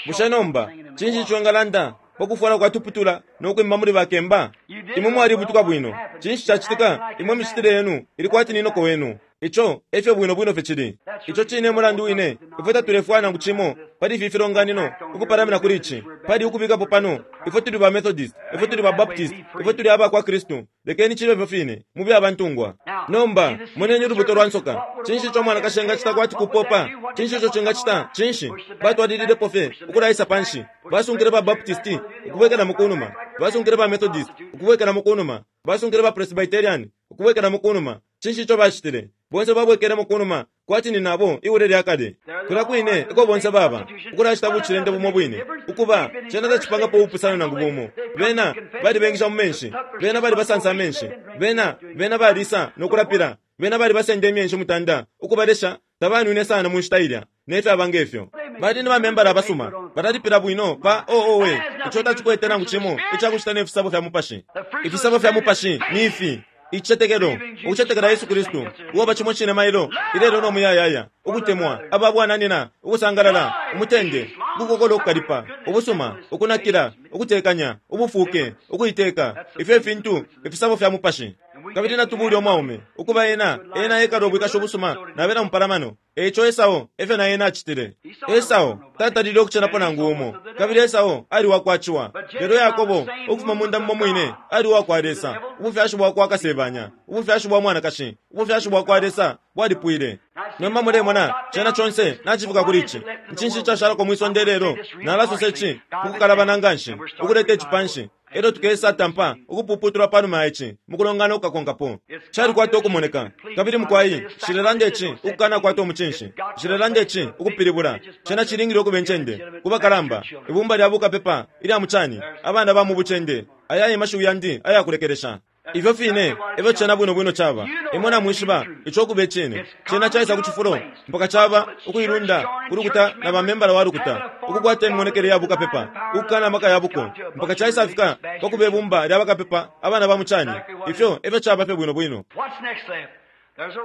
Bushe nomba cinshi ico engalanda pa kufwala kwa tuputula no kwimba muli bakemba? Imwe mwalibutuka bwino. Cinshi cacitika? Imwe imicitile yenu ili kwati ni noko wenu. Ico e fyo bwino bwino fye cili. Ico cine e mulandu wine ifwe tatulefwaya nangu cimo pali ifi filonganino ukupalamina kuli ici. Pali ukubikapo pano, ifwe tuli ba Methodist, ifwe tuli ba Baptist, ifwe tuli aba kwa Kristu. Lekeni cibe ifyo fine, mube abantungwa. Nomba, moneni ulubuto lwa nsoka. Cinshi ico umwanakashi engacita kwati kupopa? Cinshi ico cingacita? Cinshi? Batwalililepo fye ukulaisa panshi. Basunkile ba Baptist ukubwekelamo kunuma. Basunkile ba Methodist ukubwekelamo kunuma. Basunkile ba Presbyterian ukubwekelamo kunuma. Cinshi ico bacitile? Bonse babwekelemo kunuma, kwati ni nabo iule lya kale. Kulya kwine eko bonse baba, ukulacita bucilende bumo bwine. Ukuba, cena tacipangapo ubupusano nangu bumo. Bena balibengisha mu menshi. Bena balibasansa amenshi. Bena, bena balisa no kulapila. Bena balibasenda imyeshi mutanda, ukubalesha, tabanwine sana mu nshita ilya, ne fyaba nge fyo. Bali ni bamembala abasuma. Balalipila bwino pa, oh, owe, ico tacikwete nangu cimo icakucita ne fisabo fya Mupashi. Ifisabo fya Mupashi ni ifi. Icicetekelo, ukucetekela Yesu Kristu, uwaba cimo cine mailo, ilelo no muyayaya, ukutemwa aba bwananyina, ukusangalala, umutende, ukukokola ukukalipa, ubusuma, ukunakila, ukutekanya, ubufuuke, ukuiteka. Ifyo fintu ifisabo fya Mupashi. Kabili natubule umwaume, ukuba ena, ena ekala ubwikashi ubusuma na bena mupalamano. E ico Esau efyo na ena acitile. Esau tatalile ukucenapo nangu umo, kabili Esau ali wa kwa Ciwa. Lelo Yakobo, ukufuma munda mumo mwine, ali uwa kwa Lesa, ubufyashi bwa kwa Kasebanya, ubufyashi bwa mwanakashi, ubufyashi bwa kwa Lesa bwalipwile. Nomba mulemona, cena conse nacifika kuli ici. Cinshi icashalako mwi sonde ilelo? Nalasosa ici mukukalabana nganshi, ukuleta ici panshi. Elyo tukesa tampa ukupuputulwa panuma ya ici mukulongana ukukakonkapo. Calikwata ukumoneka. Kabili mukwai, nshilelanda ici ukukanakwata umucinshi. Nshilelanda ici ukupilibula. Cena cilingile ukuba incende, ku bakalamba, ibumba lya bukapepa ilya mucani, abana ba mu bucende. Aya e mashiwi yandi aya kulekelesha. Ifyo fine efyo cena bwino bwino caba. Imwe namwishiba ico ukuba icine. Cena caisa ku cifulo mpaka caba ukuilunda ku lukuta na ba membala wa lukuta, ukukwata imimonekele ya bukapepa, ukukana amaka ya buko, mpaka caisafika pa kuba ibumba lya bakapepa, abana ba mucani. Ifyo efyo caba fye bwino bwino.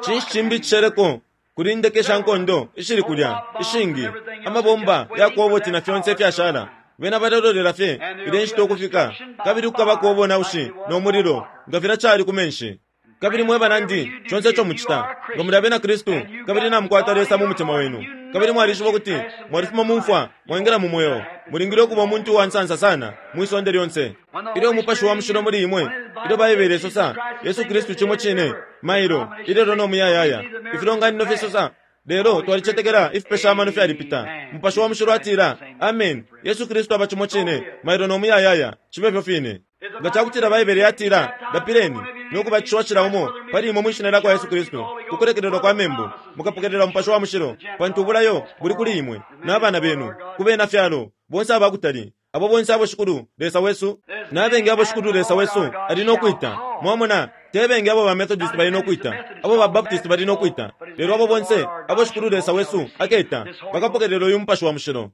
Cinshi cimbi icisheleko? Kuli indeke sha nkondo ishili kulya, ishingi, amabomba ya koboti na fyonse ifyashala. Bena balelolela fye ilya inshita ukufika, kabili kukabako ubonaushi no mulilo, nga filya cali ku menshi. Kabili mwe banandi, conse ico mucita, nga muli abena Kristu, kabili namukwata Lesa mu mutima wenu, kabili mwalishiba ukuti mwalifuma mu mfwa mwaingila mu mweo, mulingile ukuba umuntu uwa nsansa sana mwi sonde lyonse. Ilyo Umupashi wa Mushilo muli imwe, ilyo Baibele isosa, Yesu Kristu cimo cine, mailo, ilelo no muyayaya. Ifilonganino fisosa, Lelo twalicetekela ifipesha amano fyalipita. Mupashi wa Mushilo atila, Ameni, Yesu Kristu aba cimo cine, mailo no muyayaya. Cibe fyo fine. Nga ca kutila Baibele yatila, Lapileni, no kubatishiwa cila umo pali imwe mwi Shina lya kwa Yesu Kristu, ku kulekelelwa kwa membu, mukapokelela Mupashi wa Mushilo, pantu ubulayo buli kuli imwe, na bana benu, ku bena fyalo, bonse aba kutali, abo bonse abo Shikulu Lesa wesu, na bengi abo Shikulu Lesa wesu ali no kwita. Mwamona? Te bengi abo ba Methodist bali no kwita, abo ba Baptist bali no kwita, lelo abo bonse abo Shikulu Lesa wesu aketa bakapokelela uyu Mupashi wa Mushilo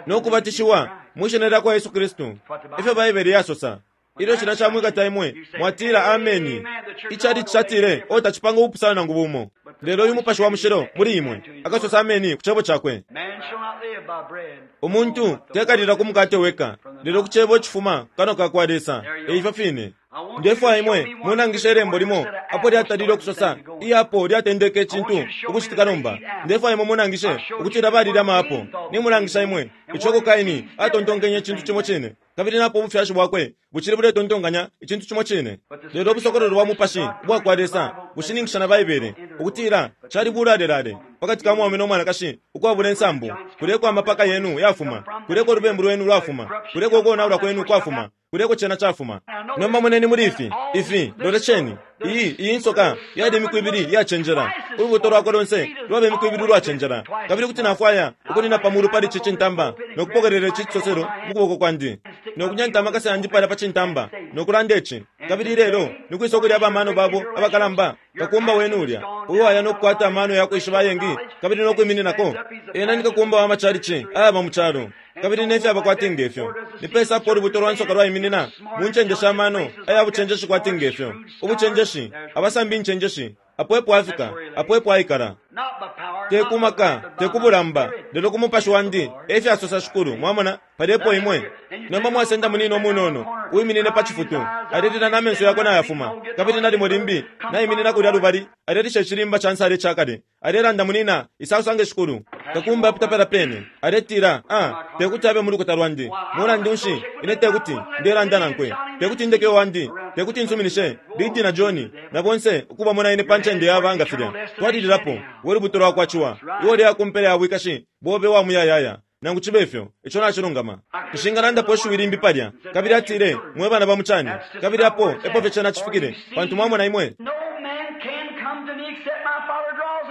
no kubatishiwa mwi Shina lyakwa Yesu Kristu. Efyo Baibele yasosa. Ilyo cilya camwikata imwe, mwatila, Ameni. Ichalichi catile, Oh, tacipanga ubupusano nangu bumo. Lelo uyu Mupashi wa Mushilo muli imwe akasosa ameni ku Cebo Cakwe. Umuntu tekalila ku mukate weka, lelo ku Cebo icifuma ku kanwa ka kwa Lesa. E ifyo fine. Ndefwaya imwe munangishe Ilembo limo apo lyatalile ukusosa iapo lyatendeke icintu ukucitika nomba. Ndefwaya imwe munangishe ukutila balile ama apo. Nimulangisha imwe ico uko Kaini atontonkenye icintu cimo cine, kabili napo ubufyashi bwakwe bucili buletontonkanya icintu cimo cine. Lelo ubusokololo bwa mupashi ubwa kwa Lesa bushininkisha na Baibele ukutila cali bulalelale pakati ka mwaume no mwanakashi ukwabula insambu. Kulya eko amapaka yenu yafuma, kulya eko ulubembu lwenu lwafuma, kulya eko ukonaulwa kwenu kwafuma, kulya eko cena cafuma. Nomba moneni muli ifi, ifi, lolesheni, iyi, iyi nsoka yali imiku ibili iyacenjela. Ulubuto lwakwe lonse lwaba imiku ibili ulwacenjela. Kabili kuti nafwaya ukunina pa mulu pali ici cintamba no kupokelela ici cisoselo mu kuboko kwandi, no kunyanta amakasa yandi palya pa cintamba, no kulanda ici. Kabili ilelo ni kwisa ukuli aba mano babo abakalamba, kakumba wenu ulya uwaya no kukwata amano ya kwishiba ayengi kabili no kwimininako? Ena ni kakumba wa macalici ayaba mu calo, kabili ne fyaba kwati nge fyo. Ni pesa apo ulubuto lwa nsoka lwaiminina? Mu ncende sha mano aya bucenjeshi kwati nge fyo. Ubucenjeshi, abasambi incenjeshi, apo epo afika, apo epo aikala. Te ku maka, te ku bulamba, lelo ku Mupashi Wandi, efya sosa Shikulu. Mwamona? Palya epo imwe. Nomba mwasenda munina umunono, uwiminine pa cifutu, alelila na menso yakwe nayafuma, kabili nalimo limbi naiminina kulya lubali, alelisha icilimba ca nsale ica kale, alelanda, Munina, isa usange Shikulu. Kakumba apita palya pene, aletila, Ah, tekuti abe mu lukuta lwandi. Mulandu nshi, ine tekuti, ndelanda nankwe. Tekuti ndeke uwandi. Tekuti nsuminishe Liddy na Johnny, na bonse, ukubamona ine pa ncende yaba nga filya. Twalililapo, we lubuto lwakwa ciwa. Iwe uleya ku mpela ya bwikashi bobe wa muyayaya, nangu cibe fyo. Ico nacilungama. Nshingalandapo ishiwi limbi palya. Kabili atile, Mwe bana ba mucani. Kabili apo epo fye cena cifikile, pantu mwamona imwe.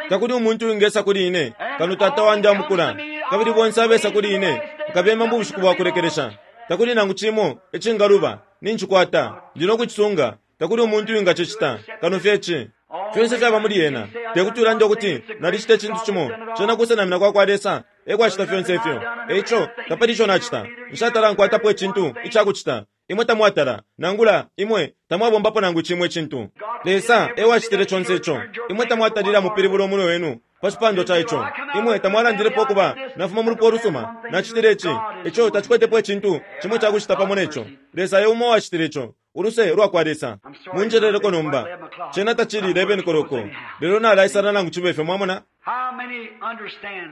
Takuli umuntu uwingesa kuli ine, kano Tata wandi amukula. Kabili bonse abesa kuli ine, nkabema mu bushiku bwa kulekelesha. Takuli nangu cimo icingaluba, nincikwata, ndi no kucisunga. Takuli umuntu uwingacicita, kano fye ici. Fyonse fyaba muli Ena. Te kuti ulande ukuti, Nalicita icintu cimo. Cena kusenamina kwa kwa Lesa e kwacita fyonse ifyo. E ico, tapali ico nacita. Nshatala nkwatapo icintu ica kucita. Imwe tamwatala, nangula, imwe tamwabombapo nangu cimo icintu. Lesa e wacitile conse ico. Imwe tamwatalile amupilibula umunwe wenu pa cipandwa ca ico. Imwe tamwalandilepo ukuba, Nafuma mu lupwa ulusuma. Nacitile ici. Ico tacikwetepo icintu cimo ica kucita pamo ne co. Lesa e umo uwacitile ico. Uluse lwa kwa Lesa. Munjeleleko nomba. Cena tacili 11 koloko, lelo nalaisala nangu cibe fyo, mwamona.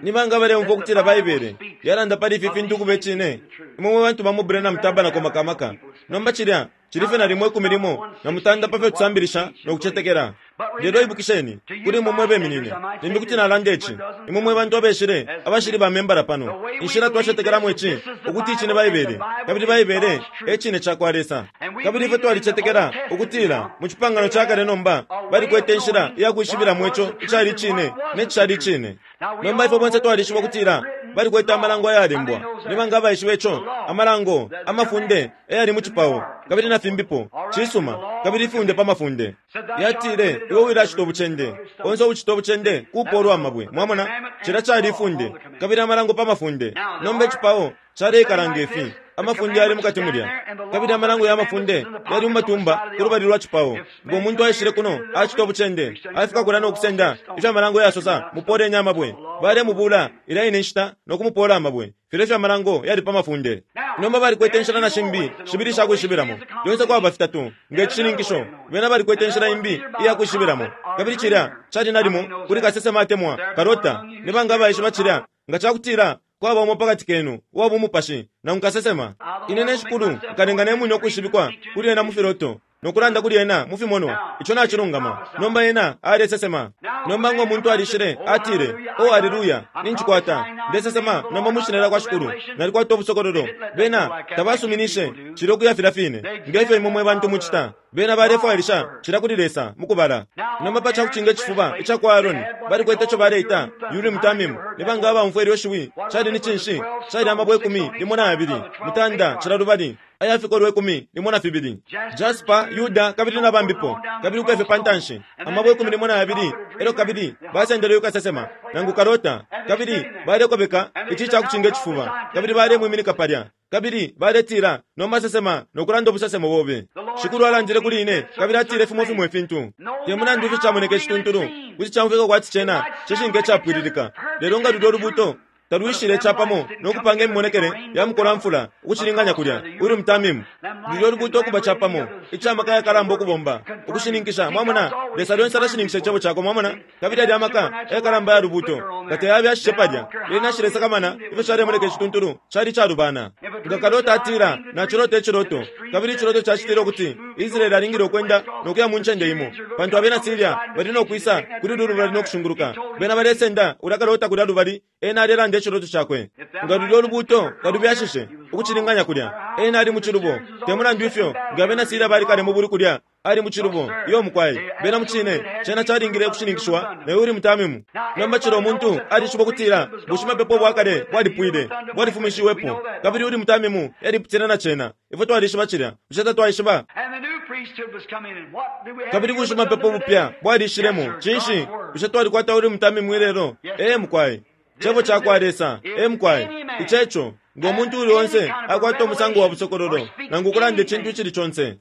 Ni banga abaleumfwa ukutila Baibele yalanda pali ifi fintu ukuba icine? Imwe mwe bantu ba mu Branham Tabernacle maka maka. Nomba cilya cili fye nalimo ikumi limo na mutanda pa fyo tusambilisha no kucetekela. Lelo ibukisheni, kuli imwe mwe beminine, limbi kuti nalanda ici, imwe mwe bantu abeshile abashili ba membala pano, inshila twacetekelamo ici, ukuti ici ni Baibele, kabili Baibele e Cine cakwa Lesa. Kabili ifwe twalicetekela ukutila mu Cipangano ca Kale nomba balikwete inshila iya kwishibilamo ico icali Icine ne cishali Icine. Nomba ifwe bonse twalishiba ukutila balikwete amalango ayalembwa. Ni banga abaishiba ico? Amalango, amafunde eyali mu cipao, kabili na fimbipo. Cisuma. Kabili ifunde pa mafunde. Yatile, Iwe wilacita ubucende. Onse uucita ubucende kupoolwa amabwe. Mwamona? Cilya cali ifunde, kabili amalango pa mafunde. Nomba icipao caleikala nge fi, amafunde yali mukati mulya, kabili amalango ya mafunde yali mu matumba ku lubali lwa cipao. Ngo muntu aishile kuno acita ubucende, afika kulya no kusenda ifyo amalango yasosa, mupooleni amabwe. Balemubula ilya ine nshita no kumupoola amabwe. Filya efyo amalango yali pa mafunde. Nomba balikwete inshila na shimbi shibili isha kwishibilamo. Lyonse kwaba fitatu, nge cishininkisho. Bena balikwete inshila imbi iya kwishibilamo. Kabili cilya cali nalimo kuli kasesema atemwa kalota. Ni banga abaishiba cilya? Nga cakutila kwaba umo pakati kenu uwa bumupashi nangu kasesema, ine ne Shikulu nkalenga ne mwine ukwishibikwa kuli ena mu filoto, no kulanda kuli ena mu fimonwa. Ico nacilungama. Nomba ena alesesema. Nomba ngo muntu alishile, atile, Oh, aleluya, nincikwata. Ndesesema nomba mwi Shina lyakwa Shikulu. Nalikwata ubusokololo. Bena tabasuminishe cilya ukuya filya fine nge fyo imwe mwe bantu mucita. Bena balefwailisha cilya kuli Lesa, mukubala. Nomba pa cakucinga icifuba icakwa Aarone, balikwete ico baleita Urim Tamim. Ni banga abaumfwa ilyo shiwi? Cali ni cinshi? Cali amabwe ikumi limo na yabili, mutanda cila lubali. aya fikolwe 12. Jasper, Yuda, kabili na bambipo, kabili ukuya fye pantanshi, amabwe 12, elyo kabili basendele uyu kasesema, nangu kalota, kabili balekobeka ici cakucinga icifuba, kabili balemwiminika palya. Kabili baletila, Nomba sesema no kulanda ubusesemo bobe. Shikulu alandile kuli ine, kabili atile fimo fimo ifintu. Te mulandu ifyo camoneka icituntulu, kuti caumfwika kwati cena cishinka icapwililika. Lelo nga lulyo lubuto talwishile capamo no kupanga imimonekele ya mukolamfula ukucilinganya kulya Urim Tamim, lulyo lubuto ukuba capamo ica maka yakalamba ukubomba ukushininkisha. Mwamona, Lesa lyonse alashininkisha Icebo Cakwe, mwamona, kabili yalya maka yakalamba ya lubuto nga tayabyashishe palya, lyena nshilesakamana ifyo calemoneka icituntulu, cali icalubana. Nga kalota atila, Nacilota iciloto, kabili iciloto cacitile ukuti Israele alingile ukwenda no kuya mu ncende imo, pantu abena Siria bali no kwisa kuli ulu lubali no kushunguluka. Bena balesenda ulya kalota kulya lubali, ena alelanda iciloto cakwe. Nga lulyo lubuuto talubyashishe ukucilinganya kulya, ena ali mucilubo. Te mulandu ifyo, nga abena Siria bali kale mu bulwi kulya, ali mucilubo. Iyo, mukwai. Bena mucine, cena calingile ukushininkishiwa na Urim Tamim. Nomba cila umuntu alishiba ukutila bushimapepo ubwa kale bwalipwile, bwalifumishiwepo, kabili Urim Tamim yalipusene na cena. Ifwe twalishiba cilya, bushe tatwaishiba? Kabili bushimapepo bupya bwalishilemo. Cinshi? Bushe twalikwata Urim Tamim ilelo? Ee, mukwai. Cebo cakwa Lesa. Ee, mukwai. Ici eco. Ngo muntu uuli onse akwata umusango wa busokololo, nangu ukulanda icintu icili conse,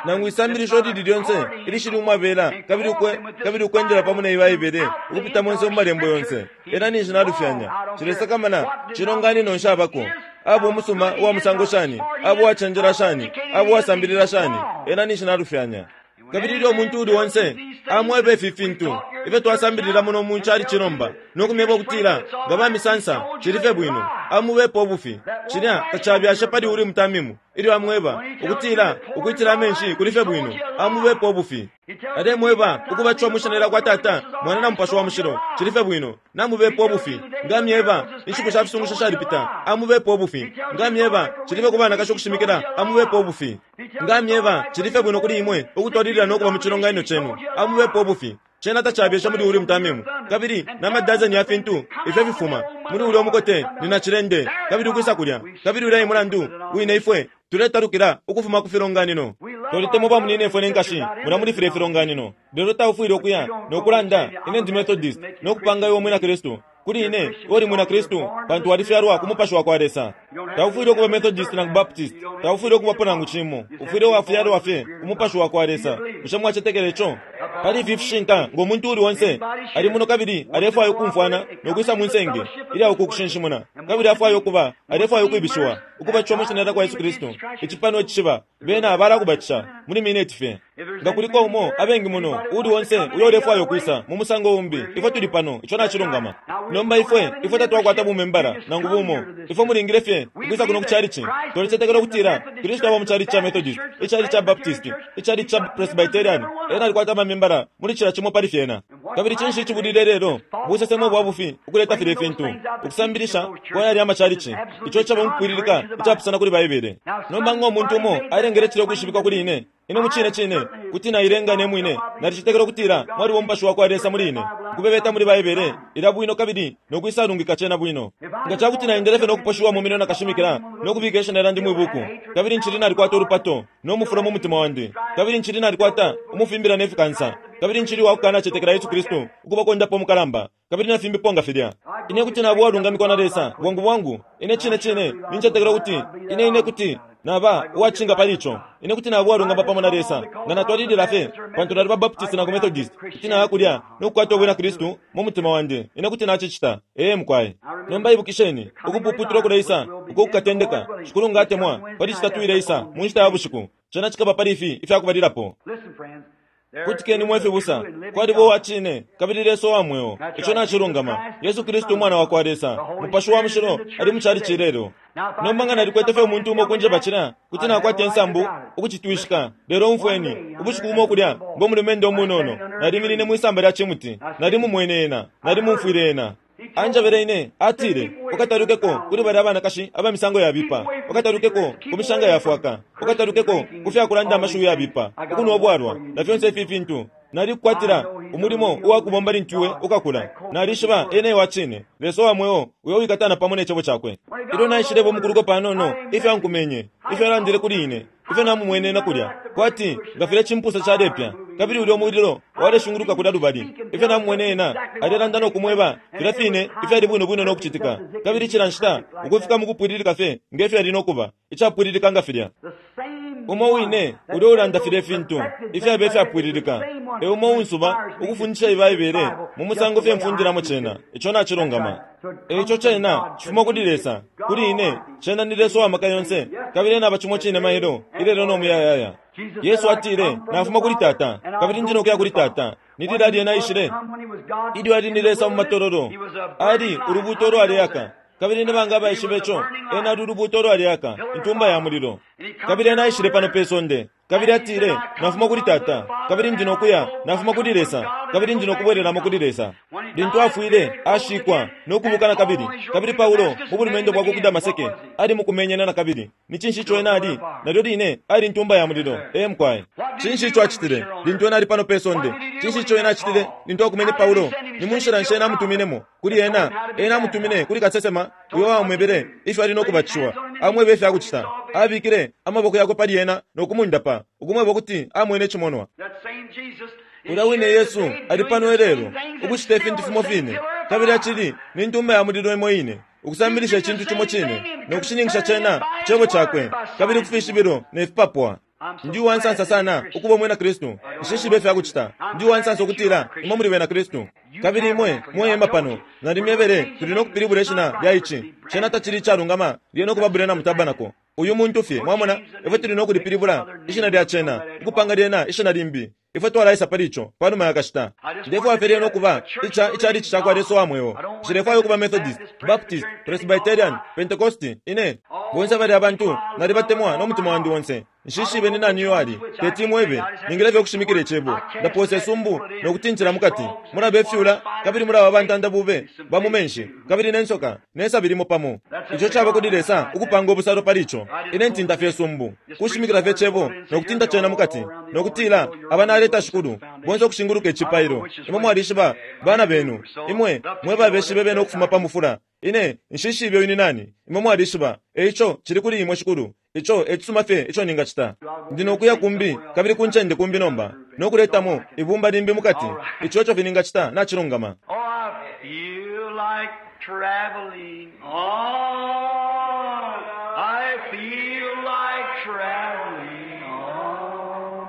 nangu isambilisho lili lyonse ilishili umwabela kabili ukwe, kabili ukwendela pamo na Baibele ukupita monse mu Malembo yonse, ena ninshi nalufyanya. Nshilesakamana cilonganino nshabako. Aba umusuma uwa musango shani, aba uwacenjela shani, aba uwasambilila shani, ena ninshi nalufyanya. Kabili ilyo umuntu uuli onse amweba ifi fintu ifyo twasambilila muno mu calici nomba, no kumyeba ukutila nga bamisansa cili fye bwino, amubepa ubufi. Cilya tacabyashe pali Urimu Tamimu ilyo amweba ukutila ukwitila amenshi kuli fye bwino, amubepa ubufi. Alemweba ukubatishiwa mwi shina lya kwa Tata, Mwana na Mupashi wa Mushilo, cili fye bwino, namubepa ubufi. Nga amyeba inshiku sha fisungusho shalipita, amubepa ubufi. Nga amyeba cili fye ku banakashi ukushimikila, amubepa ubufi. Nga amyeba cili fye bwino kuli imwe ukutwalilila no kuba mu cilonganino cenu, amubepa ubufi. Cena tacabyesha muli Urimu Tamimu. Kabili na madazeni ya fintu ifyo fifuma muli ulya umukote ni nacilende, kabili ukwisa kulya. Kabili ulya e mulandu wine ifwe tuletalukila ukufuma ku filonganino. Twalitemwa bamunyinefwe ne nkashi mulya muli filya ifilonganino. Lelo taufwile ukuya no kulanda, Ine ndi Methodist, no kupanga iwe Umwina Kristu. Kuli ine, iwe uli Mwina Kristu pantu walifyalwa ku Mupashi wakwa Lesa. Taufwile ukuba Methodist nangu Baptist, taufwile ukubapo nangu cimo. Ufwile wafyalwa fye ku Mupashi wakwa Lesa. Bushe mwacetekela ico? Pali ifi fishinka, ngo muntu uuli onse ali muno kabili alefwaya ukumfwana no kwisa mwi senge ilya uku kushinshimuna, kabili afwaya ukuba, alefwaya ukwibishiwa, ukubatishiwa mwi Shina lyakwa Yesu Kristu, ici pano icishiba, bena balakubatisha muli mineti fye. Nga kuliko umo, abengi muno, uuli onse uyo ulefwaya ukwisa mu musango umbi, ifwe tuli pano. Ico nacilungama. Nomba ifwe, ifwe tatwakwata bumembala nangu bumo. Ifwe mulingile fye ukwisa kuno ku chalichi. Twalicetekela ukutila Kristu aba mu chalichi ca Methodist, ichalichi ca Baptist, ichalichi ca Presbyterian. Ena alikwata amamembala muli cila cimo pali fyena. Kabili cinshi icibulile ilelo? Busesemo ubwa bufi, ukuleta filye fintu, ukusambilisha kwa yalya amachalichi, ico icaba mukupwililika icapusana kuli Baibele. Nomba ngo muntu umo alengele cilya ukwishibikwa kuli ine, Ine mucine cine kuti nailenga ne mwine. Nalicetekela ukutila mwaliba Umupashi wakwa Lesa muli ine, ukubebeta muli Baibele ilya bwino kabili no kwisalungika cena bwino. Nga ca kuti naendele fye no kuposhiwa mu minwe na kashimikila no kubika ishina lyandi mwi buku, kabili ncili nalikwata ulupato no mufulo mu mutima wandi, kabili ncili nalikwata umufimbila ne fikansa, kabili ncili uwa kukanacetekela Yesu Kristu ukuba kondapa umukalamba, kabili na fimbipo nga filya, ine kuti naba uwalungamikwa na Lesa bwangu bwangu. Ine cine cine nincetekela ukuti ine, ine kuti Naba uwacishinka pali ico. Ine kuti naba uwalungama pamo na Lesa nga natwalilila fye, pantu naliba Baptist nangu Methodist, kuti naya kulya no kukwata ubwina Kristu mu mutima wandi. Ine kuti nacicita. Ee, mukwai. Nomba ibukisheni, ukupuputulwa kuleisa uko kukatendeka, Shikulu nga atemwa, pali Citatu ileisa mu nshita ya bushiku. Cena cikaba pali ifi ifyakubalilapo. Kutikeni, mwe fibusa, kwaliba uwa cine kabili Lesa uwa mweo. Ico nacilungama. Yesu Kristu Umwana wakwa Lesa, Mupashi wa Mushilo, ali mu chalichi ilelo. Nomba nga nalikwete fye umuntu umo ukunjeba cilya, kuti nakwata insambu ukucitwishika. Lelo umfweni, ubushiku bumo kulya, ngo mulumendo umunono, naliminine mwisamba lya cimuti. Nalimumwene Ena. Nalimumfwile Ena. Anjebele ine, atile, Ukatalukeko kuli balya abanakashi aba misango yabipa. Ukatalukeko ku mishanga ya fwaka. Ukatalukeko ku fya kulanda amashiwi yabipa, ukunwa ubwalwa, na fyonse ifi fintu. Nalikukwatila umulimo uwa kubomba lintu iwe ukakula. Nalishiba Ena ewa cine, Lesa uwa mweo uyo uwikatana pamo ne Cebo Cakwe. Ilyo naishileba umukuluko panono, ifyo Ankumenye, ifyo Alandile kuli ine, ifyo namumwene ena kulya, kwati nga filya cimpusa calepya, kabili ulyo mulilo waleshunguluka kulya lubali, ifyo namumwene ena alelanda no kumweba filya fine ifyali bwino bwino no kucitika, kabili cila nshita ukufika mukupwililika fye nge fyo yali no kuba, icapwililika nga filya. Umo wine ulya ulanda filye fintu ifyaba ifyapwililika, e umo uunsuba ukufundisha Ibaibele mu musango fye mfundilamo cena. Ico nacilungama. E ico cena cifuma kuli Lesa, kuli ine, cena ni Lesa uwa maka yonse, kabili Ena aba cimo cine mailo, ilelo no muyayaya. Yesu atile, Nafuma kuli Tata, kabili ndi no kuya kuli Tata. Ni lilali Ena aishile? Ilyo Ali ni Lesa mu matololo, Ali Ulubuuto ulwaleaka. Kabili ni banga abaishiba ico? Ena ali Ulubuuto ulwaleaka, Intumba ya Mulilo. Kabili Ena aishile pano pe sonde, kabili atile, Nafuma kuli Tata, kabili ndi no kuya. Nafuma kuli Lesa, kabili ndi no kubwelelamo kuli Lesa. Lintu afwile, ashikwa, no kubuka nakabili. Kabili Paulo, mu bulumendo bwakwe ku Damaseke, ali mukumenye Ena nakabili. Ni cinshi ico Ena ali? Nalyo line, ali Ntumba ya Mulilo. Ee, mukwai. Cinshi ico Acitile lintu Ena ali pano pe sonde? Cinshi ico Ena acitile lintu Akumenye Paulo? Ni munshila nshi Ena amutuminemo kuli ena? Ena amutumine kuli kasesema uyo wamwebele ifyo ali no kubatishiwa, amwebe ifya kucita. Abikile amaboko yakwe pali ena no kumundapa, ukumweba ukuti amwene icimonwa. Ulya wine Yesu ali pano ilelo, ukucita ifintu fimo fine, kabili acili ni Ntumba ya Mulilo imo ine, ukusambilisha icintu cimo cine, no kushininkisha cena ku Cebo Cakwe, kabili ku fishibilo ne fipapwa. Ndi uwansansa sana ukuba umwina Kristu. Nshishibe ifya kucita. Ndi uwansansa ukutila imwe muli bena Kristu. Kabili imwe mwehema pano, nalimyebele tuli no kupilibula ishina lya ici. Cena tacili icalungama lyena ukuba Branham Tabernacle. Uyu muntu fye, mwamona, ifwe tuli no kulipilibula ishina lya cena, ukupanga lyena ishina limbi. Ifwe twalaisa pali ico panuma ya kashita. Ndefwaya fye lyena ukuba ica, ichalichi cakwa Lesa uwa mweo. Nshilefwaya ukuba Methodist, Baptist, Presbyterian, Pentecosti. Ine, bonse balya bantu, nalibatemwa no mutima wandi onse. Nshishibe ni nani uyo ali. Teti imwebe. Ningile fye ukushimikila Icebo. Ndapoosa isumbu no kutintila mukati. Mulaba ifyula, kabili mulaba bantanda bube ba mu menshi, kabili ne nsoka, ne sabi limo pamo. Ico caba kuli Lesa ukupanga ubusalo pali ico. Ine ntinta fye isumbu, kushimikila fye Icebo no kutinta cena mukati, no kutila, Aba naleta, Shikulu, bonse ukushinguluka icipailo. Imwe mwalishiba bana benu. Imwe mwe babeshibe bena ukufuma pa mufula. Ine nshishibe uyu ni nani. Imwe mwalishiba. E ico cili kuli imwe, Shikulu. Ico e cisuma fye ico ningacita. Ndi no kuya kumbi, kabili ku ncende kumbi nomba, no kuletamo ibumba limbi mukati. Ico eco fye ningacita. Nacilungama. Oh, I feel like traveling on. I feel like traveling on.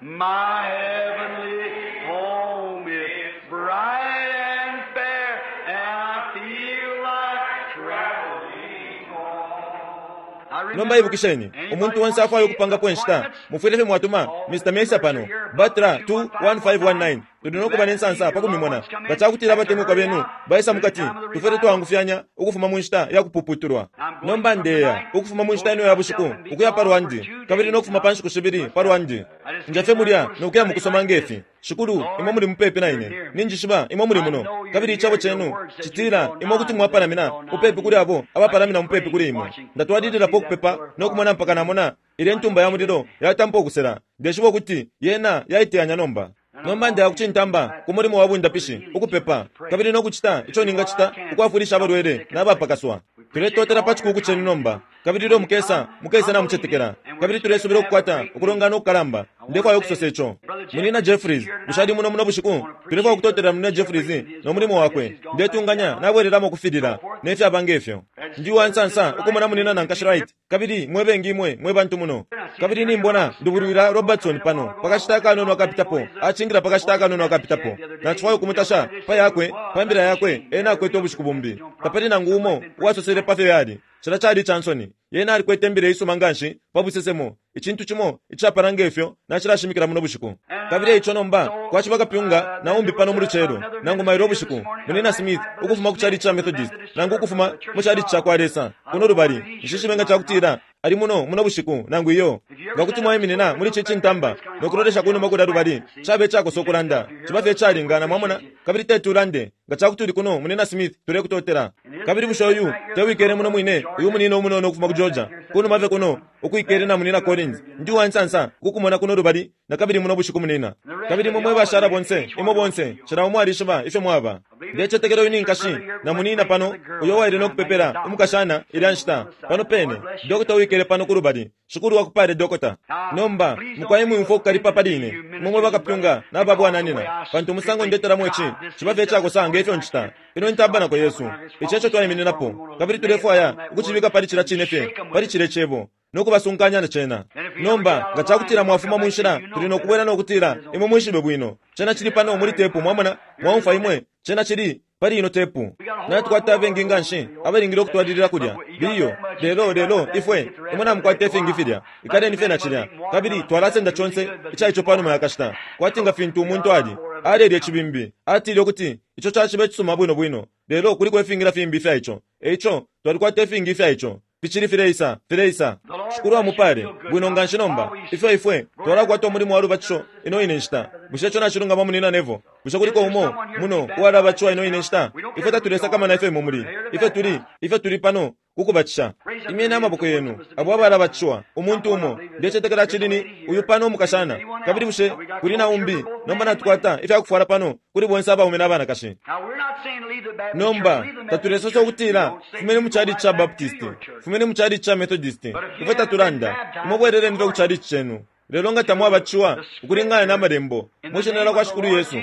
My heavenly home is bright and fair, and I feel like traveling on. Nomba ibukisheni, umuntu onse afwaya ukupangapo inshita, mufwile fye mwatuma Mr. Mercer pano, Butler 21519. Tuli no kuba ne nsansa pa kumimona. Nga ca kutila abatemwikwa benu baisa mu kati, tufwile twaangufyanya ukufuma mu nshita ya kupuputulwa. Nomba ndeya ukufuma mu nshita ino ya bushiku ukuya pa lwandi, kabili no kufuma pa nshiku shibili pa lwandi. Nja fye mulya no kuya mu kusoma nge fi. Shikulu, imwe muli mupepi na ine. Ninjishiba imwe muli muno. Kabili icebo cenu citila imwe kuti mwapalamina mupepi kuli abo abapalamina mupepi kuli imwe. Ndatwalililapo ukupepa no kumona mpaka namona ilye Ntumba ya Mulilo yatampa ukusela. Ndeshiba ukuti yena yaiteyanya nomba. Nomba ndeya ku cintamba ku mulimo wa bundapishi, ukupepa, kabili no kucita ico ningacita ukwafwilisha abalwele na bapakaswa. Tuletotela pa cikuuku cenu nomba. Kabili ilyo mukesa, mukese namucetekela. Kabili tulesubila ukukwata ukulongana ukukalamba. Ndefwaya ukusosa ico. Munyina Jeffries, bushe ali muno muno bushiku? Tulefwaya ukutotela Munyina Jeffries no mulimo wakwe. Ndetunganya nabwelelamo ukufilila, ne fyaba nge fyo. Ndi uwa nsansa ukumona Munyina na Nkashi Wright, kabili mwe bengi imwe mwe bantu muno. Kabili nimbona Ndubulwila Robertson pano, pa kashita akanono akapitapo, acingila pa kashita akanono akapitapo. Nacifwaya ukumutasha pa yakwe, pa mbila yakwe ena akwete ubushiku bumbi. Tapali nangu umo uwasosele pa fyo yali. Cilya cali ica nsoni. Yena alikwete imbila iisuma nganshi pa busesemo, icintu cimo icapala nge fyo nacilashimikila muno bushiku. Kabili eico nomba kwaciba kapyunga na umbi pano mu lucelo, nangu mailo ubushiku, Munyina Smith, ukufuma ku chalichi ca Methodist, nangu ukufuma mu chalichi cakwa Lesa, kuno lubali. Nshishibe nga cakutila ali muno muno bushiku, nangu iyo. Nga kuti mwaiminina muli ici cintamba no kulolesha kunuma kulya lubali, cabe icakosa ukulanda. Ciba fye icalingana, mwamona, kabili teti ulande. Nga cakuti uli kuno, Munyina Smith, tulekutotela. Kabili bushe uyu te wikele muno mwine, uyu munina umunono ukufuma ku Georgia? Kunuma fye kuno, ukwikele na Munina Collins. Ndi uwansansa ukukumona kuno lubali nakabili muno bushiku, munina. Kabili imwe mwe bashala bonse, imwe bonse, cila umo alishiba ifyo mwaba. Ndecetekela uyu ni nkashi na munina pano, uyo uwaile no kupepela umukashana ilya nshita, pano pene, dokota uwikele pano kulubali. Shikulu akupale, dokota. Nomba, mukwai mwiumfwa ukukalipa pali ine, imwe mwe bakapyunga na babwananyina, pantu umusango ndetelamo ici ciba fye icakosa nge fyo ncita. Ino ni tabanako yesu. Ici eco twaimininapo, kabili tulefwaya ukucibika pali cilya cine fye, pali cilye Cebo, no kubasunkanya na cena. Nomba, nga cakutila mwafuma mu nshila, tuli no kubwela no kutila, Imwe mwishibe bwino. Cena cili pano muli tepu, mwamona, mwaumfwa imwe, cena cili pali ino tepu. Natukwata abengi nganshi abalingile ukutwalilila kulya. Biyo, lelo, lelo, ifwe, imwe namukwata ifingi filya. Ikaleni fye na cilya. Kabili twalasenda conse ica ico panuma ya kashita. Kwati nga fintu umuntu ali, alelya icibimbi, atile ukuti ico caciba icisuma bwino bwino, lelo kuliko ifingi na fimbi ifya ico. Eico, twalikwata ifingi ifya ico. Ficili fileisa, fileisa. Shikulu amupale, bwino nganshi nomba. Ifyo ifwe twalakwata umulimo wa lubatisho ino ine nshita. Bushe ico nacilungama, Munina Neville? Bushe kuliko umo muno uwalabatishiwa ino ine nshita? Ifwe tatulesakamana ifyo imwe muli. Ifwe tuli, ifwe tuli pano kukubatisha. Imyeni amaboko yenu, abo abalabatishiwa, umuntu umo. Ndecetekela cili ni uyu pano umukashana. Kabili bushe kuli na umbi? Nomba natukwata ifya kufwala pano kuli bonse abaume na banakashi. Nomba, tatulesosa ukutila, Fumeni mu chalichi ca Baptist, fumeni mu chalichi ca Methodist. Ifwe tatulanda. Imwe bweleleni fye ku chalichi cenu. Lelo nga tamwabatishiwa ukulingana na Malembo, mwi Shina lya kwa Shikulu Yesu,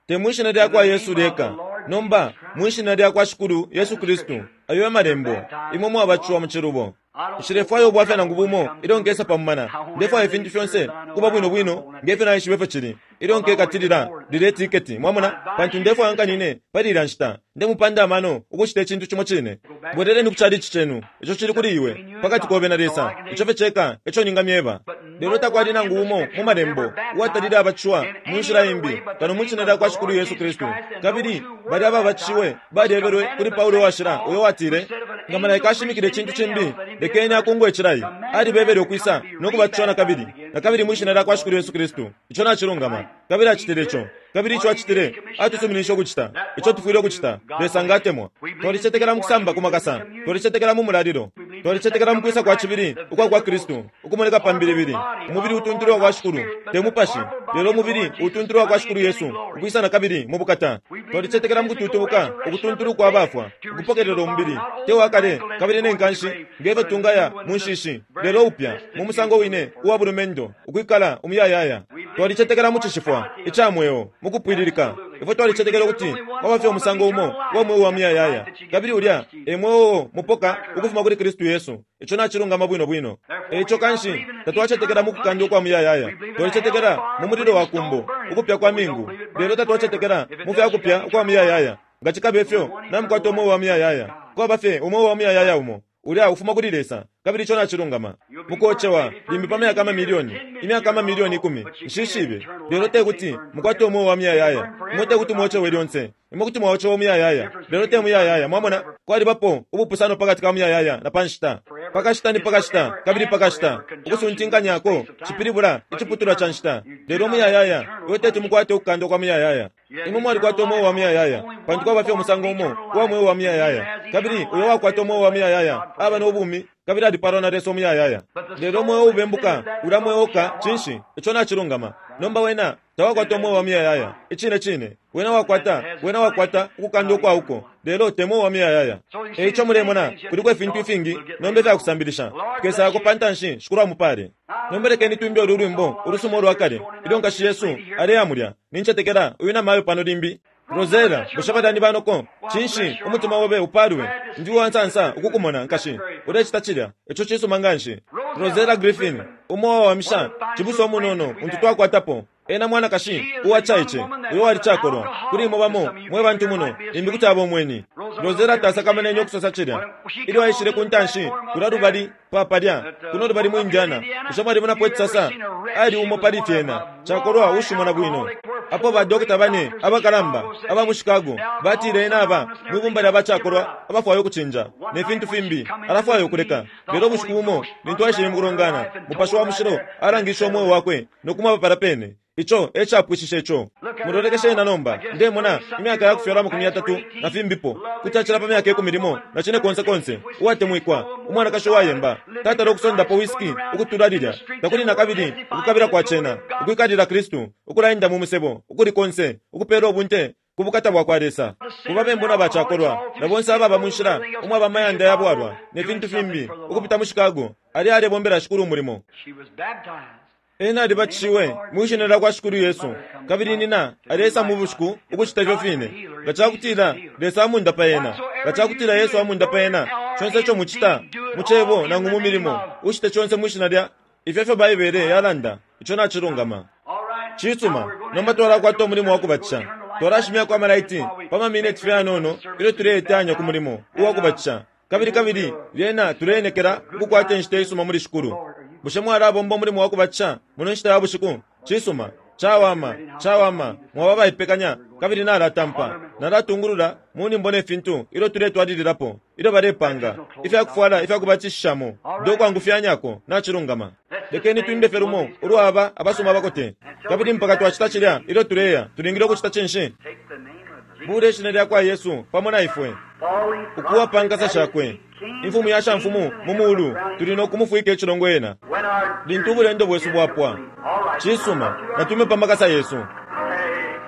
te mwi Shina lya kwa Yesu lyeka, nomba, mwi Shina lya kwa Shikulu Yesu Kristu, ayo e Malembo, imwe mwabatishiwa mu cilubo. Nshilefwaya ubwafya nangu bumo ilyo nkesa pa mumana. Ndefwaya ifintu fyonse ukuba bwino bwino nge fyo naishiba ifyo cili ilyo nkekatilila lilye tiketi, mwamona, pantu ndefwaya nkanine pali ilya nshita. Ndemupanda amano ukucita icintu cimo cine. Bweleleni ku chalichi cenu. Ico cili kuli iwe, pakati kobe na Lesa. Ico fye ceka eco ningamyeba. Lelo takwali nangu umo mu Malembo uwatalile abatishiwa mu nshila imbi kano mwi Shina lya kwa Shikulu Yesu Kristu. Kabili balya ababatishiwe balyebelwe kuli Paulo Uwashila uyo watile, Nga malaika ashimikila icintu cimbi, lekeni akungwe icilayi. Alibebele ukwisa no kubatishiwa na kabili, na kabili mwi Shina lya kwa Shikulu Yesu Kristu. Ico nacilungama. Kabili acitile ico. Kabili ico acitile, atusuminishe ukucita ico tufwile ukucita, Lesa nga atemwa. Twalicetekela mu kusamba ku makasa. Twalicetekela mu mulalilo. Twalicetekela mu kwisa kwa cibili ukwa kwa Kristu, ukumoneka pa mbilibili. Umubili utuntulu wa kwa Shikulu, te mupashi, lelo umubili utuntulu wa kwa Shikulu Yesu, ukwisa na kabili mu bukata. Twalicetekela mu kututubuka ukutuntulu kwa bafwa, ukupokelela umubili, te wa kale kabili ne nkanshi, nge fyo tungaya mu nshishi, lelo upya, mu musango wine uwa bulumendo, ukwikala umuyayaya. Twalicetekela mu cishifwa ica mweo mu kupwililika. Ifwe twalicetekela ukuti kwaba fye umusango umo uwa mweo wa muyayaya, kabili ulya e mweo uo mupoka ukufuma kuli Kristu Yesu. Ico nacilungama bwino bwino. E ico kanshi, tatwacetekela mu kukandwa ukwa muyayaya. Twalicetekela mu mulilo wa kumbo, ukupya kwa mingu, lelo tatwacetekela mu fya kupya ukwa muyayaya. Nga cikabe fyo, namukwata umweo wa muyayaya. Kwaba fye umweo wa muyayaya umo, ulya ufuma kuli Lesa, kabili ico nacilungama. Mukocewa limbi pa myaka amamilioni, imyaka amamilioni ikumi, nshishibe, lelo te kuti mukwate umweo wa muyayaya. Imwe te kuti mwocewe lyonse. Imwe kuti mwaocewa umuyayaya, lelo te muyayaya. Mwamona, kwalibapo ubupusano pakati ka muyayaya na pa nshita. Pa kashita ni pa kashita, kabili pa kashita. Ukusuntinkanyako cipilibula iciputulwa ca nshita. Lelo umuyayaya, iwe teti mukwate ukukandwa kwa muyayaya. Imwe mwalikwata umweo wa muyayaya, pantu kwaba fye umusango umo uwa mweo wa muyayaya. Kabili uyo uwakwata umweo wa muyayaya aba no bumi kabili alipaalwa na Lesa umuyayaya. Lelo umweo uubembuka, ulya mweo uka, cinshi, ico nacilungama. Nomba wena tawakwata umweo wa muyayaya. Icine cine. Wena wakwata, wena wakwata ukukandwa ukwa uko, lelo te mweo wa muyayaya. E ico mulemona, kuliko ifintu ifingi nomba ifya kusambilisha. Tukesayako pa ntanshi, Shikulu amupale. Nomba lekeni twimbe ulu lwimbo ulusuma ulwa kale, ilyo nkashi yesu aleya mulya. Nincetekela uyu namayo pano limbi. Rosella, bushe balya ni banoko? Cinshi, umutima obe upalwe. Ndi uwa nsansa ukukumona, nkashi. Ulecita cilya. Ico cisuma nganshi. Rosella Griffin, umo uwawamisha, cibusa umunono untu twakwatapo. Ena mwanakashi uwacaice uyo wali cakolwa. Kuli imwe bamo mwe bantu muno, limbi kuti aba umweni. Rosella tasakamenene ukusosa cilya. Ilyo aishile ku ntanshi, kulya lubali pa palya, kuno lubali mu Indiana, bushe mwalimonapo icisasa? Ali umo pali fyena, cakolwa uushimona bwino. Apo ba dokota bane abakalamba aba mu Chicago batile ena aba mwi bumba lya bacakolwa abafwaya ukucinja, ne fintu fimbi, alafwaya ukuleka. Lelo ubushiku bumo lintu aishile mu kulongana, Mupashi wa Mushilo alangishe umweo wakwe no kumweba palya pene. Ico e capwishishe ico. Mulolekeshe ena nomba, ndemona, imyaka ya kufyalwa 30 na fimbipo, kuti acila pa myaka ikumi limo na cine konse konse, uwatemwikwa, umwanakashi uwayemba, tatala ukusondapo whisky ukutula lilya, takuli nakabili ukukabila kwa cena, ukwikalila Kristu, ukulaenda mu musebo, ukuli konse, ukupela ubunte ku bukata bwa kwa Lesa, ku babembu na bacakolwa, na bonse ababa mu nshila umwaba amayanda ya bwalwa, ne fintu fimbi, ukupita mu Chicago, ali alebombela Shikulu umulimo. She was baptized. Ena alibatishiwe mwi shina lya kwa Shikulu Yesu, kabili nina alesa mu bushiku ukucita ifyo fine. Nga ca kutila Lesa amundapa ena, nga ca kutila Yesu amundapa ena, conse ico mucita, mu cebo nangu mu milimo, ucite conse mwi shina lya ifyo ifyo Baibele yalanda, ico nacilungama. All right. Cisuma, nomba twalakwata umulimo wa kubatisha. Twalashimyako amalaiti pa mamineti fye yanono ilyo tuleitanya ku mulimo uwa kubatisha. Kabili kabili lyena tuleenekela ukukwata inshita isuma muli Shikulu. Bushe mwalabomba umulimo wa kubatisha muno nshita ya bushiku? Cisuma, cawama, cawama, mwaba abaipekanya kabili nalatampa. Nalatungulula mu nyimbo ne fintu ilyo tuletwalililapo, ilyo balepanga ifya kufwala ifya kubatishishamo. Ndo kwangufyanyako, nacilungama. Lekeni twimbe fye lumo ulwaba abasuma abakote. Kabili mpaka twacita cilya ilyo tuleya, tulingile ukucita cinshi? Take the name of Jesus. Bule ishina lya kwa Yesu pamo na ifwe, Falling ukuwa pa nkasa shakwe, imfumu ya shamfumu mu mulu, tuli no kumufwika icilongo ena When our lintu ubulendo bwesu bwapwa. All right. Cisuma, natume pa makasa yesu. Take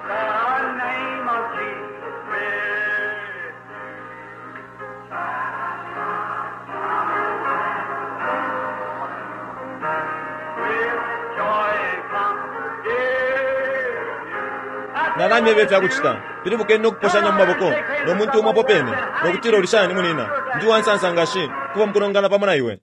the name of Jesus with With joy and comfort give you. Nalamyeba ifya kucita. Pilibukeni no kuposhanya mu maboko no muntu umo apo pene, no kutila uli shani munina, ndi uwansansa nga nshi kuba mu kulongana pamo na iwe.